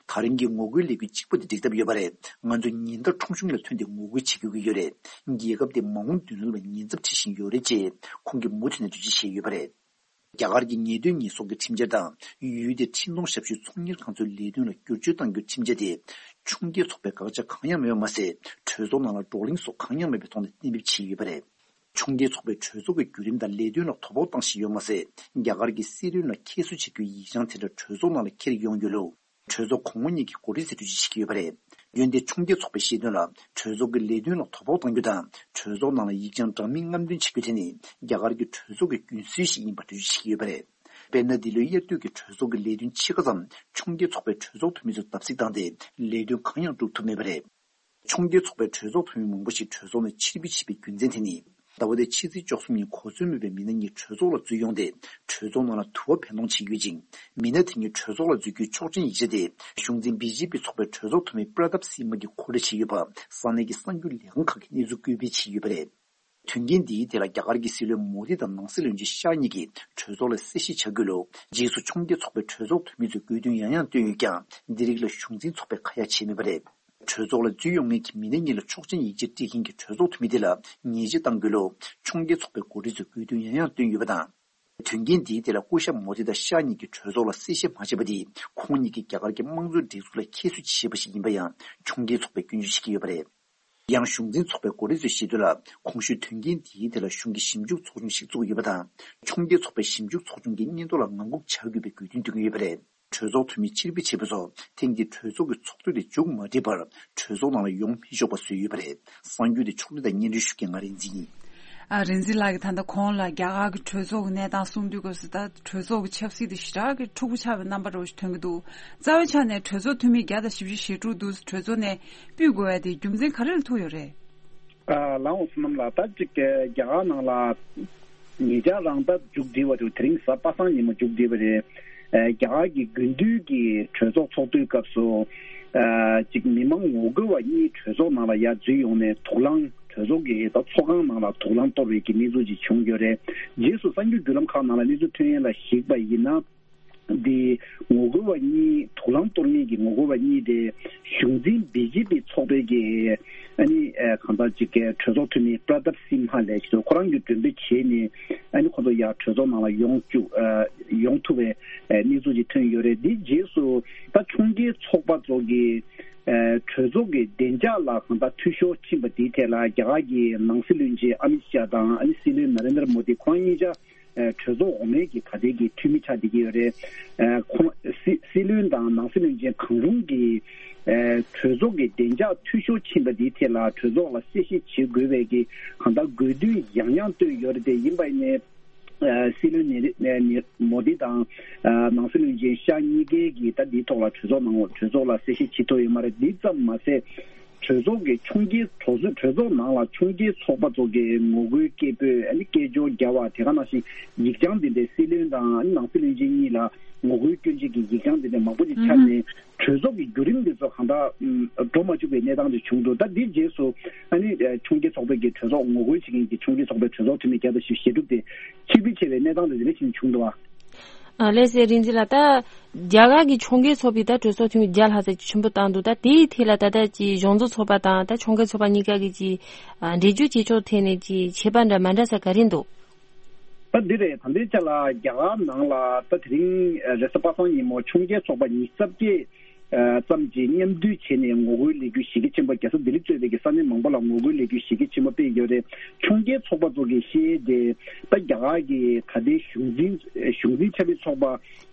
ད་རིང་གི་ངོ་རྒོལ་ལས་འགུལ་གཅིག་པོ་དེ་འགྲིག་ཐབས་ཡོད་པ་རེད། ང་ཚོ་ཉིན་ལྟར་ཁྲོམ་གཞུང་ལ་ཐོན་ཏེ་ངོ་རྒོལ་བྱེད་དགོས་ཀྱི་ཡོད་རེད། རྒྱལ་ཁབ་དེ་མ་འོངས་མདུན་ལམ་ལ་ཉེན་ཚབས་འཕྲད་བཞིན་ཡོད་རེད་ཅེས་ཁོང་གིས་མུ་མཐུད་ནས་འགྲེལ་བརྗོད་བྱས་ཡོད་པ་རེད། རྒྱ་གར་གྱི་ཉེས་དོན་ཉེས་གསོག་གི་ཁྲིམས་འཆར་དང་། ཡུལ་དེའི་འཕྲིན་གཏོང་ཞབས་ཞུའི་ཚོང་གཉེར་ཁང་ཚོའི་ལས་དོན་ལ་བསྒྱུར་བཅོས་གཏང་རྒྱུའི་ཁྲིམས་འཆར་དེ། ཕྱོགས་འགལ་ཚོགས་པའི་དགག་བྱ་གང་ཡང་མེད་པ་མ་ཟད། གྲོས་ཚོགས་ནང་ལ་བགྲོ་གླེང་སོགས་གང་ཡང་མེད་པའི་ཐོག་ནས་གཏན་འབེབས་བྱས་ཡོད་པ་རེད། ཕྱོགས་འགལ་ཚོགས་པས་གྲོས་ཚོགས་ཀྱི་བརྒྱུད་རིམ་དང་ལས་དོན་ལ་དོ་ཕོག་བཏང་བཞིན་ཡོད་མ་ཟད། རྒྱ་གར་གྱི་སྲིད་བློན་ལ་ཁྱད་གསོད་བྱེད་རྒྱུའི་ཡིག་བྱང་དེ་འདྲ་གྲོས་ཚོགས་ནང་ལ་འཁྱེར་ཡོང་ཡོད་ལུགས། གྲོས་ཚོགས་གོང་འོག་གཉིས་ཀྱི་འགོ་ཁྲིད་ཚོས་འགྲེལ་བརྗོད་བྱེད་ཀྱི་ཡོད་པ་རེད། འོན་ཏེ། ཕྱོགས་འགལ་ཚོགས་པས་བཤད་དོན་ལ། གྲོས་ཚོགས་ཀྱི་ལས་དོན་ལ་དོ་ཕོག་གཏང་རྒྱུ་དང་། གྲོས་ཚོགས་ནང་ལ་ཡིག་བྱང་འདྲ་མིན་རྔམ་སྟོན་བྱེད་རྒྱུ་དེ་ནི། རྒྱ་གར་གྱི་གྲོས་ཚོགས་ཀྱི་རྒྱུན་སྲོལ་ཞིག་ཡིན་པར་འགྲེལ་བརྗོད་བྱེད་ཀྱི་ཡོད་པ་རེད། དཔེར་ན། འདི་ལོའི་དབྱར་དུས་ཀྱི་གྲོས་ཚོགས་ཀྱི་ལས་དོན་ཕྱེད་ཀ་ཙམ། ཕྱོགས་འགལ་ཚོགས་པའི་གྲོས་ཚོགས་འཐུས་མི་ཚོས་བརྡབ་གསིག་བཏང་སྟེ། ལས་དོན་གང་ཡང་སྒྲུབ་ཐུབ་མེད་པ་རེད། ཕྱོགས་འགལ་ཚོགས་པའི་གྲོས་ཚོགས་འཐུས་མི་མང་པོ་ཞིག་གྲོས་ཚོགས་ནས་ཕྱིར་འབུད་བྱས་པའི་རྒྱུ་མཚན་དེ་ནི། ཟླ་བ་འདིའི་ཕྱི་ཚེས་བཅུ་གསུམ་ཉིན་གོ་མཚོན་མེད་པའི་མི་སྣ་གཉིས་གྲོས་ཚོགས་ལ་འཛུལ་ཡོང་སྟེ། གྲོས་ཚོགས་ནང་ལ་དུ་བ་འཕེན་གཏོང་བྱས་ཡོད་ཅིང་། མི་སྣ་དེ་གཉིས་གྲོས་ཚོགས་ལ་འཛུལ་རྒྱུའི་ཆོག་མཆན་ཡིག་ཆ་དེ། གཞུང་འཛིན་བི་ཇེ་པི་ཚོགས་པའི་གྲོས་ཚོགས་འཐུས་མི་པྲ་དབ་སིང་མ་གིས་མཁོ་སྤྲོད་བྱས་ཡོད་པ། ས་གནས་ཀྱི་གསར་འགྱུར་ལས་ཁང་ཁག་གིས་གནས་ཚུལ་བཀོད་སྤེལ་བྱས་ཡོད་པ་རེད། དོན་རྐྱེན་འདིའི་ཐད་ལ་རྒྱ་གར་གྱི་སྲིད་བློན་མོ་དི་དང་ནང་སྲིད་བློན་ཆེན་ཤཱ་གཉིས་ཀྱིས་གྲོས་ཚོགས་ལ་གསལ་བཤད་བྱ་དགོས་ལུགས། རྗེས་སུ་ཕྱོགས་འགལ་ཚོགས་པའི་གྲོས་ཚོགས་འཐུས་མི་ཚོས་དགོས་འདུན་ཡང་ཡང་བཏོན་ཡོད་ཀྱང་། འདི་རིགས་ལ་གཞུང་འཛིན་ཚོགས་པས་ཁ་ཡ་བྱས་མེད་པ་རེད། གྲོས་ཚོགས་ལ་འཛུལ་ཡོང་མཁན་གྱི་མི་སྣ་གཉིས་ལ་ཆོག་མཆན་ཡིག་ཆ་སྤྲད་མཁན་གྱི་གྲོས་ཚོགས་འཐུས་མི་དེ་ལ་ཉེས་ཆད་གཏང་དགོས་ལུགས་ཕྱོགས་འགལ་ཚོགས་པའི་འགོ་ཁྲིད་ཚོས་དགོས་འདུན་ཡང་ཡང་བཏོན་ཡོད་པ་དང་། དོན་རྐྱེན་འདིའི་ཐད་ལ་སྐུ་ཞབས་མོ་དི་དང་ཤཱ་གཉིས་ཀྱིས་གྲོས་ཚོགས་ལ་གསལ་བཤད་མ་བྱས་པ་དེས། ཁོང་གཉིས་ཀྱིས་རྒྱ་གར་གྱི་དམངས་གཙོའི་སྒྲིག་འཛུགས་ལ་ཁྱད་གསོད་བྱས་པ་ཞིག་ཡིན་པ་ཡང་ཕྱོགས་འགལ་ཚོགས་པས་སྐྱོན་བརྗོད་བྱེད་ཀྱི་ཡོད་པ་རེད། ཡང་གཞུང་འཛིན་ཚོགས་པའི་འགོ་ཁྲིད་ཚོས་བཤད་དོན་ལ། གོང་ཞུས་དོན་རྐྱེན་འདིའི་ཐད་ལ་གཞུང་གིས་ཞིབ་འཇུག་ཚོགས་ཆུང་ཞིག་བཙུགས་ཡོད་པ་དང་། ཕྱོགས་འགལ་ཚོགས་པའི་ཞིབ་འཇུག་ཚོགས་ཆུང་གིས་སྙན་ཐོ་ལ་ངང་སྒུག་བྱ་དགོས་པའི་དགོས་འདུན་འདོན་གྱི་ཡོད་པ་རེད། གྲོས་ཚོགས་འཐུས་མི་ཕྱིར་འབུད་བྱས་པ་སོགས་ཐེངས་འདིའི་གྲོས་ཚོགས་ཀྱི་ཚོགས་དུས་དེ་མཇུག་མ་སྒྲིལ་བར་གྲོས་ཚོགས་ནང་ལ་ཡོང་མི་ཆོག་པ་བཟོས་ཡོད་པ་རེད། གསར་འགྱུར་དེ་ཕྱོགས་སྒྲིག་དང་སྙན་སྒྲོན་ཞུ་མཁན་ང་རིག་འཛིན་ཡིན། ཨ། རིག་འཛིན་ལགས་ཀྱིས་ད་ལྟ་གོང་ལ་རྒྱ་གར་གྱི་གྲོས་ཚོགས་ཀྱི་གནས་སྟངས་གསུངས་དུས་སྐབས་སུ། ད་གྲོས་ཚོགས་ཀྱི་ཆབ་སྲིད་དེ་ཞེ་དྲག་གི་འཁྲུག་པོ་ཆགས་པའི་རྣམ་པ་འདྲ་བོ་ཞིག་ཐོན་གྱི་འདུག་རྩ་བའི་ཆ་ནས་གྲོས་ཚོགས་འཐུས་མི་བརྒྱ་དང་བཞི་བཅུ་ཞེ་དྲུག་འདུག་གྲོས་ཚོགས་ནས་ཕུད་དགོས་པ་དེ་རྒྱུ་མཚན་ག་རེ་ལ་ཐུག་ཡོད་རེད། ཨ། ལགས་འོང་བསོད་ནམས་ལགས། ད་གཅིག་གི་རྒྱ་གར་ནང་ལ་ ཉེ་ཆར་རང་ད་མཇུག་བསྒྲིལ་བ་རེད། དེ་རིང་གཟའ་པ་སངས་ཉིན་མོ་མཇུག་བསྒྲིལ་བ་རེད། ཨ་རྒྱ་གར་གྱི་དགུན་དུས་ཀྱི་གྲོས་ཚོགས་ཚོགས་དུས་སྐབས་སུ། ཨ་ཅིག་མི་མང་ངོ་རྒོལ་བ་གཉིས་གྲོས་ཚོགས་ནང་ལ་ཡར་འཛུལ་ཡོང་ནས་དུག་རླངས་གྲོས་ཚོགས་ཀྱི་ད་ཚོགས་ཁང་ནང་ལ་དུག་རླངས་གཏོར་བའི་གི་གནས་ཚུལ་ཅིག་བྱུང་ཡོད་རེད། རྗེས་སུ་གསར་འགྱུར་བརྒྱུད་ལམ་ཁག་ནང་ལ་གནས་ཚུལ་ཐོན་ཡས་ལ་གཞིགས་པ་ཡིན་ན། འདི་ངོ་རྒོལ་བ་གཉིས་དུག་རླངས་གཏོར་མཁན་གྱི་ངོ་རྒོལ་བ་གཉིས་དེ་གཞུང་འཛིན་བི་ཇེ་པི་ཚོགས་པའི་གི་ཨ་ནི་ཨ་གང་ལྟར་ཅིག་གི་གྲོས་ཚོགས་འཐུས་མི་པྲ་དབ་སིང་ཧ་ལགས་ཀྱིས་ཁོ་རང་གི་མགྲོན་འབོད་བྱས་ནས་ཨ་ནི་ཁོ་ཚོ་ཡར་གྲོས་ཚོགས་ནང་ལ་ཡོང་བཅུག་ཨ་ཡོང་ཐུབ་པའི་ཨ་གནས་ཚུལ་ཅིག་ཐོན་ཡོད་རེད། འདིའི་རྗེས་སུ་ད་ཕྱོགས་འགལ་ཚོགས་པ་ཚོ་གི་ཨ་གྲོས་ཚོགས་ཀྱི་བདེ་འཇགས་ལ་གང་ལྟར་འཐུས་ཤོར་ཕྱིན་པ་དེའི་ཐད་ལ་རྒྱ་གར་གྱི་ནང་སྲིད་བློན་ཆེན་ཨ་མིད་ཤཱ་དང་ཨ་ནི་སྲིད་བློན་ན་རེན་དྲ་མོ་དི་ཁོ་རང་གཉིས་ཆ། ཨ་གྲོས་ཚོགས་འོག་མའི་གི་ད་ལྟའི་གི་འཐུས་མི་ཆགས་བསྡད་ཀྱི་ཡོད་རེད། ཨ་ཁོང་སྲིད་སྲིད་བློན་དང་ནང་སྲིད་བློན་ཆེན་གང་རུང་གིས་ཨ་གྲོས་ཚོགས་ཀྱི་བདེ་འཇགས་འཐུས་ཤོར་ཕྱིན་པ་འདིའི་ཐད་ལ་གྲོས་ཚོགས་ལ་གསལ་བཤད་བྱེད་དགོས་པའི་གི་གང་ལྟར་དགོས་འདུན་ཡང་ཡང་བཏོན་ཡོད་རེད། དེ་ཡིན་པ་ཡིན་ནའི་ཨ་སྲིད་བློན་ནེ་ནེ་མོ་དི་དང་ཨ་ནང་སྲིད་བློན་ཆེན་ཤཱ་གཉིས་ཀའི་གི་ད་འདིའི་ཐོག་ལ་གྲོས་ཚོགས་ནང་གྲོས་ཚོགས་ལ་གསལ་བཤད་བྱེད་ཐུབ་ཡོད་མ་རེད། འདི་ཙམ་མ་ཟད། གྲོས་ཚོགས་ཀྱི་ཕྱོགས་འགལ་གྲོས་ཚོགས་གྲོས་ཚོགས་ནང་ལ་ཕྱོགས་འགལ་ཚོགས་པ་ཚོ་གི་ངོ་རྒོལ་སྐད་འབོད་ཨ་ནི་སྐད་ཅོར་རྒྱག་པ་དེ་ག་ནང་བཞིན་ཡིག་བྱང་འདི་འདྲའི་སྲིད་བློན་དང་ཨ་ནི་ནང་སྲིད་བློན་ཆེན་གཉིས་ལ་ངོ་རྒོལ་སྐྱོན་བརྗོད་ཀྱི་ཡིག་བྱང་འདི་འདྲའི་མང་པོ་ཞིག་ཆགས་ནས་གྲོས་ཚོགས་ཀྱི་བརྒྱུད་རིམ་འདི་ཚོ་གང་ལྟར་འགྲོ་མ་བཅུག་པའི་གནས་སྟངས་ཅིག་བྱུང་འདུག་ད་འདིའི་རྗེས་སུ་ཨ་ནི་ཕྱོགས་འགལ་ཚོགས་པའི་གི་གྲོས་ཚོགས་ངོ་རྒོལ་བྱེད་མཁན་གྱི་ཕྱོགས་འགལ་ཚོགས་པའི་གྲོས་ཚོགས་འཐུས་མི་བརྒྱ་དང་བཞི་བཅུ་ཞེ་དྲུག་དེ་ཕྱིར་འབུད་བྱས་པའི་གནས་སྟངས་དེ་འདི་འདྲ་ཞིག་བྱུང་འདུག་བ། ཨ་ལགས་སེ་རིན་འཛིན་ལགས། ད་རྒྱ་གར་གྱི་ཕྱོགས་འགལ་ཚོགས་པས་ད་གྲོས་ཚོགས་འཐུས་མི་བརྒྱ་ལྷག་ཙམ་ཞིག་ཆེན་པོ་བཏང་འདུག་ད་དེའི་ཐད་ལ་ད་ལྟ་ཀྱི་གཞུང་བཙུགས་ཚོགས་པ་དང་ད་ཕྱོགས་འགལ་ཚོགས་པ་གཉིས་ཀ་གི་ཀྱི་ཨ་འགྲེལ་བརྗོད་བྱེད་ཕྱོགས་ཐད་ནས་ཀྱི་ཁྱད་པར་འདྲ་མ་འདྲ་ས་ག་རེ་འདུག་ད་འདི་རེད། ད་ལྟའི་ཆ་ལ་རྒྱ་གར་ནང་ལ་ད་དེ་རིང་རེས་གཟའ་པ་སངས་ཉིན་མོ་ཕྱོགས་འགལ་ཚོགས་པ་ཉི་ཤུ་རྩ་བརྒྱད་ཙམ་གྱིས་མཉམ་འདུས་བྱས་ནས་ངོ་རྒོལ་ལས་འགུལ་གཞི་རྒྱ་ཆེན་པོ། རྒྱལ་ས་ལྡི་ལི་གཙོས་པའི་གི་ས་གནས་མང་པོ་ལ་ངོ་རྒོལ་ལས་འགུལ་གཞི་རྒྱ་ཆེན་པོ་སྤེལ་ཡོད་རེད། ཕྱོགས་འགལ་ཚོགས་པ་ཚོ་གིས་བཤད་ཡས་དེ་ད་རྒྱ་གར་གྱི་ད་ལྟའི་གཞུང་འཛིན་གཞུང་འཛིན་ཆབ་སྲིད་ཚོགས་པ་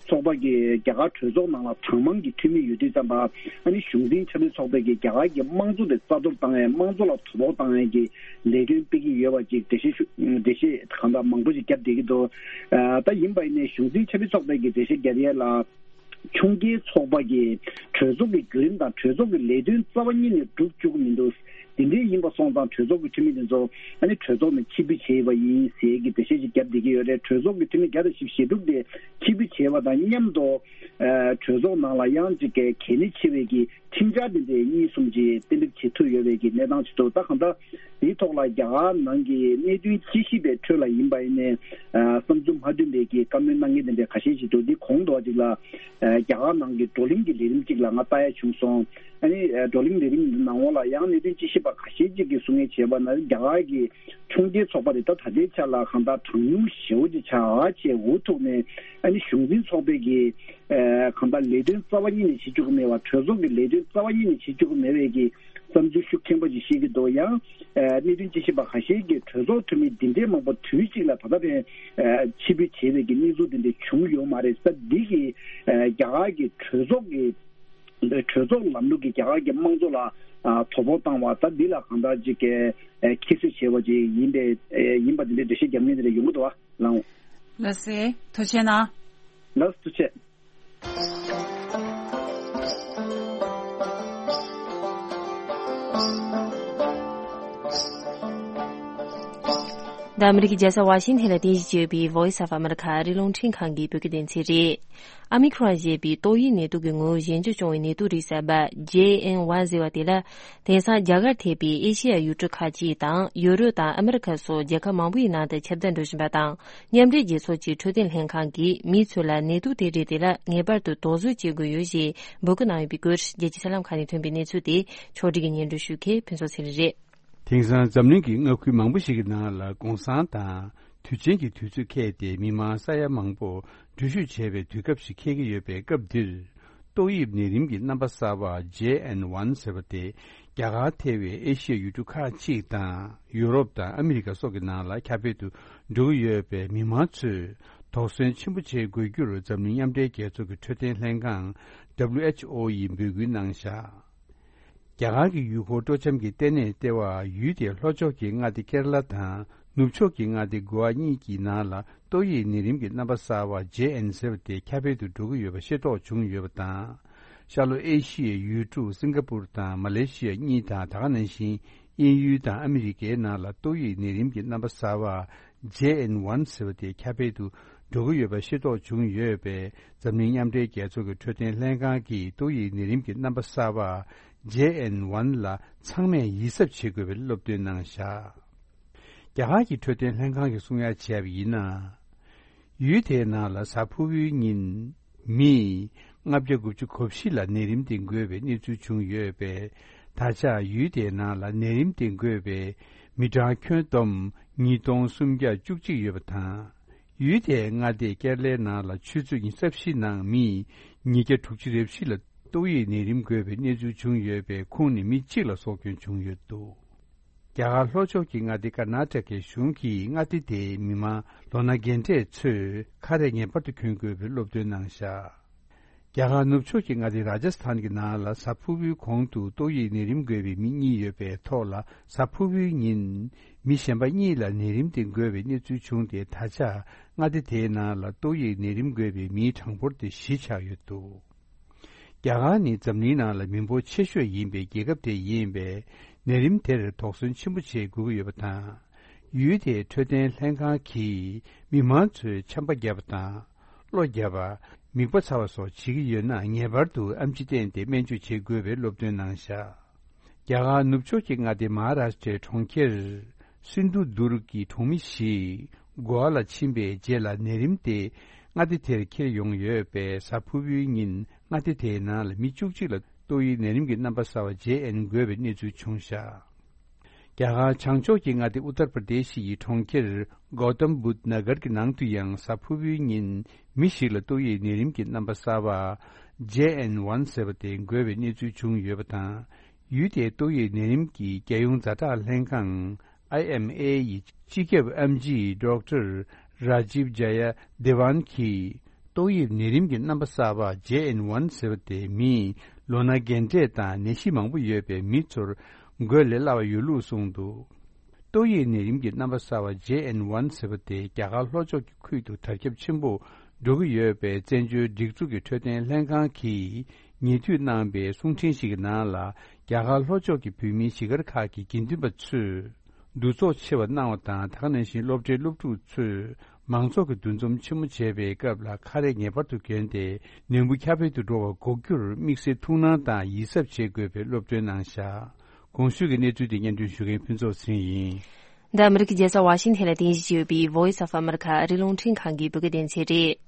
ཚོགས་པ་གི་རྒྱ་གར་གྲོས་ཚོགས་ནང་ལ་གྲངས་མང་གི་འཐུས་མི་ཡོད་དུས་ཙམ་པ། ཨ་ནི་གཞུང་འཛིན་ཆབ་སྲིད་ཚོགས་པའི་གི་རྒྱ་གར་གྱི་དམངས་གཙོ་དེ་རྩ་གཏོར་བཏང་ཡས། དམངས་གཙོ་ལ་དོ་ཕོག་བཏང་ཡས་ཀྱི་ལས་དོན་སྤེལ་གྱི་ཡོད་པ་ཅིག་འགྲེལ་བཤད་ཞུ་འགྲེལ་བཤད་གང་དག་མང་པོ་ཞིག་བརྒྱབ་བསྡད་ཀྱི་འདུག་ཨ་ད་ཡིན་པ་ཡིན་ནའི་གཞུང་འཛིན་ཆབ་སྲིད་ཚོགས་པའི་གི་འགྲེལ་བཤད་བརྒྱབ་ཡས་ལ། ཕྱོགས་འགལ་ཚོགས་པ་གིས་གྲོས་ཚོགས་ཀྱི་བརྒྱུད་རིམ་དང་གྲོས་ཚོགས་ཀྱི་ལས་དོན་རྩ་བ་ཉིད་ནས་སྒྲུབ་བཅུག་གི་མི་འདུག་དེ་འདྲའི་ཡིན་པ་སོང་ཙང་གྲོས་ཚོགས་ཀྱི་འཐུས་མི་དེ་ཚོ་ཨ་ནི་གྲོས་ཚོགས་ནས་ཕྱིར་འབུད་བྱས་པ་ཡིན་ཟེར་གྱི་འགྲེལ་བཤད་ཅིག་བརྒྱབ་བསྡད་ཀྱི་ཡོད་རེད། གྲོས་ཚོགས་ཀྱི་འཐུས་མི་བརྒྱ་དང་བཞི་བཅུ་ཞེ་དྲུག་དེ་ཕྱིར་འབུད་བྱས་པ་དང་མཉམ་དུ་ཨ་གྲོས་ཚོགས་ནང་ལ་ཡང་ཅིག་གལ་གནད་ཆེ་བའི་གི་ཁྲིམས་འཆར་དེ་འདྲའི་གཉིས་གསུམ་ཅིག་གཏན་འབེབས་བྱེད་ཐུབ་ཡོད་པའི་གི་གནས་སྟངས་ཅིག་འདུག་ད་གང་ལྟར་དེའི་ཐོག་ལ་རྒྱ་གར་ནང་གི་གནད་དོན་དཔྱད་ཞིབ་པའི་ཁྲོད་ལ་ཡིན་པ་ཡིན་ནའི་ཨ་བསམ་ཚུལ་མ་མཐུན་པའི་གི་བཀའ་མོལ་གནང་མཁན་དེ་འདྲའི་ཁ་ཤས་ཤིག་འདུག་འདི་གོང་དུ་བ་ཅིག་ལ་ཨ་རྒྱ་གར་ནང་གི་བགྲོ་གླེང་གི་ལས་རིམ་ཅིག་ལ་ང་ལྟ་ཡ་བྱུང་སོང་། ཨ་ནི་ཨ་བགྲོ་གླེང་ལས་རིམ་ནང་འོག་ལ་ཡང་གནད་དོན་དཔྱད་ཞིབ་པ་ཁ་ཤས་ཅིག་གིས་གསུང་མཁན་བྱས་པ་ན་རྒྱ་གར་གི་ཕྱོགས་འགལ་ཚོགས་པ་དེ་ད་ད་ལྟའི་ཆ་ལ་གང་ལྟར་གྲངས་ཉུང་ཞེ་པོ་ཅིག་ཆགས་བྱས་འུ་ཐུག་ནས། ཨ་ནི་གཞུང་འཛིན་ཚོགས་པའི་གི་ཨ་གང་ལྟར་ལས་དོན་རྩ་བ་ཉིད་ནས་བྱེད་བཅུག་གི་མེད་པ། གྲོས་ཚོགས་ཀྱི་ལས་དོན་རྩ་བ་ཉིད་ནས་བྱེད་བཅུག་གི་མེད་པའི་གི་བསམ་ཚུལ་ཤུགས་ཆེན་པོ་ཅིག་བཤད་ཀྱི་འདུག་ཡང་ཨ་གནད་དོན་དཔྱད་ཞིབ་པ་ཁ་ཤས་ཀྱིས་གྲོས་ཚོགས་འཐུས་མི་འདི་འདྲའི་མང་པོ་དུས་གཅིག་ལ་ད་ལྟ་བར་ཨ་ཕྱིར་འབུད་བྱས་པའི་གི་གནས་ཚུལ་འདི་འདྲ་བྱུང་ཡོད་མ་རེད་ཟེར། འདི་གིས་ཨ་རྒྱ་གར་གྱི་གྲོས་ཚོགས་ཀྱི་གྲོས་ཚོགས་ལམ་ལུགས་ཀྱིས་རྒྱ་གར་གྱི་དམངས་གཙོ་ལ་ཨ་དོ་ཕོག་བཏང་བ། ད་འདི་ལ་གང་ལྟར་ཅིག་གི་ཨ་ཁྱད་གསོད་བྱས་པ་ཅིག་ཡིན་པའི་ཨ་ཡིན་པ་འདི་འདྲའི་འགྲེལ་བཤད་རྒྱབ་མཁན་འདི་འདྲ་ཡོང་གི་འདུག་བ། ལགས་འོང་། ལགས་སེ། ཐུགས་རྗེ་གནང་། ལགས་ཐུགས་རྗེ་ཆེ། འདི་ཨ་མི་རི་ཀའི་རྒྱལ་ས་ཝ་ཤིང་ཐན་ལ་རྟེན་གཞི་བྱས་ཡོད་པའི་Voice of America ཨ་རིའི་རླུང་འཕྲིན་ཁང་གི་བོད་སྐད་སྡེ་ཚན་རེད། ཨ་མི་ཁོ་རོན་ཞེས་པའི་ཏོག་དབྱིབས་ནད་དུག་གི་ངོ་བོ་གཞན་འགྱུར་བྱུང་བའི་ནད་དུག་རིགས་གསར་པ་ཇེ་ཨེན་ཝན་ཟེར་བ་དེ་ལ། དེང་སང་རྒྱ་གར་ཐེ་བའི་ཨེ་ཤེ་ཡ་ཡུལ་གྲུ་ཁག་ཅིག་དང་ཡུ་རོབ་དང་ཨ་མི་རི་ཁ་སོགས་རྒྱལ་ཁབ་མང་པོའི་ནང་དུ་ཁྱབ་གདལ་འགྲོ་བཞིན་པ་དང་། མཉམ་འབྲེལ་རྒྱལ་ཚོགས་ཀྱི་འཕྲོད་བསྟེན་ལྷན་ཁང་གིས་མི་ཚོ་ལ་ནད་དུག་དེ་རིགས་དེ་ལ་ངེས་པར་དུ་དོགས་ཟོན་བྱེད་དགོས་ཡོད་ཞེས་འབོད་སྐུལ་གནང་ཡོད་པའི་སྐོར། རྒྱལ་སྤྱིའི་གསར་ལམ་ཁག་ནས་ཐོན་པའི་གནས་ཚུལ་དེ་ཕྱོགས་སྒྲིག་གིས་སྙན་སྒྲོན་ཞུ་མཁན་ཕུན་ཚོགས་ཚེ་རིང་རེད། དེང་སང་འཛམ་གླིང་གི་མངའ་ཁུལ་མང་པོ་ཞིག་གི་ནང་ལ་གུང་སེང་དང་དུས་ཆེན་གྱི་དུས་ཚོད་འཁེལ་ཏེ་མི་མང་ས་ཡ་མང་པོ་འགྲུལ་བཞུད་བྱེད་པའི་དུས་སྐབས་ཤིག་འཁེལ་གྱི་ཡོད་པའི་སྐབས་འདིར། ཏོག་དབྱིབས་ནད་རིམས་ཀྱི་རྣམ་པ་གསར་པ་ཇེ་ཨེན་ཝན་ཟེར་བ་དེ་རྒྱ་གར་ཐེ་བའི་ཨེ་ཤི་ཡའི་ཡུལ་གྲུ་ཁག་ཅིག་དང་ཡུ་རོབ་དང་ཨ་མི་རི་ཀ་སོགས་ཀྱི་ནང་ལ་ཁྱབ་སྤེལ་དུ་འགྲོ་གི་ཡོད་པས་མི་མང་ཚོས་དོགས་ཟོན་ཆེན་པོ་བྱེད་དགོས་རྒྱུར་འཛམ་གླིང་མཉམ་འབྲེལ་རྒྱལ་ཚོགས་ཀྱི་འཕྲོད་བསྟེན་ལྷན་ཁང་WHO ཡིས་འབོད་སྐུལ་གནང་བཞག་རྒྱ་གར་གྱི་ཡུལ་སྐོར་སྤྲོ་འཆམ་གྱི་ལྟེ་གནས་ལྟེ་བ་ཡུལ་དེའི་ལྷོ་ཕྱོགས་ཀྱི་མངའ་སྡེ་ཀེ་ར་ལ་དང་ནུབ་ཕྱོགས་ཀྱི་མངའ་སྡེ་གོ་ཝ་གཉིས་ཀྱི་ནང་ལ་ཏོག་དབྱིབས་ནད་རིམས་ཀྱི་རྣམ་པ་གསར་བ་ཇེ་ཨེན་ཟེར་བ་དེ་ཁྱབ་སྤེལ་དུ་འགྲོ་གི་ཡོད་པ་ཤེས་རྟོགས་བྱུང་ཡོད་པ་དང་། ཤར་ལྷོ་ཨེ་ཤི་ཡའི་ཡུལ་གྲུ་སིང་ག་པུར་དང་མ་ལེ་ཤི་ཡ་གཉིས་དང་ད་ག་ནང་བཞིན་དབྱིན་ཡུལ་དང་ཨ་མི་རི་ཀའི་ནང་ལ་ཏོག་དབྱིབས་ནད་རིམས་ཀྱི་རྣམ་པ་གསར་བ་ ཇེ་ཨེན་ཝན་ཟེར་བ་དེ་ཁྱབ་སྤེལ་དུ་འགྲོ་གི་ཡོད་པ་ཤེས་རྟོགས་བྱུང་ཡོད་པས། འཛམ་གླིང་མཉམ་འབྲེལ་རྒྱལ་ཚོགས་ཀྱི་འཕྲོད་བསྟེན་ལྷན་ཁང་གིས་ཏོག་དབྱིབས་ནད་རིམས་ཀྱི་རྣམ་པ་གསར་པ་ཇེ་ཨེན་ཝན་ལ་ཚང་མས་ཡིད་གཟབ་བྱེད་དགོས་པའི་སློབ་སྟོན་གནང་བཞག་རྒྱ་གར་གྱི་འཕྲོད་བསྟེན་ལྷན་ཁང་གིས་གསུང་ཡ་བྱས་པ་ཡིན་ན། ཡུལ་དེའི་ནང་ལ་གཟའ་ཕུར་བུའི་ཉིན་མི་ལྔ་བརྒྱ་དགུ་བཅུ་གོ་བཞི་ལ་ནད་རིམས་དེ་འགོས་པའི་གནས་ཚུལ་བྱུང་ཡོད་པས། ད་ཆ་ཡུལ་དེའི་ནང་ལ་ནད་རིམས་དེ་འགོས་པའི་མི་གྲངས་ཁྱོན་བསྡོམས་ཉིས་སྟོང་སུམ་བརྒྱ་བཅུ་གཅིག་ཡོད་པ་དང་། ཡུལ་དེའི་མངའ་སྡེ་ཀེ་ར་ལའི་ནང་ལ་ཆུ་ཚོད་ཉི་ཤུ་རྩ་བཞི་ནང་མི་ཉིས་བརྒྱ་དྲུག་ཅུ་རེ་བཞི་ལ་ཏོག་དབྱིབས་ནད་རིམས་འགོས་པའི་གནས་ཚུལ་བྱུང་ཡོད་པས། ཁོང་ནི་མི་གཅིག་ལ་སྲོག་སྐྱོན་བྱུང་ཡོད་འདུག་རྒྱ་གར་ལྷོ་ཕྱོགས་ཀྱི་མངའ་སྡེ་ཀར་ནཱ་ཊ་ཀའི་གཞུང་གིས་མངའ་སྡེ་དེའི་མི་མང་ལོ་ན་རྒན་གྲས་ཚོས་ཁ་རས་ངེས་པར་དུ་གྱོན་དགོས་པའི་སློབ་སྟོན་གནང་བཞག་རྒྱ་གར་ནུབ་ཕྱོགས་ཀྱི་མངའ་སྡེ་རཱ་ཇཱ་སི་ཐན་གྱི་ནང་ལ་གཟའ་ཕུར་བུའི་གོང་དུ་ཏོག་དབྱིབས་ནད་རིམས་འགོས་པའི་མི་གཉིས་ཡོད་པའི་ཐོག་ལ། གཟའ་ཕུར་བུའི་ཉིན་མི་གཞན་པ་གཉིས་ལ་ནད་རིམས་དེ་འགོས་པའི་གནས་ཚུལ་བྱུང་སྟེ། ད་ཆ་མངའ་སྡེ་དེའི་ནང་ལ་ཏོག་དབྱིབས་ནད་རིམས་འགོས་པའི་མིའི་གྲངས་འབོར་དེ་བཞི་ཆགས་ཡོད་འདུག་རྒྱ་གར་ནི་འཛམ་གླིང་ནང་ལ་མི་འབོར་ཆེ་ཤོས་ཡིན་པའི་རྒྱལ་ཁབ་དེ་ཡིན་པས། ནད་རིམས་དེར་དོགས་ཟོན་ཆེན་པོ་བྱེད་དགོས་ཀྱི་ཡོད་པ་དང་། ཡུལ་དེའི་འཕྲོད་བསྟེན་ལྷན་ཁང་གིས་མི་མང་ཚོས་ཆམ་པ་བརྒྱབ་པ་དང་། གློ་བརྒྱབ་པ། མིད་པ་ཚ་བ་སོགས་བྱེད་ཀྱི་ཡོད་ན། ངེས་པར་དུ་ཨེམ་ཆི་བསྟེན་ཏེ་སྨན་བཅོས་བྱེད་དགོས་པའི་སློབ་སྟོན་གནང་བཞག་རྒྱ་གར་ནུབ་ཕྱོགས་ཀྱི་མངའ་སྡེ་མ་ཧཱ་རཱ་ཤི་ཊའི་གྲོང་ཁྱེར་སིན་དྷུ་དུར་གྱི་གྲོང་མི་ཞིག་གོ་ཝ་ལ་ཕྱིན་པའི་རྗེས་ལ་ནད་རིམས་དེ་མངའ་སྡེ་དེར་འཁྱེར་ཡོང་ཡོད་པས། གཟའ་ཕུར་བུའི་ཉིན་མངའ་སྡེ་དེའི་ནང་ལ་མི་བཅུ་གཅིག་ལ་ཏོག་དབྱིབས་ནད་རིམས་ཀྱི་རྣམ་པ་གསར་བ་ཇེ་ཨེན་འགོས་པའི་གནས་ཚུལ་བྱུང་བཞག་རྒྱ་གར་བྱང་ཕྱོགས་ཀྱི་མངའ་སྡེ་ཨུ་ཏར་པར་དེ་ཤི་ཡི་གྲོང་ཁྱེར་གོ་ཏམ་བུད་ནཱ་གར་གྱི་ནང་དུ་ཡང་གཟའ་ཕུར་བུའི་ཉིན་མི་ཞིག་ལ་ཏོག་དབྱིབས་ནད་རིམས་ཀྱི་རྣམ་པ་གསར་བ་ཇེ་ཨེན་ཝན་ཟེར་བ་དེ་འགོས་པའི་གནས་ཚུལ་བྱུང་ཡོད་པ་དང་། ཡུལ་དེའི་ཏོག་དབྱིབས་ནད་རིམས་ཀྱི་རྒྱལ་ཡོངས་ཛ་དྲག་ལྷན་ཁང་ཨའི་ཨེམ་ཨེ་ཡི་སྤྱི་ཁྱབ་ཨེམ་ཆི་ཌོག་ཊར་རཱ་ཇིབ་ཇ་ཡ་དེ་ཝན་གྱིས། ཏོག་དབྱིབས་ནད་རིམས་ཀྱི་རྣམ་པ་གསར་པ་ཇེ་ཨེན་ཝན་ཟེར་བ་དེ་མིའི་ལོ་ན་རྒན་གྲས་དང་ནད་གཞི་མང་པོ་ཡོད་པའི་མི་ཚོར་འགོས་ལས་སླ་བ་ཡོད་ལུགས་གསུངས་འདུག་ཏོག་དབྱིབས་ནད་རིམས་ཀྱི་རྣམ་པ་གསར་པ་ཇེ་ཨེན་ཝན་ཟེར་བ་དེ་རྒྱ་གར་ལྷོ་ཕྱོགས་ཀྱི་ཁུལ་དུ་དར་ཁྱབ་ཆེན་པོ་འགྲོ་གི་ཡོད་པས། བཙན་བྱོལ་སྒྲིག་འཛུགས་ཀྱི་འཕྲོད་བསྟེན་ལྷན་ཁང་གིས་ཉེ་དུས་གནང་པའི་གསུང་འཕྲིན་ཞིག་གི་ནང་ལ། རྒྱ་གར་ལྷོ་ཕྱོགས་ཀྱི་བོད་མིའི་གཞིས་སྒར་ཁག་གི་དགེ་འདུན་པ་ཚོས་འདུ་ཚོགས་ཆེ་བ་གནང་བ་དང་། དེ་ག་ནང་བཞིན་སློབ་གྲྭའི་སློབ་ཕྲུག་ཚོས་མང་ཚོགས་ཀྱི་འདུ་འཛོམས་ཆེན་མོ་བྱེད་པའི་སྐབས་ལ་ཁ་རས་ངེས་པར་དུ་གྱོན་ཏེ། ནད་འབུ་ཁྱབ་སྤེལ་དུ་འགྲོ་བ་འགོག་རྒྱུར་དམིགས་བསལ་ཐུགས་སྣང་དང་ཡིད་གཟབ་བྱེད་དགོས་པའི་སློབ་སྟོན་གནང་བཞག་གོང་ཞུས་ཀྱི་གནས་ཚུལ་དེ་སྙན་སྒྲོན་ཞུ་མཁན་ཕུན་ཚོགས་ཚེ་རིང་ཡིན། འདི་ཨ་མི་རི་ཀའི་རྒྱལ་ས་ཝ་ཤིང་ཐན་ལ་རྟེན་གཞི་བྱས་ཡོད་པའི་Voice of America ཨ་རིའི་རླུང་འཕྲིན་ཁང་གི་བོད་སྐད་སྡེ་ཚན་རེད།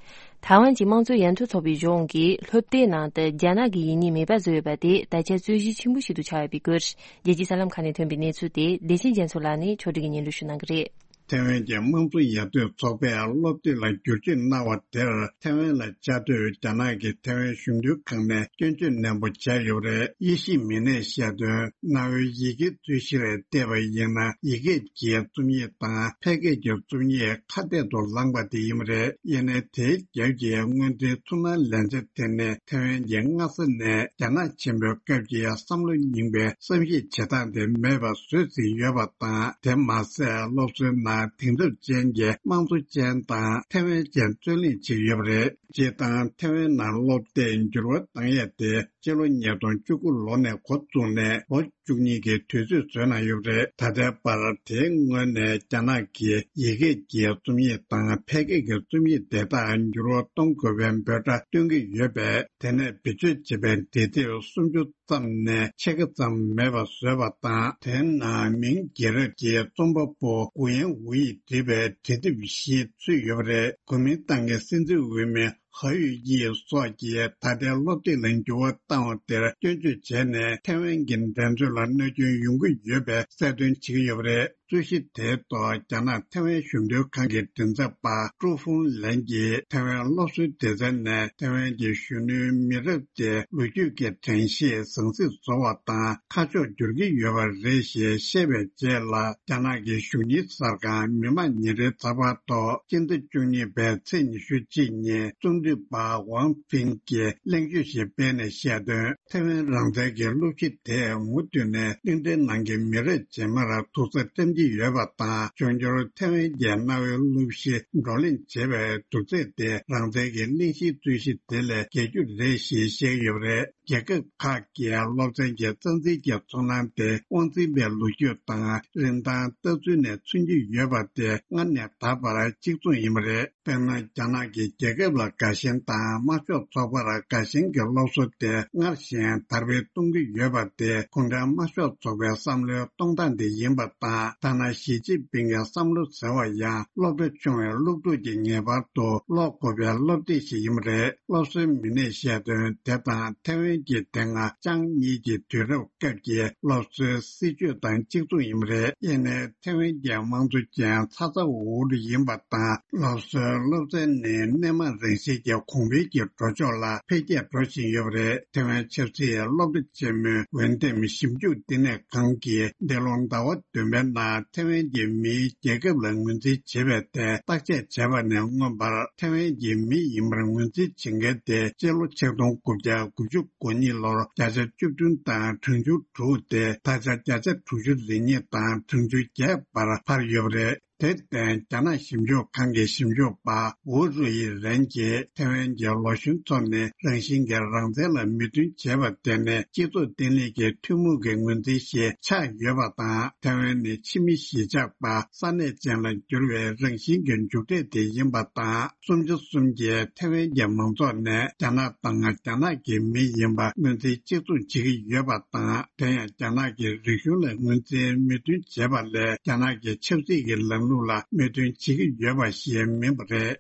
ཐའེ་ཝན་གྱི་དམངས་གཙོའི་ཡར་ཐོན་ཚོགས་པའི་གཞུང་གིས་སློབ་དེབ་ནང་དུ་རྒྱ་ནག་གི་ཡིག་རྙིང་མེད་པ་བཟོས་ཡོད་པ་དེ་ད་ཆ་རྩོད་གཞི་ཆེན་པོ་ཞིག་ཏུ་ཆགས་ཡོད་པའི་སྐོར། རྒྱལ་སྤྱིའི་གསར་ལམ་ཁག་ནས་ཐོན་པའི་གནས་ཚུལ་དེ་བདེ་ཆེན་རྒྱ་མཚོ་ལགས་ནས་ཕྱོགས་སྒྲིག་གིས་སྙན་སྒྲོན་ཞུ་གནང་གི་རེད། ཐའེ་ཝན་གྱི་དམངས་གཙོ་ཡར་ཐོན་ཚོགས་པས་སློབ་དེབ་ལ་བསྒྱུར་བཅོས་གནང་བ་དེར་ཐའེ་ཝན་ལ་བཅའ་སྡོད་རྒྱ་ནག་གི་ཐའེ་ཝན་གཞོན་ནུ་ཁང་ནས་སྐྱོན་བརྗོད་ནན་པོ་བྱས་ཡོད་པ་རེད། དབྱེ་ཞིབ་མི་སྣས་བཤད་དོན། གནའ་བོའི་ཡི་གེ་རྩོད་གཞིར་བལྟས་པ་ཡིན་ན། ཡི་གེ་གི་རྩོམ་ཡིག་དང་ཕལ་སྐད་ཀྱི་རྩོམ་ཡིག་ཁ་གཏད་དུ་ལངས་པ་དེ་ཡིན་པ་རེད། ཡིན་ནའི་དེའི་རྒྱབ་ཀྱི་དངོས་འབྲེལ་ཚུར་སྣང་ལན་ཆ་དེ་ནི་ཐའེ་ཝན་གྱིས་སྔ་ས་ནས་རྒྱ་ནག་ཆེན་པོའི་སྐབས་ཀྱི་བསམ་བློ་རྙིང་པའི་བསམ་གཞིག་བྱེད་སྟངས་དེ་མེད་པ་བཟོས་ཟིན་ཡོད་པ་དང་། དེ་མ་ཟད་སློབ་གསོའི་ནང་དེང་རབས་ཅན་གྱི་དམངས་གཙོ་ཅན་དང་ཐའེ་ཝན་ཅན་རྩོད་གླེང་བྱེད་ཀྱི་ཡོད་པ་རེད། སྤྱིར་བཏང་ཐའེ་ཝན་ནང་སློབ་དེབ་འགྱུར་བ་བཏང་ཡས་དེ་སྤྱི་ལོ་ཉིས་སྟོང་བཅུ་དགུ་ལོ་ནས་འགོ་བཙུགས་ནས་ལོ་བཅུ་གཉིས་ཀྱི་དུས་ཚོད་བཟོས་གནང་ཡོད་པ་རེད། ད་ལྟའི་བར་དེའི་སྔོན་ནས་རྒྱ་ནག་གིས་ཡི་གེ་གི་རྩོམ་ཡིག་དང་ཕལ་སྐད་ཀྱི་རྩོམ་ཡིག་དེ་དག་འགྱུར་བ་གཏོང་དགོས་པའི་འབོད་སྒྲ་བཏོན་གྱི་ཡོད་པས། དེ་ནས་བེད་སྤྱོད་བྱེད་པའི་འབྲི་དེབ་སུམ་ཅུ་ཙམ་ནས་ཕྱེད་ཀ་ཙམ་མེད་པ་བཟོས་པ་དང་། དེའི་ནང་མིང་རྒྱལ་རབས་ཀྱི་རྩོམ་པ་པོ་གུ་ཡན་ཝུ་ཡིས་བྲིས་པའི་འབྲི་དེབ་བཞི་ཚུད་ཡོད་པ་རེད། གོ་མིན་ཏང་གི་སྲིད་འཛིན་འོས་མི་ཧ་ཡུས་ཡི་སོགས་ཀྱིས་ད་ལྟའི་སློབ་དེབ་ལ་འགྱུར་བ་བཏང་བ་དེར་སྐྱོན་བརྗོད་བྱས་ནས། ཐའེ་ཝན་གྱི་འགྲན་རྩོད་ལ་གནོད་སྐྱོན་ཡོང་གི་ཡོད་པའི་གསལ་སྟོན་བྱེད་ཀྱི་ཡོད་པ་རེད། རྩོད་གཞི་དེའི་ཐོག་རྒྱ་ནག་ཐའེ་ཝན་གཞོན་ནུ་ཁང་གི་མགྲིན་ཚབ་པ་ཀྲུའུ་ཧྥུང་ལན་གྱིས་ཐའེ་ཝན་སློབ་གསོའི་སྡེ་ཚན་ནས་ཐའེ་ཝན་གྱི་གཞོན་ནུའི་མི་རབས་དེ་ལོ་རྒྱུས་ཀྱི་དྲན་ཤེས་ཟང་ཟིང་བཟོ་བ་དང་ཁ་ཕྱོགས་བསྒྱུར་གྱི་ཡོད་པ་རེད་ཞེས་བཤད་པའི་རྗེས་ལ། རྒྱ་ནག་གི་གཞུང་གཉེར་གསར་ཁང་མི་དམངས་ཉིན་རེའི་ཚགས་པར་ཐོག་སྤྱི་ཟླ་བཅུ་གཉིས་པའི་ཚེས་ཉི་ཤུ་གཅིག་ཉིན་རྩོམ་སྒྲིག་པ་ཝང་ཕིང་གིས་གླེང་བརྗོད་ཞིག་སྤེལ་ནས་བཤད་དོན། ཐའེ་ཝན་རང་བཙན་གྱི་སློབ་གཞི་དེས་མུ་མཐུད་ནས་གླིང་ཕྲན་ནང་གི་མི་རབས་རྗེས་མར་ཐུགས་ས་བཀྲམ་གྱི་ཡོད་པ་དང་། འབྱུང་འགྱུར་ཐའེ་ཝན་གྱི་གནའ་བོའི་སློབ་གཞི་བགྲོ་གླེང་བྱེད་པའི་དུས་ཚོད་དེ་རང་བཙན་གྱི་གླེང་གཞིའི་རྩོད་གཞི་དེ་ལས་བརྒལ་རྒྱུ་རེད་ཞེས་བཤད་ཀྱི་ཡོད་པ་རེད། རྒྱལ་ཁབ་ཁག་གིས་སློབ་ཚན་གྱི་རྩ་འཛིན་གྱི་ཚོར་སྣང་དེ་དབང་འཛིན་པའི་ལོ་རྒྱུས་དང་རིན་ཐང་ལྟ་ཚུལ་ནས་མཚོན་གྱི་ཡོད་པ་དེ་སྔར་ནས་ད་བར་གཅིག་མཚུངས་ཡིན་པ་རེད། དཔེར་ན། རྒྱ་ནག་གིས་རྒྱལ་ཁབ་ལ་དགའ་ཞེན་དང་དམར་ཤོག་ཚོགས་པར་དགའ་ཞེན་གྱི་སློབ་གསོ་དེ་སྔར་བཞིན་དར་སྤེལ་གཏོང་གི་ཡོད་པ་དེ་གུང་ཁྲན་དམར་ཤོག་ཚོགས་པའི་བསམ་བློའི་གཏོང་སྟངས་དེ་ཡིན་པ་དང་། ཐ་ན་ཞི་ཅིན་ཕིང་གི་བསམ་བློ་ཟེར་བ་ཡང་སློབ་གྲྭ་ཆུང་བའི་སློབ་ཕྲུག་གིས་ངེས་པར་དུ་ཀློག་དགོས་པའི་སློབ་དེབ་ཞིག་ཡིན་པ་རེད། སློབ་གསོའི་མི་སྣས་བཤད་དོན་དེ་དང་ཐེ་ཝན་གྱི་དེ་སྔ་ཅང་གཉིས་ཀྱི་དུས་རབས་སྐབས་ཀྱི་སློབ་གསོའི་སྲིད་བྱུས་དང་གཅིག་མཚུངས་ཡིན་པ་རེད། ཡིན་ནའི་ཐེ་ཝན་གྱི་དམངས་གཙོ་ཅན་ཚ་ཚ་འུར་འུར་ཡིན་པ་དང་། སློབ་གསོའི་སློབ་ཚན་ནི་སྣེ་མང་རང་བཞིན་གྱི་གོང་འཕེལ་གྱི་འགྲོ་ཕྱོགས་ལ་འཕེལ་རྒྱས་འགྲོ་བཞིན་ཡོད་པ་རེད། ཐེ་ཝན་ཆབ་སྲིད་སློབ་གྲྭ་ཆེན་མོའི་འོས་འདེམས་ཞིབ་འཇུག་བསྟི་གནས་ཁང་གིས་འདི་ལོ་ཟླ་བ་བདུན་པའི་ནང་ཐེ་ཝན་གྱི་མིའི་རྒྱལ་ཁབ་ལ་ངོས་འཛིན་བྱེད་པའི་ཐད་བརྟག་དཔྱད་བྱས་པ་ནས་མངོན་པར། ཐེ་ཝན་གྱི་མི་ཡིན་པར་ངོས་འཛིན་བྱེད་མཁན་དེ་སྤྱི་ལོ་ཆིག་སྟོང་དགུ་བརྒྱ་དགུ་བཅུ་གོ་གཉིས་ལོར་བརྒྱ་ཆ་བཅུ་བདུན་དང་གྲངས་ཆུང་དྲུག་སྟེ། ད་ཆ་བརྒྱ་ཆ་དྲུག་ཅུ་རེ་གཉིས་དང་གྲངས་ཆུང་བརྒྱད་བར་འཕར་ཡོད་པ་རེད། དེར་བརྟེན། རྒྱ་ནག་ཞིབ་འཇུག་ཁང་གི་ཞིབ་འཇུག་པ་ཝུ་རུ་ཡི་རན་གྱིས་ཐེ་ཝན་གྱི་ལོ་གཞོན་ཚོ་ནི་རང་བཞིན་གྱིས་རང་བཙན་ལ་མོས་མཐུན་བྱེད་པ་དེ་ནི་སྤྱི་ཚོགས་བརྟན་ལྷིང་གི་ཐུན་མོང་གི་ངོས་འཛིན་ཞིག་ཆགས་ཡོད་པ་དང་། ཐེ་ཝན་ནི་ཕྱི་མི་གཞིས་ཆགས་པ་ས་གནས་ཅན་ལ་འགྱུར་བའི་རང་བཞིན་གྱི་མཇུག་འབྲས་དེ་ཡིན་པ་དང་། གསུམ་ཆ་གསུམ་གྱིས་ཐེ་ཝན་གྱི་མང་ཚོགས་ནི་རྒྱ་ནག་དང་རྒྱ་ནག་གི་མི་ཡིན་པ་ངོས་འཛིན་གཅིག་མཚུངས་བྱེད་ཀྱི་ཡོད་པ་དང་། དེ་ཡང་རྒྱ་ནག་གི་རིག་གཞུང་ལ་ངོས་འཛིན་མོས་མཐུན་བྱེད་པ་ལས་རྒྱ་ནག་གི་ཆབ་སྲིད་ཀྱི་ལམ་ལུགས་ལ་མོས་མཐུན་བྱེད་ཀྱི་ཡོད་པ་ཞིག་མིན་པ་རེད།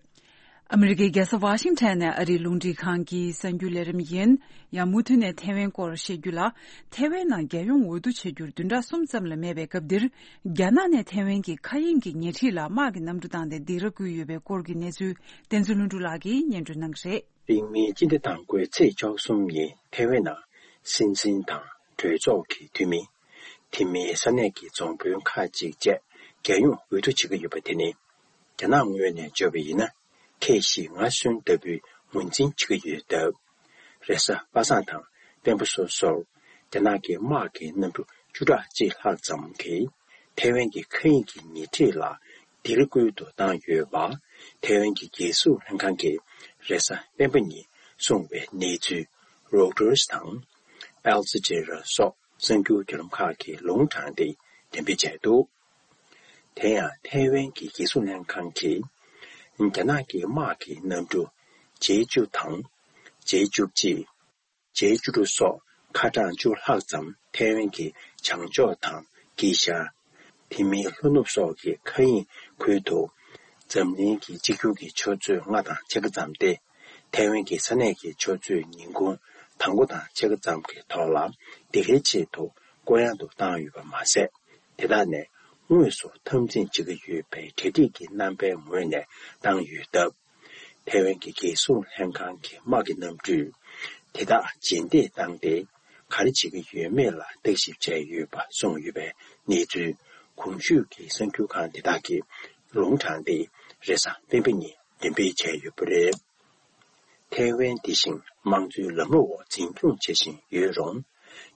ཨ་མི་རི་ཀའི་རྒྱལ་ས་ཝ་ཤིང་ཊོན་ནས་ཨ་རིའི་རླུང་འཕྲིན་ཁང་གི་གསར་འགྱུར་ལས་རིམ་ཡིན། ཡང་མུ་མཐུད་ནས་ཐེ་ཝན་སྐོར་བཤད་རྒྱུ་ལ། ཐེ་ཝན་ནང་རྒྱལ་ཡོངས་འོས་བསྡུ་བྱེད་རྒྱུར་བདུན་ཕྲག་གསུམ་ཙམ་ལས་མེད་པའི་སྐབས་འདིར། རྒྱ་ནག་ནས་ཐེ་ཝན་གྱི་མཁའ་དབྱིངས་ཀྱི་ཉེ་འཁྲིས་ལ་དམག་གི་གནམ་གྲུ་བཏང་སྟེ་སྡིགས་ར་བསྐུལ་ཡོད་པའི་སྐོར་གྱི་གནས་ཚུལ། བསྟན་འཛིན་ལྷུན་གྲུབ་ལགས་ཀྱིས་སྙན་སྒྲོན་གནང་གི་རེད། རིང་མིན་སྤྱི་ཟླ་དང་པོའི་ཚེས་བཅུ་གསུམ་ཉིན་ཐེ་ཝན་ནང་སྲིད་འཛིན་དང་གྲོས་ཚོགས་ཀྱི་འཐུས་མི། དེ་མིན་ས་གནས་ཀྱི་རྫོང་དཔོན་ཁག་ཅིག་བཅས་རྒྱལ་ཡོངས་འོས་བསྡུ་བྱེད་ཀྱི་ཡོད་པ་དེ་ནི། རྒྱ་ནག་ངོས་ནས་བརྗོད་པ་ཡིན་ན། ཁེ་ཞི་ང་གསོན་ལྟ་བུའི་ངོས་འཛིན་བྱེད་ཀྱི་ཡོད་སྟབས། རེས་གཟའ་པ་སངས་དང་དཔལ་འབྱོར་སོ་སོར་རྒྱ་ནག་གི་དམག་གི་གནམ་གྲུ་བཅུ་ཕྲག་གཅིག་ལྷག་ཙམ་གྱིས་ཐེ་ཝན་གྱི་མཁའ་དབྱིངས་ཀྱི་ཉེ་འཁྲིས་ལ་སྡིགས་ར་བསྐུལ་དུ་བཏང་ཡོད་པ། ཐེ་ཝན་གྱི་རྒྱལ་སྲུང་ལྷན་ཁང་གིས་རེས་གཟའ་སྤེན་པ་ཉིན་གསུངས་པའི་གནས་ཚུལ་རོའི་ཊར་དང་། ཨལ་ཇི་ཛི་ར་སོགས་གསར་འགྱུར་བརྒྱུད་ལམ་ཁག་གིས་ལུང་དྲངས་ཏེ་འགྲེམས་སྤེལ་བྱས་འདུག་དེ་ཡང་ཐའེ་ཝན་གྱི་རྒྱལ་སྲུང་ལྷན་ཁང་གིས། རྒྱ་ནག་གི་དམག་གི་གནམ་གྲུ་ཇེ་བཅུ་དང་། ཇེ་བཅུ་གཅིག་ཇེ་བཅུ་དྲུག་སོགས་ཁ་གྲངས་བཅུ་ལྷག་ཙམ་ཐའེ་ཝན་གྱི་བྱང་ཕྱོགས་དང་དཀྱིལ་ཤར། དེ་མིན་ལྷོ་ནུབ་སོགས་ཀྱི་མཁའ་དབྱིངས་ཁུལ་དུ། འཛམ་གླིང་གི་གཅིག་གྱུར་གྱི་ཆུ་ཚོད་ལྔ་དང་ཕྱེད་ཀ་ཙམ་སྟེ། ཐའེ་ཝན་གྱི་ས་གནས་ཀྱི་ཆུ་ཚོད་ཉིན་གུང་དང་པོ་དང་ཕྱེད་ཀ་ཙམ་གྱི་ཐོག་ལ་སྡིགས་རའི་ཆེད་དུ་བསྐོར་གཡང་དུ་བཏང་ཡོད་པ་མ་ཟད། དེ་དག་ནས་དངོས་སུ་འཐབ་འཛིང་བྱེད་ཀྱི་ཡོད་པའི་གྲ་སྒྲིག་གི་རྣམ་པའི་ངོས་ནས་བཏང་ཡོད་སྟབས། ཐའེ་ཝན་གྱི་རྒྱལ་སྲུང་ལྷན་ཁང་གི་དམག་གི་གནམ་གྲུས་དེ་དག་རྗེས་འདེད་བཏང་སྟེ། ག་རེ་བྱེད་ཀྱི་ཡོད་མེད་ལ་བརྟག་ཞིབ་བྱས་ཡོད་པ་གསུངས་ཡོད་པའི་གནས་ཚུལ་གོང་ཞུས་ཀྱི་གསར་འགྱུར་ཁང་དེ་དག་གིས་ལུང་དྲངས་ཏེ། རེས་གཟའ་སྤེན་པ་ཉིན་འགྲེམས་སྤེལ་བྱས་ཡོད་པ་རེད། ཐའེ་ཝན་འདི་བཞིན་དམངས་གཙོའི་ལམ་ལུགས་འོག་འཛིན་སྐྱོང་བྱེད་བཞིན་ཡོད་རུང་།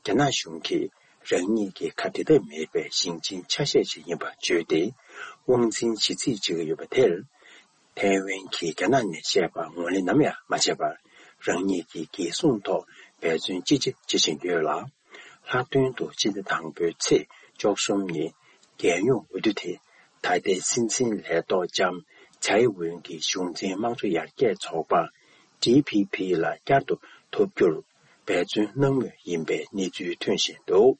རྒྱ་ནག་གཞུང་གིས་རང་ཉིད་ཀྱི་ཁ་འབྲལ་ཐབས་མེད་པའི་ཞིང་ཆེན་ཆ་ཤས་ཤིག་ཡིན་པར་བརྗོད་དེ། དབང་འཛིན་བྱེད་རྩིས་བྱེད་ཀྱི་ཡོད་པ་དེར། ཐའེ་ཝན་གྱིས་རྒྱ་ནག་ནས་བཤད་པ་ངོས་ལེན་ནམ་ཡང་མ་བྱས་པར། རང་ཉིད་ཀྱི་རྒྱལ་སྲུང་ཐོག་འབད་བརྩོན་ཅི་ཆེ་བྱེད་བཞིན་ཡོད་ལ། ལྷག་དོན་དུ་ཕྱི་ཟླ་དང་པོའི་ཚེས་བཅུ་གསུམ་ཉིན་རྒྱལ་ཡོངས་འོས་བསྡུ་དེ། ད་ལྟའི་སྲིད་འཛིན་ལས་ཐོག་ལྕམ་ཚའེ་ཝེན་གྱི་གཞུང་འཛིན་དམངས་གཙོ་ཡར་རྒྱས་ཚོགས་པ། ཌི་ཕི་ཕི་ལ་བསྐྱར་དུ་ཐོབ་རྒྱུར་འབད་བརྩོན་གནང་མུས་ཡིན་པའི་གནས་ཚུལ་ཐོན་བཞིན་འདུག་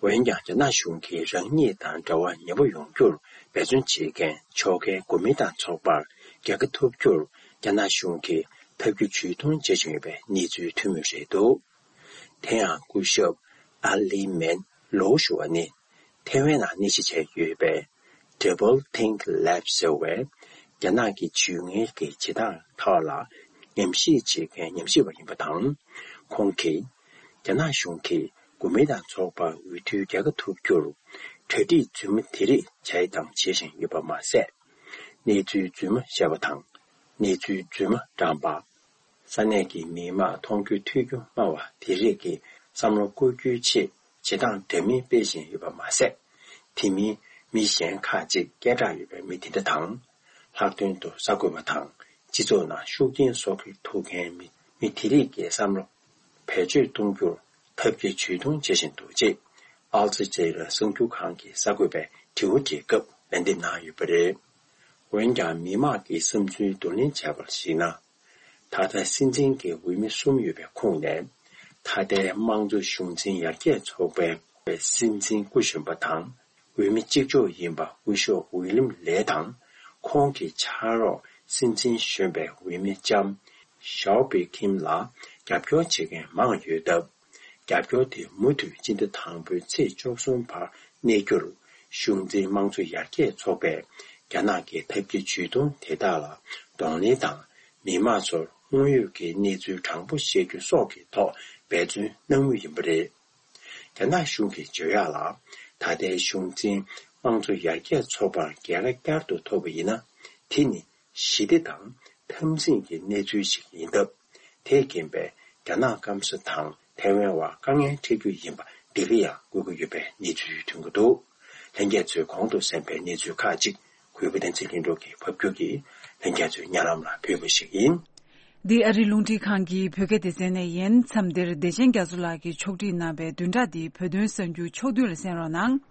འོན་ཀྱང་། རྒྱ་ནག་གཞུང་གིས་རང་ཉིད་དང་འབྲེལ་བ་ཉེ་པོ་ཡོང་རྒྱུར་འབད་བརྩོན་བྱེད་མཁན་ཕྱོགས་འགལ་གོ་མིན་ཏང་ཚོགས་པར་རྒྱལ་ཁ་ཐོབ་རྒྱུར་རྒྱ་ནག་གཞུང་གིས་ཐབས་བཀོད་ཇུས་གཏོང་བྱེད་བཞིན་ཡོད་པའི་གནས་ཚུལ་ཐོན་མུས་རེད་འདུག་དེ་ཡང་སྐུ་ཞབས་ཨ་ལི་མེན་ལོ་ཞུ་བ་ནི། ཐའེ་ཝན་ནང་གནས་གཞི་བྱས་ཡོད་པའི་Double Think Lab ཟེར་བའི་རྒྱ་ནག་གི་ཇུས་ངན་གྱི་བྱེད་སྟངས་ཐོག་ལ་ཉམས་ཞིབ་བྱེད་མཁན་ཉམས་ཞིབ་པ་ཡིན་པ་དང་། ཁོང་གིས་རྒྱ་ནག་གཞུང་གིས་གོ་མིན་ཏང་ཚོགས་པར་འོས་བསྡུའི་རྒྱལ་ཁ་ཐོབ་རྒྱུར་གྲ་སྒྲིག་རྫུན་མ་དེ་རིགས་བྱས་དང་བྱེད་བཞིན་ཡོད་པ་མ་ཟད། གནས་ཚུལ་རྫུན་མ་བཤད་པ་དང་། གནས་ཚུལ་རྫུན་མ་བགྲངས་པ། ས་གནས་ཀྱི་མི་དམངས་མཐོང་རྒྱུ་ཐོས་རྒྱུ་སྨྲ་བ་དེ་རིགས་ཀྱི་བསམ་བློ་བསྐོ་རྒྱུའི་ཆེད་བྱེད་སྟངས་འདྲ་མིན་སྤེལ་བཞིན་ཡོད་པ་མ་ཟད། དེ་མིན་མི་གཞན་ཁག་ཅིག་སྐད་གྲགས་ཡོད་པའི་མི་དེ་འདྲ་དང་། ལྷག་དོན་དུ་གསར་འགོད་པ་དང་སྤྱི་ཚོགས་ནང་ཤུགས་རྐྱེན་བཟོ་གི་ཐུབ་མཁན་མི་མི་དེ་རིགས་ཀྱི་བསམ་བློ་ བེད་སྤྱོད་གཏོང་རྒྱུར་ཐབས་ཀྱི་ཇུས་གཏོང་བྱེད་བཞིན་འདུག་ཅེས་ཨལ་ཇི་ཛི་ར་གསར་འགྱུར་ཁང་གི་གསར་འགོད་པས་དྲི་བ་དེའི་སྐབས་ལན་འདེབས་གནང་ཡོད་པ་རེད། འོན་ཀྱང་མི་མང་གི་བསམ་ཚུལ་བསྡུ་ལེན་བྱས་པར་གཞིགས་ན། ད་ལྟ་སྲིད་འཛིན་གྱི་འོས་མི་གསུམ་ཡོད་པའི་ཁོངས་ནས། ད་ལྟའི་དམངས་གཙོ་གཞུང་འཛིན་ཡར་རྒྱས་ཚོགས་པའི་སྲིད་འཛིན་སྐུ་གཞོན་པ་དང་། འོས་མི་གཅིག་ལྕོགས་ཡིན་པ་སྐུ་ཞབས་ཝི་ལིམ་ལེ་དང་། ཁོང་གི་ཕྱག་རོགས་སྲིད་འཛིན་གཞོན་པའི་འོས་མི་ལྕམ་ཞའོ་པེ་ཁིམ་ལ་རྒྱབ་སྐྱོར་བྱེད་མཁན་མང་ཡོད་སྟབས། རྒྱབ་སྐྱོར་དེ་མུ་མཐུད་སྤྱི་ཟླ་དང་པོའི་ཚེས་བཅུ་གསུམ་བར་གནས་རྒྱུར། གཞུང་འཛིན་དམངས་གཙོ་ཡར་རྒྱས་ཚོགས་པས་རྒྱ་ནག་གི་ཐབས་ཀྱི་ཇུས་གཏོང་དེ་དག་ལ་གདོང་ལེན་དང་། མི་མང་ཚོར་དངོས་ཡོད་ཀྱི་གནས་ཚུལ་དྲང་པོ་བཤད་རྒྱུ་སོགས་ཀྱི་ཐོག་འབད་བརྩོན་གནང་མུས་ཡིན་པ་རེད། རྒྱ་ནག་གཞུང་གིས་བརྗོད་ཡག་ལ། ད་ལྟའི་གཞུང་འཛིན་དམངས་གཙོ་ཡར་རྒྱས་ཚོགས་པར་རྒྱལ་ཁ་བསྐྱར་དུ་ཐོབ་པ་ཡིན་ན། དེ་ནི་ཞི་བདེ་དང་འཐབ་འཛིང་གི་གནས་ཚུལ་ཞིག་ཡིན་སྟབས། དེས་རྐྱེན་པས་རྒྱ་ནག་སྐམ་ས་དང་ཐའེ་ཝན་བར་དཀའ་ངལ་འཕྲད་རྒྱུ་ཡིན་པ་འདི་ག་ཡང་འགོད་ཀྱི་ཡོད་པའི་གནས་ཚུལ་ཐོན་གྱི་འདུག་ལྷན་རྒྱས་ཚོས་གོང་དུ་གསན་པའི་གནས་ཚུལ་ཁག་ཅིག་གུས་པ་བསྟན་འཛིན་ལྷུན་གྲུབ་ཀྱིས་ཕབ་སྒྱུར་གྱིས་ལྷན་རྒྱས་ཚོའི་སྙན་ལམ་ལ་ཕུལ་བ་ཞིག་ཡིན། འདི་ཨ་རིའི་རླུང་འཕྲིན་ཁང་གི་བོད་སྐད་སྡེ་ཚན་ནས་ཡིན། མཚམས་འདིར་བདེ་ཆེན་རྒྱ་མཚོ་ལགས་ཀྱིས་ཕྱོགས་སྒྲིག་གནང་བའི་བདུན་ཕྲག་འདིའི་བོད་དོན་གསར་འགྱུར་ཕྱོགས་བསྡུས་ལ་གསན་རོགས་གནང་།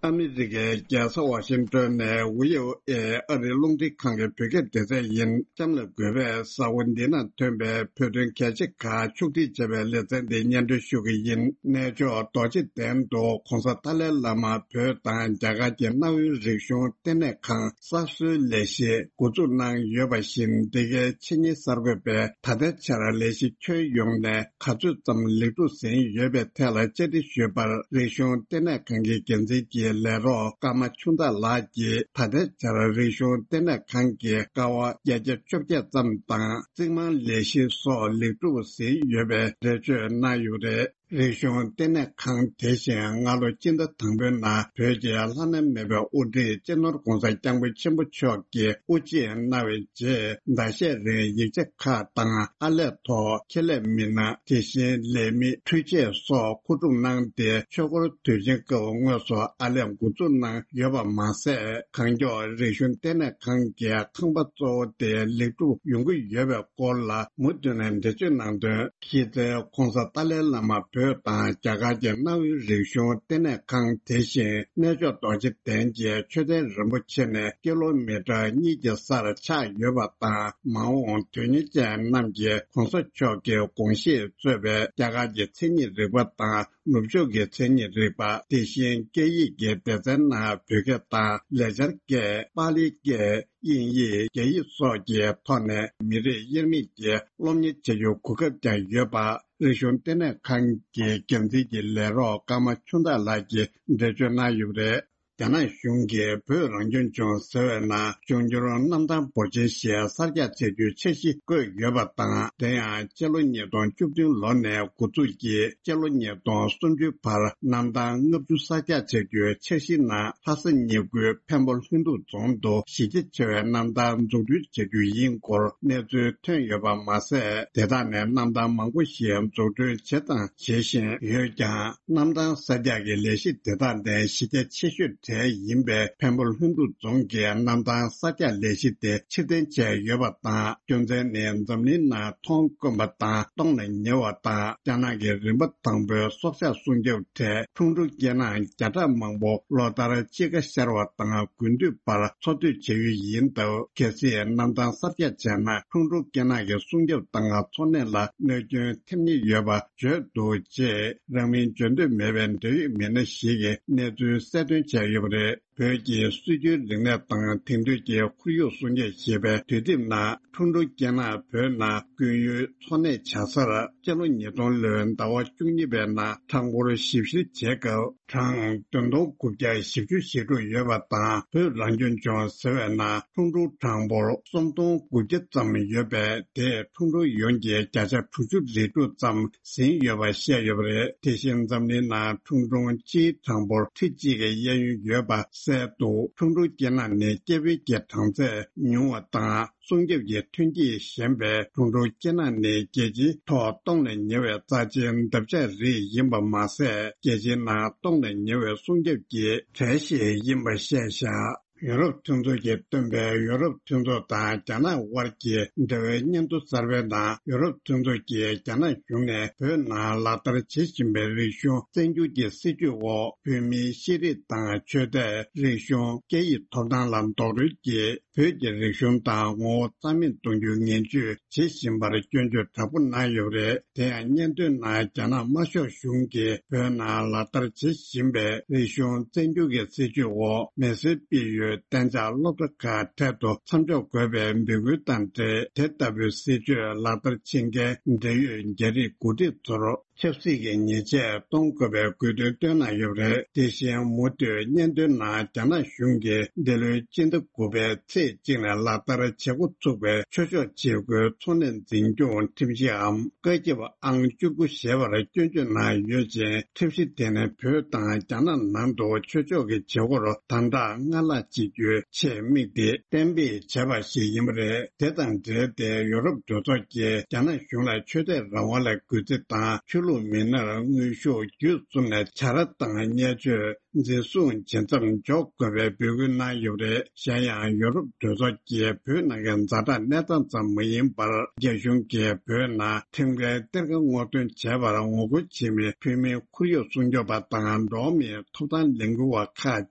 ཨ་མི་རི་ཀའི་རྒྱལ་ས་ཝ་ཤིང་ཏོན་ནས་ཝི་ཨོ་ཨེ་ཨ་རིའི་རླུང་འཕྲིན་ཁང་གི་བོད་སྐད་སྡེ་ཚན་ཡིན། གཤམ་ལ་འགོད་པའི་གསར་འགོད་འདི་ནང་ཐོན་པའི་བོད་དོན་གལ་ཆེ་ཁག་ཕྱོགས་སྒྲིག་བྱས་པའི་ལེ་ཚན་འདི་སྙན་སྒྲོན་ཞུ་གི་ཡིན། གནས་མཆོག་རྡོ་རྗེ་གདན་དུ་༧གོང་ས་ཏཱ་ལའི་བླ་མ་བོད་དང་རྒྱ་གར་གྱི་གནའ་བོའི་རིག་གཞུང་ལྟེ་གནས་ཁང་གསར་བཟོའི་ལས་གཞི་འགོ་འཛུགས་གནང་ཡོད་པ་བཞིན། འདི་གའི་ཕྱི་ཉིན་གསར་འགོད་པས་ད་ལྟའི་ཆར་ལས་གཞི་ཁྱོན་ཡོངས་ནས་ག་ཚོད་ཙམ་ལེགས་གྲུབ་ཟིན་ཡོད་པའི་ཐད་ལ་བཅར་འདྲི་ཞུས་པར། རིག་གཞུང་ལྟེ་གནས་ཁང་གི་འགན་འཛིན་གྱི་ལས་རོགས་ཀརྨ་ཆུང་བདག་ལགས་ཀྱིས། ད་ལྟའི་ཆར་རིག་གཞུང་ལྟེ་གནས་ཁང་གི་ཀ་བ་བརྒྱ་ཆ་བཅོ་བརྒྱད་ཙམ་དང་རྩིག་རྨང་ལས་གཞི་སོགས་ལེགས་གྲུབ་ཟིན་ཡོད་པའི་འགྲེལ་བརྗོད་གནང་ཡོད་པ་རེད། རིག་གཞུང་ལྟེ་གནས་ཁང་དེ་བཞིན་སྔ་ལོ་སྤྱི་ཟླ་དང་པོའི་ནང་བོད་ཀྱི་བླ་ན་མེད་པའི་དབུ་ཁྲིད་སྤྱི་ནོར་༧གོང་ས་༧སྐྱབས་མགོན་ཆེན་པོ་མཆོག་གིས་དབུ་འབྱེད་གནང་བའི་རྗེས། ཟླ་ཤས་རིང་ཡིག་ཆ་ཁག་དང་ཨར་ལས་ཐོག་ཁྱད་ལས་མི་སྣ། དེ་བཞིན་ལས་མི། འཕྲུལ་ཆས་སོགས་མཁོ་སྒྲུབ་གནང་སྟེ། ཆོས་འཁོར་དུས་ཆེན་སྐབས་དངོས་སུ་ཨར་ལས་འགོ་འཛུགས་གནང་ཡོད་པ་མ་ཟད། གང་མགྱོགས་རིག་གཞུང་ལྟེ་གནས་ཁང་གི་ཁང་པ་གཙོ་བོ་དེ་ལེགས་གྲུབ་ཡོང་གི་ཡོད་པའི་སྐོར་ལ་མུ་མཐུད་ནས་འགྲེལ་བརྗོད་གནང་དོན། གཞི་རྩའི་༧གོང་ས་ཏཱ་ལའི་བླ་མ་བོད་དང་རྒྱ་གར་གྱི་གནའ་བོའི་རིག་གཞུང་ལྟེ་གནས་ཁང་དེ་བཞིན་གནས་མཆོག་རྡོ་རྗེ་གདན་གྱི་མཆོད་རྟེན་རིན་པོ་ཆེ་ནས་ཀི་ལོ་མི་ཊར་གཉིས་ཀྱི་སར་ཆགས་ཡོད་པ་དང་། མ་འོངས་དོན་གཉེར་ཅན་རྣམས་ཀྱིས་༧གོང་ས་མཆོག་གི་དགོངས་བཞེད་གཙོས་པའི་རྒྱ་གར་གྱི་མཚན་ཉིད་རིག་པ་དང་ནུབ་ཕྱོགས་ཀྱི་མཚན་ཉིད་རིག་པ། དེ་བཞིན་སྐད་ཡིག་གི་སྡེ་ཚན་ནང་བོད་སྐད་དང་ལེགས་སྦྱར་སྐད། པཱ་ལིའི་སྐད། དབྱིན་ཡིག་རྒྱ་ཡིག་སོགས་ཀྱི་ཐོག་ནས་མི་རིགས་དབྱེར་མེད་ཀྱི་སློབ་གཉེར་བྱ་རྒྱུའི་གོ་སྐབས་ཀྱང་ཡོད་པ། རིག་གཞུང་ལྟེ་གནས་ཁང་གི་འགན་འཛིན་གྱི་ལས་རོགས་ཀརྨ་ཆུང་བདག་ལགས་ཀྱིས་འགྲེལ་བརྗོད་གནང་ཡོད་པ་རེད། རྒྱ་ནག་གཞུང་གིས་བོད་རང་སྐྱོང་ལྗོངས་ཟེར་བའི་ནང་འབྱུང་འགྱུར་གནམ་ཐང་འབོར་ཆེན་ཞིག་གསར་རྒྱག་བྱ་རྒྱུའི་འཆར་གཞི་བཀོད་ཡོད་པ་དང་། དེ་ཡང་སྤྱི་ལོ་ཉིས་སྟོང་བཅུ་བདུན་ལོ་ནས་འགོ་འཛུགས་ཀྱིས་སྤྱི་ལོ་ཉིས་སྟོང་སུམ་ཅུའི་བར་གནམ་ཐང་ལྔ་བཅུ་གསར་རྒྱག་བྱ་རྒྱུའི་འཆར་གཞིའི་ནང་། ལྷ་ས་ཉེ་ཁུལ་འཕན་པོ་ལྷུན་སྡུག་རྫོང་དུ་གཞི་རྒྱ་ཆེ་བའི་གནམ་ཐང་འཛུགས་སྐྲུན་བྱ་རྒྱུ་ཡིན་སྐོར་གནས་ཚུལ་ཐོན་ཡོད་པ་མ་ཟད། དེ་དག་ནས་གནམ་ཐང་མང་པོ་ཞིག་འཛུགས་སྐྲུན་བྱས་དང་བྱེད་བཞིན་ཡོད་ཀྱང་། གནམ་ཐང་གསར་རྒྱག་གི་ལས་གཞི་དེ་དག་ནས་གཞི་རྒྱ་ཆེ་ཤོས་གྲས་ཡིན་པའི་འཕན་པོ་ལྷུན་སྡུག་རྫོང་གི་གནམ་ཐང་གསར་རྒྱག་ལས་གཞི་དེ་ཕྱིར་འཐེན་བྱས་ཡོད་པ་དང་། རྒྱུ་མཚན་ནི་འཛམ་གླིང་ནང་མཐོང་དཀོན་པ་དང་སྟོངས་ལ་ཉེ་བ་དང་། རྒྱ་ནག་གི་རིམ་པ་དང་པོའི་སྲོག་ཆགས་སྲུང་སྐྱོབ་གྲས་ཁྲུང་ཁྲུང་སྐེ་ནག་བརྒྱ་ཕྲག་མང་པོ་ལོ་ལྟར་དཔྱིད་ཀ་ཤར་བ་དང་དགུན་དུས་བར་འཚོ་སྡོད་བྱེད་ཡུལ་ཡིན་སྟབས། གལ་སྲིད་གནམ་ཐང་གསར་རྒྱག་བྱས་ན། ཁྲུང་ཁྲུང་སྐེ་ནག་གི་སྲུང་སྐྱོབ་དང་འཚོ་གནས་ལ་གནོད་སྐྱོན་ཐེབས་ཉེན་ཡོད་པ་བརྗོད་འདུག་ཅེས་རང་མིང་བརྗོད་འདོད་མེད་པའི་འབྲེལ་ཡོད་མི་སྣ་ཞིག་གིས་གནས་ཚུལ་གསལ་སྟོན་བྱས་ཡོད་པ་རེད། བོད་ཀྱི་སྲོལ་རྒྱུན་རིག་གནས་དང་དེང་དུས་ཀྱི་ཁོར་ཡུག་སྲུང་སྐྱོབ་ཞེས་པའི་དུས་དེབ་ནང་། ཁྲུང་ཁྲུང་སྐེ་ནག་བོད་ནང་སྐྱོན་ཡོན་འཚོ་གནས་བྱ་སར་སྤྱི་ལོ་ཉིས་སྟོང་ལོའི་ཟླ་བ་བཅུ་གཉིས་པའི་ནང་ཁྲང་ཧོར་ཞིབ་བཤེར་བྱས་སྐབས། གྲངས་བདུན་སྟོང་དགུ་བརྒྱ་བཞི་བཅུ་ཞེ་དྲུག་ཡོད་པ་དང་། བོད་རང་སྐྱོང་ལྗོངས་ཟེར་བའི་ནང་ཁྲུང་ཁྲུང་གྲངས་འབོར་སུམ་སྟོང་དགུ་བརྒྱ་ཙམ་ཡོད་པས། དེས་ཁྲུང་ཁྲུང་ཡོངས་ཀྱི་བརྒྱ་ཆ་དྲུག་ཅུ་རེ་དྲུག་ཙམ་ཟིན་ཡོད་པ་བཤད་ཡོད་པ་རེད། དེ་བཞིན་འཛམ་གླིང་ནང་ཁྲུང་ཁྲུང་སྤྱིའི་གྲངས་འབོར་ཁྲི་གཅིག་གི་གཡས་གཡོན་ཡོད་པ་གསལ་འདུག་ཁྲུང་ཁྲུང་སྐེ་ནག་ནི་སྐྱེ་འཕེལ་གྱི་གྲངས་ཚད་ཉུང་བ་དང་། སྲུང་སྐྱོབ་ཀྱི་ཐོན་སྐྱེད་ཞན་པས། ཁྲུང་ཁྲུང་སྐེ་ནག་ནི་རྒྱལ་སྤྱིའི་ཐོག་སྟོངས་ལས་ཉེ་བའི་རྩ་ཆེའི་འདབ་ཆགས་རིགས་ཡིན་པ་མ་ཟད། རྒྱལ་སྤྱིའི་ནང་སྟོངས་ལས་ཉེ་བའི་སྲུང་སྐྱོབ་ཀྱི་གྲས་ཤིག་ཡིན་པ་བཤད་བཞག་ཡུ་རོབ་མཐུན་ཚོགས་ཀྱིས་བཏོན་པའི་ཡུ་རོབ་མཐུན་ཚོགས་དང་རྒྱ་ནག་དབར་གྱི་འབྲེལ་བའི་སྙན་ཐོ་གསར་པའི་ནང་ཡུ་རོབ་མཐུན་ཚོགས་ཀྱིས་རྒྱ་ནག་གཞུང་ནས་བོད་ནང་ལག་བསྟར་བྱེད་བཞིན་པའི་རིག་གཞུང་བཙན་སྒྱུར་གྱི་སྲིད་བྱུས་འོག་བོད་མིའི་ཤེས་རིག་དང་ཆོས་དད། རིག་གཞུང་། སྐད་ཡིག་ཐོབ་ཐང་ལ་རྡོག་རོལ་གྱིས་བོད་ཀྱི་རིག་གཞུང་དང་ངོ་བོ་རྩ་མེད་གཏོང་རྒྱུའི་ངན་ཇུས་བྱེད་བཞིན་པར་སྐྱོན་བརྗོད་དྲག་པོ་གནང་ཡོད་པ་རེད། དེ་ཡང་སྙན་ཐོའི་ནང་རྒྱ་ནག་དམར་ཤོག་གཞུང་གིས་བོད་ནང་ལག་བསྟར་བྱེད་བཞིན་པའི་རིག་གཞུང་བཙན་སྒྱུར་གྱི་སྲིད་བྱུས་འོག་མི་སེར་སྤེལ་ཡུལ་གཏན་འཇགས་སློབ་གྲྭ་ཁག་འཕྲལ་དུ་མཚམས་འཇོག་དགོས་པའི་འབོད་སྐུལ་དང་འབྲེལ། དེ་ལྟ་བུའི་སྲིད་བྱུས་ལག་བསྟར་བྱེད་མཁན་འབྲེལ་ཡོད་རྒྱ་རིགས་འགོ་ཁྲིད་ཚོར་ཆབ་སྲིད་ཀྱི་ཉེས་ཆད་གཏོང་དགོས་པའི་དགོས་འདུན་བཏོན་གནང་ཡོད་པ་རེད། དེ་བཞིན་མུ་མཐུད་སྙན་ཐོའི་ནང་རྒྱ་ནག་གཞུང་གིས་འདི་ལོའི་སྤྱི་ཟླ་དགུ་པའི་ཚེས་གཅིག་ནས་ལག་བསྟར་བྱེད་འགོ་ཚུགས་པའི་ཆོས་ཕྱོགས་བྱེད་སྒོའི་ཚོགས་ལས་འཛིན་སྐྱོང་ཁྲིམས་གཞིའམ་བཀའ་ཁྱབ་ཨང་བཅུ་དགུ་ཞེས་པར་སྐྱོན་བརྗོད་གནང་ཡོད་ཅིང་། ཁྲིམས་གཞི་དེ་ནི་བོད་དང་རྒྱ་ནག་ནང་དུ་ཆོས་ཕྱོགས་ཀྱི་བྱེད་སྒོར་དམ་དྲག་སྔར་ལྷག་བྱེད་རྒྱུའི་ཆེད་དམིགས་ཏེ་གཏན་འབེབས་བྱས་པ་ཞིག་ཡིན་པ་རེད། དེ་དང་འབྲེལ་ཏེ་ཡུ་རོབ་གྲོས་ཚོགས་ཀྱིས་རྒྱ་ནག་གཞུང་ལ་ཆོས་དད་རང་དབང་ལ་གུས་བརྩི་དང་ཆོས་ལུགས་མི་སྣར་དངོས་ཤུགས་བརྒྱུད་གསུམ་ནས་བྱ་ར་དང་བརྙས་བཅོས། འཛིན་བཟུང་བྱེད་མཚམས་འཇོག་དགོས་པའི་འབོད་སྐུལ་གནང་ཡོད་པ་རེད། གཞན་ཡང་ཡུ་རོབ་གྲོས་ཚོགས་ཀྱིས་བོད་ནང་གི་ཛ་དྲག་གནས་སྟངས་ཙམ་མ་ཡིན་པར། རྒྱ་གཞུང་གིས་བོད་ནང་ཁྲིམས་འགལ་གཏེར་ཁ་སྔོག་འདོན་བྱས་པར་ངོ་རྒོལ་བྱེད་མི་བོད་མིའི་ཁོར་ཡུག་སྲུང་སྐྱོབ་པ་དང་འགྲོ་བ་མིའི་ཐོབ་ཐང་ལས་འགུལ་བ་ཁག་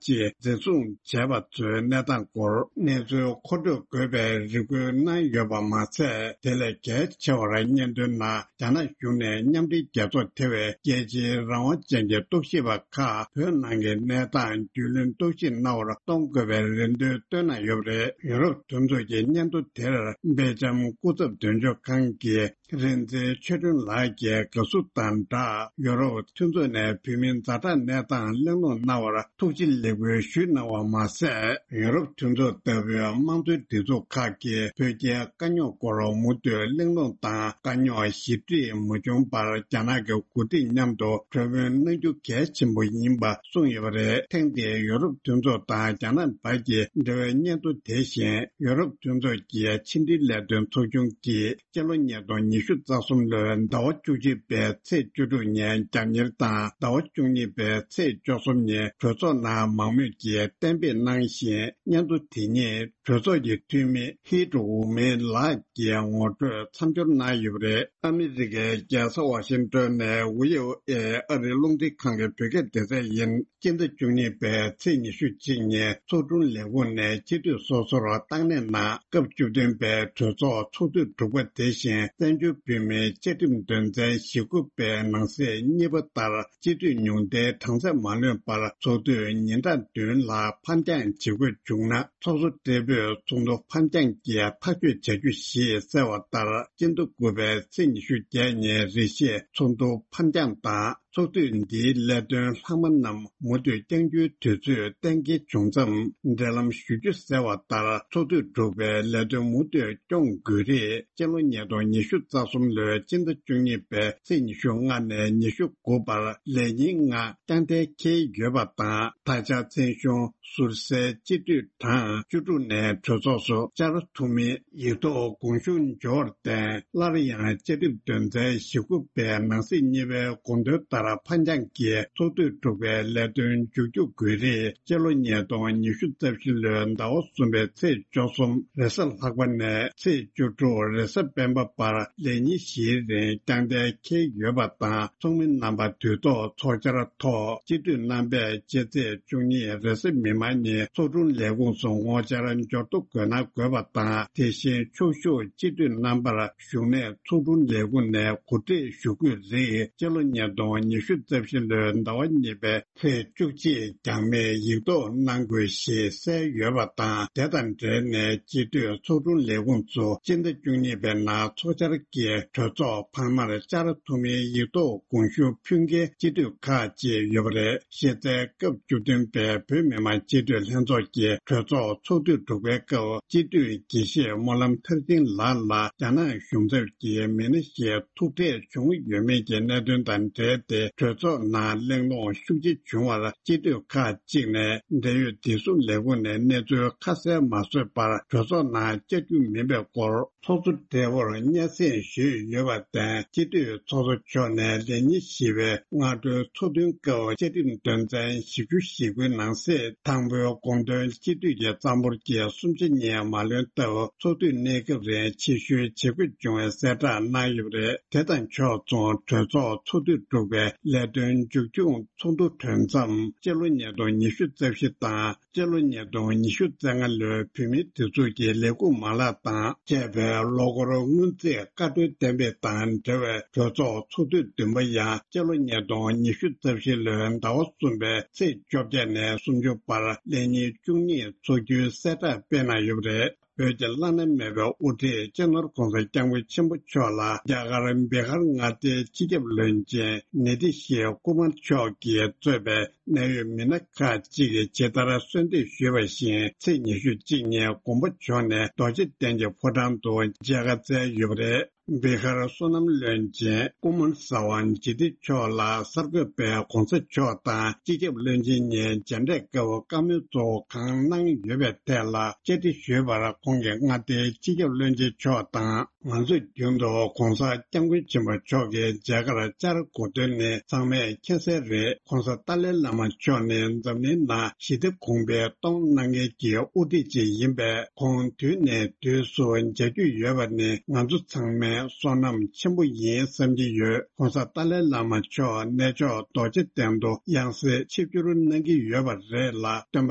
ཅིག་འཛིན་བཟུང་བྱས་པ་ཚོའི་གནས་སྟངས་སྐོར་གནས་ཚུལ་མཁོ་སྤྲོད་དགོས་པའི་རེ་སྐུལ་གནང་ཡོད་པ་མ་ཟད། དེ་ལས་གལ་ཆེ་བར་སྙན་ཐོའི་ནང་རྒྱ་ནག་གཞུང་ནས་མཉམ་འབྲེལ་རྒྱལ་ཚོགས་ཐེ་བའི་རྒྱལ་སྤྱིའི་རང་དབང་ཅན་གྱི་རྟོག་ཞིབ་པ་ཁག་བོད་ནང་གི་གནས་སྟངས་རྒྱུས་ལོན་རྟོག་ཞིབ་གནང་བར་གཏོང་དགོས་པའི་རེ་འདུན་བཏོན་གནང་ཡོད་པ་རེད། ཡུ་རོབ་མཐུན་ཚོགས་ཀྱི་སྙན་ཐོ་དེར་སྦེལ་ཇམ་སྐུ་ཚབ་དོན་གཅོད་ཁང་གི་རིག་འཛིན་ཆོས་སྒྲོན་ལགས་ཀྱིས་དགའ་བསུ་དང་སྦྲགས། ཡུ་རོབ་མཐུན་ཚོགས་ནས་བོད་མིའི་ཛ་དྲག་གནས་སྟངས་གླེང་སློང་གནང་བར་ཐུགས་རྗེ་ལེགས་འབུལ་ཞུས་གནང་བ་མ་ཟད། ཡུ་རོབ་མཐུན་ཚོགས་ལྟ་བུའི་དམངས་གཙོའི་སྒྲིག་འཛུགས་ཁག་གིས་བོད་རྒྱའི་དཀའ་རྙོག་སྐོར་མུ་མཐུད་གླེང་སློང་དང་། དཀའ་རྙོག་ཞི་འགྲིག་མ་བྱུང་བར་རྒྱ་ནག་གི་འགོ་ཁྲིད་མཉམ་དུ་གྲོས་མོལ་གནང་རྒྱུ་གལ་ཆེན་པོ་ཡིན་པ་གསུངས་ཡོད་པ་རེད། ཐེངས་འདིའི་ཡུ་རོབ་མཐུན་ཚོགས་དང་རྒྱ་ནག་བར་གྱི་འབྲེལ་བའི་སྙན་ཐོ་དེ་བཞིན་ཡུ་རོབ་མཐུན་ཚོགས་ཀྱི་ཕྱི་འབྲེལ་ལས་དོན་ཚོགས་ཆུང་གིས་སྤྱི་ལོ་ཉིས་སྟོང་ཉི་ཤུ་རྩ་གསུམ་ལོའི་ཟླ་བ་བཅུ་གཅིག་པའི་ཚེས་བཅུ་དྲུག་ཉིན་རྒྱབ་གཉེར་དང་། ཟླ་བ་བཅུ་གཉིས་པའི་ཚེས་བཅུ་གསུམ་ཉིན་གྲོས་ཚོགས་ནང་མང་མོས་ཀྱིས་གཏན་འབེབས་གནང་ཞིང་། སྙན་ཐོ་དེ་ཉིད་གྲོས་ཚོགས་ཀྱི་འཐུས་མི་ཧི་ཀྲུ་ཝུ་མེ་ལགས་ཀྱིས་ངོ་སྤྲོད་མཚམས་སྦྱོར་གནང་ཡོད་པ་རེད། ཨ་མི་རི་ཀའི་རྒྱལ་ས་ཝ་ཤིང་ཏོན་ནས་ཝི་ཨོ་ཨེ་ཨ་རིའི་རླུང་འཕྲིན་ཁང་གི་བོད་སྐད་སྡེ་ཚན་ཡིན། སྤྱི་ཟླ་བཅུ་གཉིས་པའི་ཚེས་ཉི་ཤུ་གཅིག་ཉིན་ཚོགས་དྲུང་ལས་ཁུངས་ནས་སྤྱི་འཐུས་སོ་སོར་བཏང་གནས་གནང་། སྐབས་བཅུ་བདུན་པའི་གྲོས་ཚོགས་ཚོགས་དུས་དྲུག་པ་དེ་བཞིན་བཙན་བྱོལ་བོད་མིའི་བཅའ་ཁྲིམས་དོན་ཚན་ཞེ་དགུ་པའི་ནང་གསེས་གཉིས་པ་ལྟར་སྤྱི་འཐུས་ཉུང་མཐའི་གྲངས་ཚད་མ་ལོན་པར་ཚོགས་དུས་ཉིན་གྲངས་བདུན་ལ་ཕར་འགྱངས་བྱེད་དགོས་བྱུང་ན། ཚོགས་གཙོ་སྦྲེལ་པོས་ཚོགས་འདུ་ཕར་འགྱངས་ཀྱིས་ཐག་གཅོད་བྱ་རྒྱུ་ཞེས་གསལ་བ་ལྟར། སྤྱི་ཟླ་དགུ་པའི་ཚེས་ཉི་ཤུ་བརྒྱད་ཉིན་རེ་བཞིན་ཚོགས་འདུ་ཕར་འགྱངས་དང་། ཚོགས་དུས་འདིའི་ལས་དོན་ལྷག་མ་རྣམས་མུ་མཐུད་བསྐྱང་རྒྱུའི་དུས་ཚོད་གཏན་འཁེལ་བྱུང་མཚམས། འབྲེལ་ལམ་ཞུ་རྒྱུ་གསལ་བ་ལྟར། ཚོགས་དུས་དྲུག་པའི་ལས་དོན་མུ་མཐུད་སྐྱོང་དགོས་རིགས་སྤྱི་ལོ་ཉིས་སྟོང་ཉི་ཤུ་རྩ་གསུམ་ལོའི་སྤྱི་ཟླ་བཅུ་གཉིས་པའི་ཚེས་ཉི་ཤུ་ལྔ་ནས་ཉི་ཤུ་དགུ་བར་ལས་ཉིན་ལྔ་རྐྱང་མཐའ་འཁེལ་ཡོད་པ་དང་། ད་ཆ་མཚན་གཞུང་ཟུར་སའི་སྤྱི་འཐུས་གྲངས་བཅུ་དྲུག་ནས་གྲོས་ཚོགས་སུ་བཅར་ཐུབ་མིན། ཡིག་ཐོག་དགོངས་ཞུ་འབྱོར་བརྟེན། སླར་ཡང་བཅའ་ཁྲིམས་དོན་ཚན་ཞེ་དགུ་པའི་ནང་གསེས་གཉིས་པའི་དགོངས་དོན་ལྟར་ཕར་འགྱངས་ཀྱིས་ཚོགས་དུས་དྲུག་པའི་ལས་དོན་མཇུག་སྒྲིལ་དགོས་རིགས་སྤྱི་ལོ་ཉིས་སྟོང་ཉི་ཤུ་རྩ་བཞི་ལོའི་ཟླ་བ་གསུམ་པའི་ཚེས་བཅུ་གསུམ་རེས་གཟའ་ལྷག་པ་ནས་ཚེས་བཅུ་དྲུག་རེས་གཟའ་སྤེན་པ་བར་ལས་ཉིན་བཞིའི་རིང་རྐྱང་མཐའ་འཁེལ་ཡོད་པ་དང་། ཚོགས་མི་རྣམ་པ་དུས་ཐོག་ཚོགས་བཅར་ཐོག་སྤྱི་འཐུས་རྣམ་པས་སྤྱི་ཚེས་བཅུ་གཉིས་རེས་གཟའ་མིག་དམར་ཉིན་ཚོགས་དྲུང་ལས་ཁུངས་སུ་ངོ་བཅར་འབྱོར་ཐོ་འགོད་གནང་དགོས་པ་དང་། དེ་བཞིན་ཕྱོགས་བཞུགས་སྤྱི་འཐུས་རྣམ་པར་བཞུགས་གནས་ཚོགས་དྲུང་ལས་ཁུངས་ནས་གོ་སྒྲིག་ཞུ་དགོས་རིགས་སྤྱི་ལོ་ཉིས་སྟོང་ཉི་ཤུ་རྩ་བཞི་ལོའི་ཟླ་བ་གཉིས་པའི་ཚེས་བཅུ་གཅིག་འགྱངས་མེད་ཡིག་ཐོག་གནང་དགོས་ཞེས་གསལ་ཡོད་པ་དང་། དེ་དང་འབྲེལ་ནས་སྤྱི་འཐུས་ཚོགས་དྲུང་ལས་ཁུངས་སུ་སྤྱི་ཟླ་བཅུ་གཉིས་པའི་ནང་ཚོགས་བཅར་གྱིས་གྲོས་ཚོགས་འཕར་མར་བཅར་ཐུབ་མིན་ཡིག་ཐོག་དགོངས་ཞུ་ཕུལ་མཁན་སྤྱི་འཐུས་ཁག་ཅིག་ཡོད་པ་རེད། གཞི་རྩའི་སྐབས་བཅུ་བདུན་པའི་བོད་མི་མང་སྤྱི་འཐུས་ལྷན་ཚོགས་ཀྱི་གྲོས་ཚོགས་ཚོགས་དུས་དྲུག་པའི་སྐབས་སྤྱི་འཐུས་དགེ་བཤེས་སྨོན་ལམ་མཐར་ཕྱིན་ལགས་ལ་རྒྱ་ནག་གཞུང་ཚབ་ཀྱིས་མི་སྣ་ཞིག་ཐུག་འཕྲད་བྱུང་ཡོད་མེད་ཀྱི་གནད་དོན་དང་འབྲེལ་ཏེ་གྲོས་ཚོགས་ནང་གླེང་སློང་ཤུགས་ཆེ་བྱུང་བར། སྤྱི་འཐུས་ཁག་ཅིག་ནས་འབྲེལ་ཡོད་བདེ་སྲུང་ལས་ཁུངས་ནས་གནས་ཚུལ་ཁ་གསལ་མ་བཟོས་པར་གྲོས་ཚོགས་ནང་བཅར་རྒྱུ་མིན་པའི་སྐོར། ཚོགས་གཙོ་སྦྲེལ་པོར་སྙན་སེང་ཞུས་ཡོད་པར་བརྟེན། སྤྱི་འཐུས་ཚོགས་གཙོ་མཆོག་ནས་ལས་ཉིན་བཞི་པའི་སྔ་དྲོའི་ཚོགས་ཐུན་སྐབས་བཅའ་ཁྲིམས་དོན་ཚན་བཞི་བཅུ་ཞེ་དགུའི་ནང་གསེས་དང་པོའི་དགོངས་དོན་སྤྱི་འཐུས་ཀྱི་རྩ་འབོར་གྱི་སུམ་ཆ་གཉིས་མ་ལོན་སྟབས། ཚོགས་དུས་གནས་སྐབས་རིང་ཕྱིར་བཤོལ་བྱེད་དགོས་བྱུང་བའི་གསལ་བསྒྲགས་གནང་ཡོད་པ་རེད། དེ་དང་ཕྱོགས་མཚུངས་གྲོས་ཚོགས་ཚོགས་དུས་དྲུག་པའི་ལས་དོན་མཇུག་སྐྱོང་ཚོགས་འདུ་གྲོལ་མཚམས་སྤྱི་ལོ་ཉིས་སྟོང་ཉི་ཤུ་རྩ་བཞི་དང་། སྤྱི་ལོ་ཉིས་སྟོང་ཉི་ཤུ་རྩ་ལྔ་ལོའི་བོད་མིའི་སྒྲིག་འཛུགས་ཀྱི་ལས་ཁུངས་མ་ལག་དང་བཅས་པའི་ལོ་འཁོར་སྔོན་རྩིས་བཀའ་འཁྲོལ་གཏན་འབེབས་དང་འབྲེལ་བའི་གྲོས་ཚོགས་ཚོགས་དུས་བདུན་པ་ཡང་སྤྱི་ལོ་ཉིས་སྟོང་ཉི་ཤུ་རྩ་བཞི་ལོའི་ཟླ་བ་གསུམ་པའི་ཚེས་བཅོ་བརྒྱད་ནས་སུམ་ཅུ་བར་ལས་ཉིན་བཅུ་གཉིས་འཚོགས་རྒྱུའི་གསལ་བསྒྲགས་སྤེལ་གནང་ཡོད་པ་རེད། བོད་ཀྱི་བླ་ན་མེད་པའི་དབུ་ཁྲིད་སྤྱི་ནོར་༧གོང་ས་༧སྐྱབས་མགོན་ཆེན་པོ་མཆོག་ལ་རྒྱ་གར་བི་ཧར་མངའ་སྡེའི་སྤྱི་ཁྱབ་བློན་ཆེན་ནི་ཏི་ཤི་ཀུ་མར་མཆོག་གིས་གཙོས་པའི་གནད་ཡོད་མི་སྣ་ཁག་ཅིག་གིས་ཇི་ལྟར་གསོལ་འདེབས་ཞུས་པ་བཞིན། ཚེས་ཉི་ཤུ་གཅིག་ཉིན་དགོངས་པ་འཇོག་ནས་རྡོ་རྗེ་གདན་གྱི་ཕོ་བྲང་དུ་མཇལ་ཁ་བསྩལ་ཡོད་པ་རེད། བི་ཧར་བསོད་ནམས་བློན་ཆེན་ཀུ་མར་ས་ཝ་ཇི་ཏི་མཆོག་ལ་གསར་འགོད་པས་༧གོང་ས་མཆོག་དང་སྤྱི་ཁྱབ་བློན་ཆེན་གཉིས་མཇལ་འཕྲད་སྐབས་བཀའ་མོལ་གཙོ་བོ་གང་གནང་ཡོད་པའི་ཐད་ལ་བཅར་འདྲི་ཞུས་པར། ཁོང་གིས་མངའ་སྡེའི་སྤྱི་ཁྱབ་བློན་ཆེན་མཆོག་དང་། ང་ཚོས་རྒྱུན་དུ་༧གོང་ས་༧སྐྱབས་མགོན་ཆེན་པོ་མཆོག་གི་མཇལ་ཁར་བཅར་དགོས་དོན་ནི་ཚང་མས་མཁྱེན་གསལ་རེད། ༧གོང་ས་ཏཱ་ལའི་བླ་མ་མཆོག་ནི་འཛམ་གླིང་ནང་ཞི་བདེ་གོང་འཕེལ་གཏོང་གནང་མཁན་གྱི་དབུ་ཁྲིད་ཅིག་ཡིན་པས། ཁོང་དུས་ནས་དུས་སུ་མཇལ་རྒྱུ་ཡོད་པ་ནི་ང་ཚོ་ཚང་མའི་བསོད་ནམས་ཆེན་པོ་ཡིན་བསམ་གྱི་ཡོད། ༧གོང་ས་ཏཱ་ལའི་བླ་མ་མཆོག་གནས་མཆོག་རྡོ་རྗེ་གདན་དུ་ཡང་སེ་ཆིབས་བསྒྱུར་གནང་གི་ཡོད་པ་རེད་ལ། སྟོན་པ་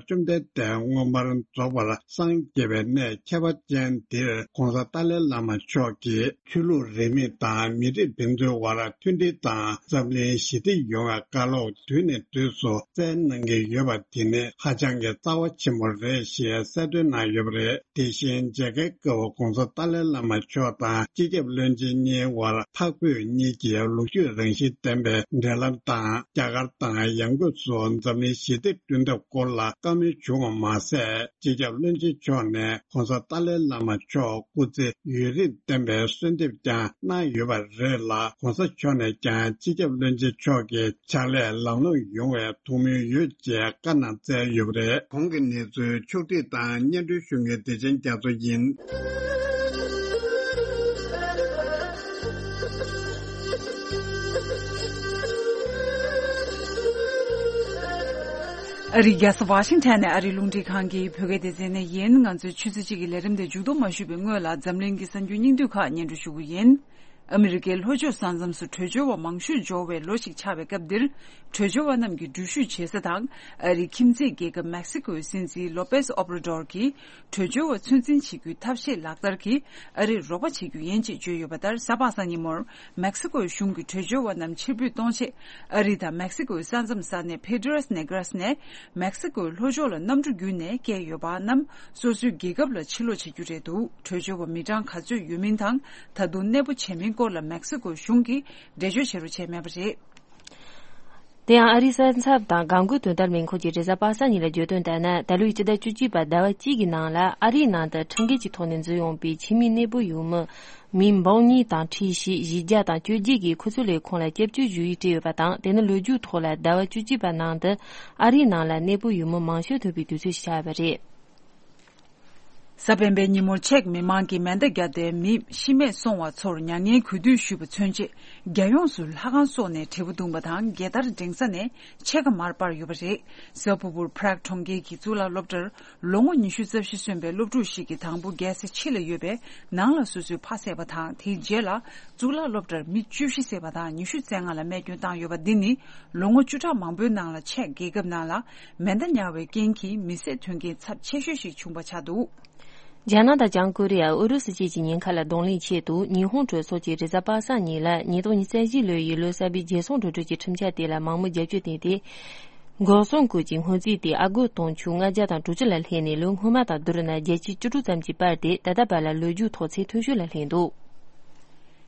བཅོམ་ལྡན་འདས་མངོན་པར་རྫོགས་པར་སངས་རྒྱས་པའི་གནས་ཁྱད་པར་ཅན་འདིར་༧གོང་ས་ཏཱ་ལའི་བླ་མ་མཆོག་གིས་ཆོས་ལུགས་རིས་མེད་དང་མི་རིགས་ཕན་ཚུན་དབར་མཐུན་སྒྲིལ་དང་འཛམ་གླིང་ཞི་བདེ་ཡོང་བའི་བཀའ་སློབ་དུས་ནས་དུས་སུ་སྩལ་གནང་གི་ཡོད་པ་དེ་ནི་ཧ་ཅང་གི་རྩ་བ་ཆེན་པོ་རེད་ཞེས་གསལ་སྟོན་གནང་ཡོད་པ་རེད། དེ་བཞིན་མཇལ་ཁའི་སྐབས་༧གོང་ས་ཏཱ་ལའི་བླ་མ་མཆོག་དང་སྤྱི་ཁྱབ་བློན་ཆེན་གཉིས་དབར་འཕགས་བོད་གཉིས་ཀྱི་ལོ་རྒྱུས་རང་བཞིན་ལྡན་པའི་འབྲེལ་ལམ་དང་། རྒྱ་གར་དང་ཡང་སྒོས་སུ་འཛམ་གླིང་ཞི་བདེ་བསྐྲུན་ཐབས་སྐོར་ལ་བཀའ་མོལ་བྱུང་བ་མ་ཟད། སྤྱི་ཁྱབ་བློན་ཆེན་མཆོག་ནས་༧གོང་ས་ཏཱ་ལའི་བླ་མ་མཆོག་སྐུ་ཚེ་ཡུན་རིང་བརྟན་པའི་གསོལ་འདེབས་ཀྱང་གནང་ཡོད་པ་རེད་ལ། ༧གོང་ས་མཆོག་ནས་ཀྱང་སྤྱི་ཁྱབ་བློན་ཆེན་མཆོག་གི་ཕྱག་ལས་ལམ་ལྷོང་ཡོང་བའི་ཐུགས་སྨོན་ཡོད་ཅེས་བཀའ་གནང་བསྩལ་ཡོད་པ་རེད། གོང་གི་གནས་ཚུལ་ཕྱོགས་སྒྲིག་དང་སྙན་སྒྲོན་ཞུ་མཁན་བདེ་ཆེན་རྒྱ་མཚོ་ཡིན། ཨ་རིའི་རྒྱལ་ས་ཝ་ཤིང་ཊོན་ནས་ཨ་རིའི་རླུང་འཕྲིན་ཁང་གི་བོད་སྐད་སྡེ་ཚན་ནས་ཡིན། ང་ཚོའི་ཆུ་ཚོད་གཅིག་གི་ལས་རིམ་དེ་མཇུག་བསྡོམས་མ་ཞུས་པའི་སྔོན་ལ་འཛམ་གླིང་གི་གསར་འགྱུར་སྙིང་བསྡུས་ཁག་སྙན་སྒྲོན་ཞུ་གི་ཡིན། ཨ་མི་རི་ཀའི་ལྷོ་ཕྱོགས་ས་མཚམས་སུ་བྲོས་བྱོལ་བ་མང་ཤོས་འབྱོར་བའི་ལོ་ཞིག་ཆགས་པའི་སྐབས་འདིར། བྲོས་བྱོལ་བ་རྣམས་ཀྱིས་འགྲུལ་བཞུད་བྱེད་ས་དང་། ཨ་རིའི་ཁྱིམ་མཚེས་རྒྱལ་ཁབ་མེག་སི་ཀོའི་སྲིད་འཛིན་ལོ་པེས་ཨོབ་ར་ཌོར་གྱིས། བྲོས་བྱོལ་བ་ཚོད་འཛིན་བྱེད་རྒྱུའི་ཐབས་ཤེས་ལག་བསྟར་གྱིས་ཨ་རིར་རོགས་པ་བྱེད་རྒྱུ་ཡིན་ཅེས་བརྗོད་ཡོད་པ་ལྟར། གཟའ་པ་སངས་ཉིན་མོར་མེག་སི་ཀོའི་གཞུང་གིས་བྲོས་བྱོལ་བ་རྣམས་ཕྱིར་འབུད་གཏོང་ཆེད། ཨ་རི་དང་མེག་སི་ཀོའི་ས་མཚམས་ས་གནས་ཕེ་ཏྲེས་ནེ་གྲེས་ནས་མེག་སི་ཀོའི་ལྷོ་ཕྱོགས་ལ་གནམ་གྲུ་བརྒྱུད་ནས་བསྐྱལ་ཡོད་པ་རྣམས་སོ་སོའི་རྒྱལ་ཁབ་ལ་ཕྱིར་ལོག་བྱེད་རྒྱུ་རེད་འདུག་བྲོས་བྱོལ་བ་མི་གྲངས་ག་ཚོད་ཡོད་མིན་དང་། ད་དུང་གནས་སྤོ་བྱས་མིན་སྐོར་ལ་མེག་སི་ཀོའི་གཞུང་གིས་འགྲེལ་བརྗོད་བྱེད་རོགས་བྱས་མེད་པ་རེད། དེ་ཡང་ཨ་རིའི་ས་མཚམས་དང་གངས་སྐོར་དོན་དག་ལས་ཁུངས་ཀྱིས་རེས་གཟའ་པ་སངས་ཉིན་ལ་བརྗོད་དོན་ལྟར་ན། ད་ལོའི་སྤྱི་ཟླ་བཅུ་གཅིག་པའི་ཟླ་བ་གཅིག་གི་ནང་ལ་ཨ་རིའི་ནང་དུ་ཁྲིམས་འགལ་གྱི་ཐོག་ནས་འཛུལ་ཡོང་པའི་ཕྱི་མིའི་གནས་སྤོ་ཡུལ་མི་མི་འབུམ་གཉིས་དང་ཁྲི་བཞི་བཞི་བརྒྱ་དང་བཅོ་བརྒྱད་ཀྱིས་ཁོ་ཚོའི་ལས་ཁུངས་ལ་སྐྱབས་བཅོལ་ཞུ་ཡིག་སྤྲད་ཡོད་པ་དང་། དེ་ནི་ལོ་རྒྱུས་ཐོག་ལ་ཟླ་བ་བཅུ་གཅིག་པའི་ནང་དུ་ཨ་རིའི་ནང་ལ་གནས་སྤོ་ཡུལ་མི་མང་ཤོས་ཐོན་པའི་དུས་ཚོད་ཞིག་ཆགས་པ་རེད། གཟའ་སྤེན་པའི་ཉིན་མོར་ཅེཀ་མི་མང་གིས་མེ་མདའ་བརྒྱབ་སྟེ་མི་ཤི་རྨས་སོང་བ་ཚོར་མྱ་ངན་གུས་འདུད་ཞུས་པ་མཚོན་ཆེད། རྒྱལ་ཡོངས་སུ་ལྷ་ཁང་སོགས་ནས་དྲིལ་བུ་བརྡུངས་པ་དང་། རྒྱལ་དར་སྒྲེང་ས་ནས་ཕྱེད་ཀ་མར་སྤར་ཡོད་པ་རེད། གཟའ་ཕུར་བུར་Prague་གྲོང་ཁྱེར་གྱི་གཙུག་ལག་སློབ་གྲྭར་ལོ་ངོ་ཉི་ཤུ་རྩ་བཞི་སོན་པའི་སློབ་ཕྲུག་ཞིག་གིས་དང་པོ་རྒྱལ་ས་ཕྱི་ལ་ཡོད་པའི་ནང་ལ་སོ་སོའི་ཕ་བསད་པ་དང་། དེའི་རྗེས་ལ་གཙུག་ལག་སློབ་གྲྭར་མི་བཅུ་བཞི་བསད་པ་དང་ཉི་ཤུ་རྩ་ལྔ་ལ་རྨས་སྐྱོན་བཏང་ཡོད་པ་འདི་ནི་ལོ་ངོ་བཅུ་ཕྲག་མང་པོའི་ནང་ལ་ཅེཀ་རྒྱལ་ཁབ་ནང་ལ་མེ་མདའ་ཉར་བའི་རྐྱེན་གྱིས་མི་བསད་དོན་རྐྱེན་ཚབས་ཆེ་ཤོས་ཤིག་བྱུང་བ་ཆགས་འདུག་རྒྱ་ནག་དང་བྱང་ཀོ་རི་ཡ། ཨུ་རུ་སུ་བཅས་ཀྱི་ཉེན་ཁ་ལ་གདོང་ལེན་ཆེད་དུ། ཉི་ཧོང་གྲོས་ཚོགས་ཀྱིས་རེས་གཟའ་པ་སངས་ཉིན་ལ་ཉིས་སྟོང་ཉི་ཤུ་རྩ་བཞི་ལོའི་ཡུལ་ལུང་གསར་པའི་རྒྱལ་སྲུང་གྲོས་ཚོགས་ཀྱི་ཁྲིམས་འཆར་དེ་ལ་མང་མོས་རྒྱབ་སྐྱོར་བཏོན་ཏེ། འགོག་སྲུང་སྐོར་གྱི་སྔོན་རྩིས་དེ་ཨ་སྒོར་དུང་ཕྱུར་ལྔ་བརྒྱ་དང་དྲུག་ཅུ་ལ་སླེབས་ནས། ལོ་སྔོན་མ་དང་བསྡུར་ན་བརྒྱ་ཆ་བཅུ་དྲུག་ཙམ་གྱིས་སྤར་ཏེ། ད་ལྟ་བར་ལ་ལོ་རྒྱུས་ཐོག་ཚད་མཐོ་ཤོས་ལ་སླེབས་འདུག་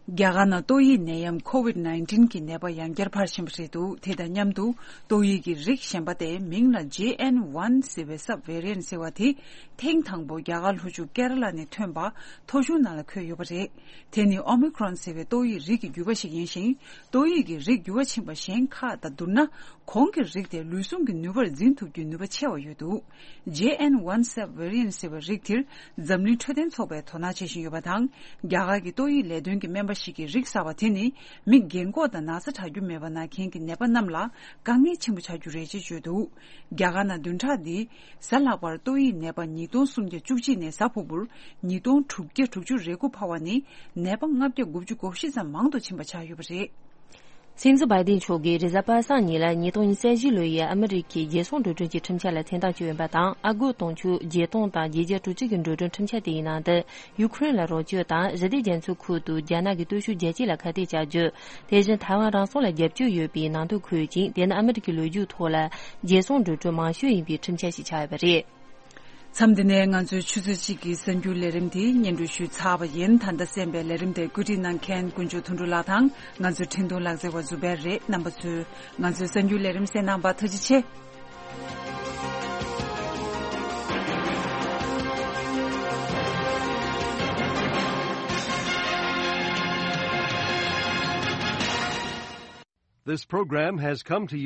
རྒྱ་གར་ནང་ཏོག་དབྱིབས་ནད་ཡམས་ཁོ་ཝིད་ནའིན་ཊིན་གྱི་ནད་པ་ཡང་བསྐྱར་འཕར་བཞིན་པ་རེད་འདུག་དེ་དང་མཉམ་དུ་ཏོག་དབྱིབས་ཀྱི་རིགས་གཞན་པ་དེ་མིང་ལ་ཇེ་ཨེན་ཝན་ཟེར་བའི་སབ་ཝེ་རི་ཡན་ཟེར་བ་དེ་ཐེངས་དང་པོ་རྒྱ་གར་ལྷོ་ཕྱོགས་ཀེ་ར་ལ་ནས་ཐོན་པ་ཐོ་གཞུང་ནང་ལ་འཁོད་ཡོད་པ་རེད། དེ་ནི་ཨོ་མི་ཁྲོན་ཟེར་བའི་ཏོག་དབྱིབས་རིགས་ཀྱི་འགྱུར་བ་ཞིག་ཡིན་ཞིང་། ཏོག་དབྱིབས་ཀྱི་རིགས་འགྱུར་བ་ཕྱིན་པ་གཞན་ཁག་དང་བསྡུར་ན། གོང་གི་རིགས་དེ་ལུས་ཟུངས་ཀྱི་ནུས་པར་འཛིན་ཐུབ་རྒྱུའི་ནུས་པ་ཆེ་བ་ཡོད་འདུག་ཇེ་ཨེན་ཝན་སབ་ཝེ་རི་ཡན་ཟེར་བའི་རིགས་དེར་འཛམ་གླིང་འཕྲོད་བསྟེན་ཚོགས་པས་དོ་སྣང་བྱེད་བཞིན་ཡོད་པ་དང་། རྒྱ་གར་གྱི་ཏོག་དབྱིབས་ལས་དོན་གྱི་སྨན་པ་ཞིག་གིས་རིགས་གསར་བ་དེ་ནི་མི་རྒན་འཁོགས་དང་ན་ཚ་དྲག་རྒྱུ་མེད་པ་ན་མཁན་གྱི་ནད་པ་རྣམས་ལ་དཀའ་ངལ་ཆེན་པོ་ཆགས་རྒྱུ་རེད་ཅེས་བརྗོད་འདུག་རྒྱ་གར་ནང་བདུན་ཕྲག་འདིའི་གཟའ་ལྷག་པར་ཏོག་དབྱིབས་ནད་པ་ཉིས་སྟོང་སུམ་བརྒྱ་བཅུ་གཅིག་ནས་གཟའ་ཕུར་བུར་ཉིས་སྟོང་དྲུག་བརྒྱ་དྲུག་ཅུ་རེ་དགུ་འཕར་བ་ནི་ནད་པ་ལྔ་བརྒྱ་དགུ་བཅུ་གོ་བཞི་ཙམ་མང་དུ་ཕྱིན་པ་ཆགས་ཡོད་པ་རེད། སྲིད་འཛིན་བྷའི་ཏིན་མཆོག་གིས་རེས་གཟའ་པ་སངས་ཉིན་ལ་ཉིས་སྟོང་ཉི་ཤུ་རྩ་བཞི་ལོའི་ཨ་མི་རི་ཀའི་རྒྱལ་སྲུང་འགྲོ་གྲོན་གྱི་ཁྲིམས་འཆར་ལ་མཚན་རྟགས་བཅོལ་ཡོད་པ་དང་། ཨ་སྒོར་དུང་ཕྱུར་བརྒྱད་སྟོང་དང་བརྒྱད་བརྒྱ་དྲུག་ཅུ་གི་འགྲོ་གྲོན་ཁྲིམས་འཆར་དེའི་ནང་དུ་ཡུ་ཁུ་རེན་ལ་རོགས་སྐྱོར་དང་། ཞི་བདེ་རྒྱ་མཚོའི་ཁུལ་དུ་རྒྱ་ནག་གི་སྟོབས་ཤུགས་རྒྱ་སྐྱེད་ལ་ཁ་གཏད་བཅག་རྒྱུ། དེ་བཞིན་ཐའེ་ཝན་རང་སྲུང་ལ་རྒྱབ་སྐྱོར་ཡོད་པའི་ནང་དོན་འཁོད་ཅིང་། དེ་ནི་ཨ་མི་རི་ཀའི་ལོ་རྒྱུས་ཐོག་ལ་རྒྱལ་སྲུང་འགྲོ་གྲོན་མང་ཤོས་ཡིན་པའི་ཁྲིམས་འཆར་ཞིག་ཆགས་ཡོད་པ་རེད། མཚམས་འདི་ནས་ང་ཚོའི་ཆུ་ཚོད་གཅིག་གི་གསར་འགྱུར་ལས་རིམ་དེ་སྙན་སྒྲོན་ཞུས་ཚར་བ་ཡིན། ད་ལྟ་གསན་པའི་ལས་རིམ་དེ་བཀོད་སྒྲིག་གནང་མཁན་དཀོན་མཆོག་དོན་གྲུབ་ལགས་དང་། ང་ཚོའི་འཕྲིན་གཏོང་ལག་རྩལ་བ་ཛུ་བེར་རེད། རྣམ་པ་ཚོས་ང་ཚོའི་གསར་འགྱུར་ལས་རིམ་གསན་གནང་བར་ཐུགས་རྗེ་ཆེ། This program has come to you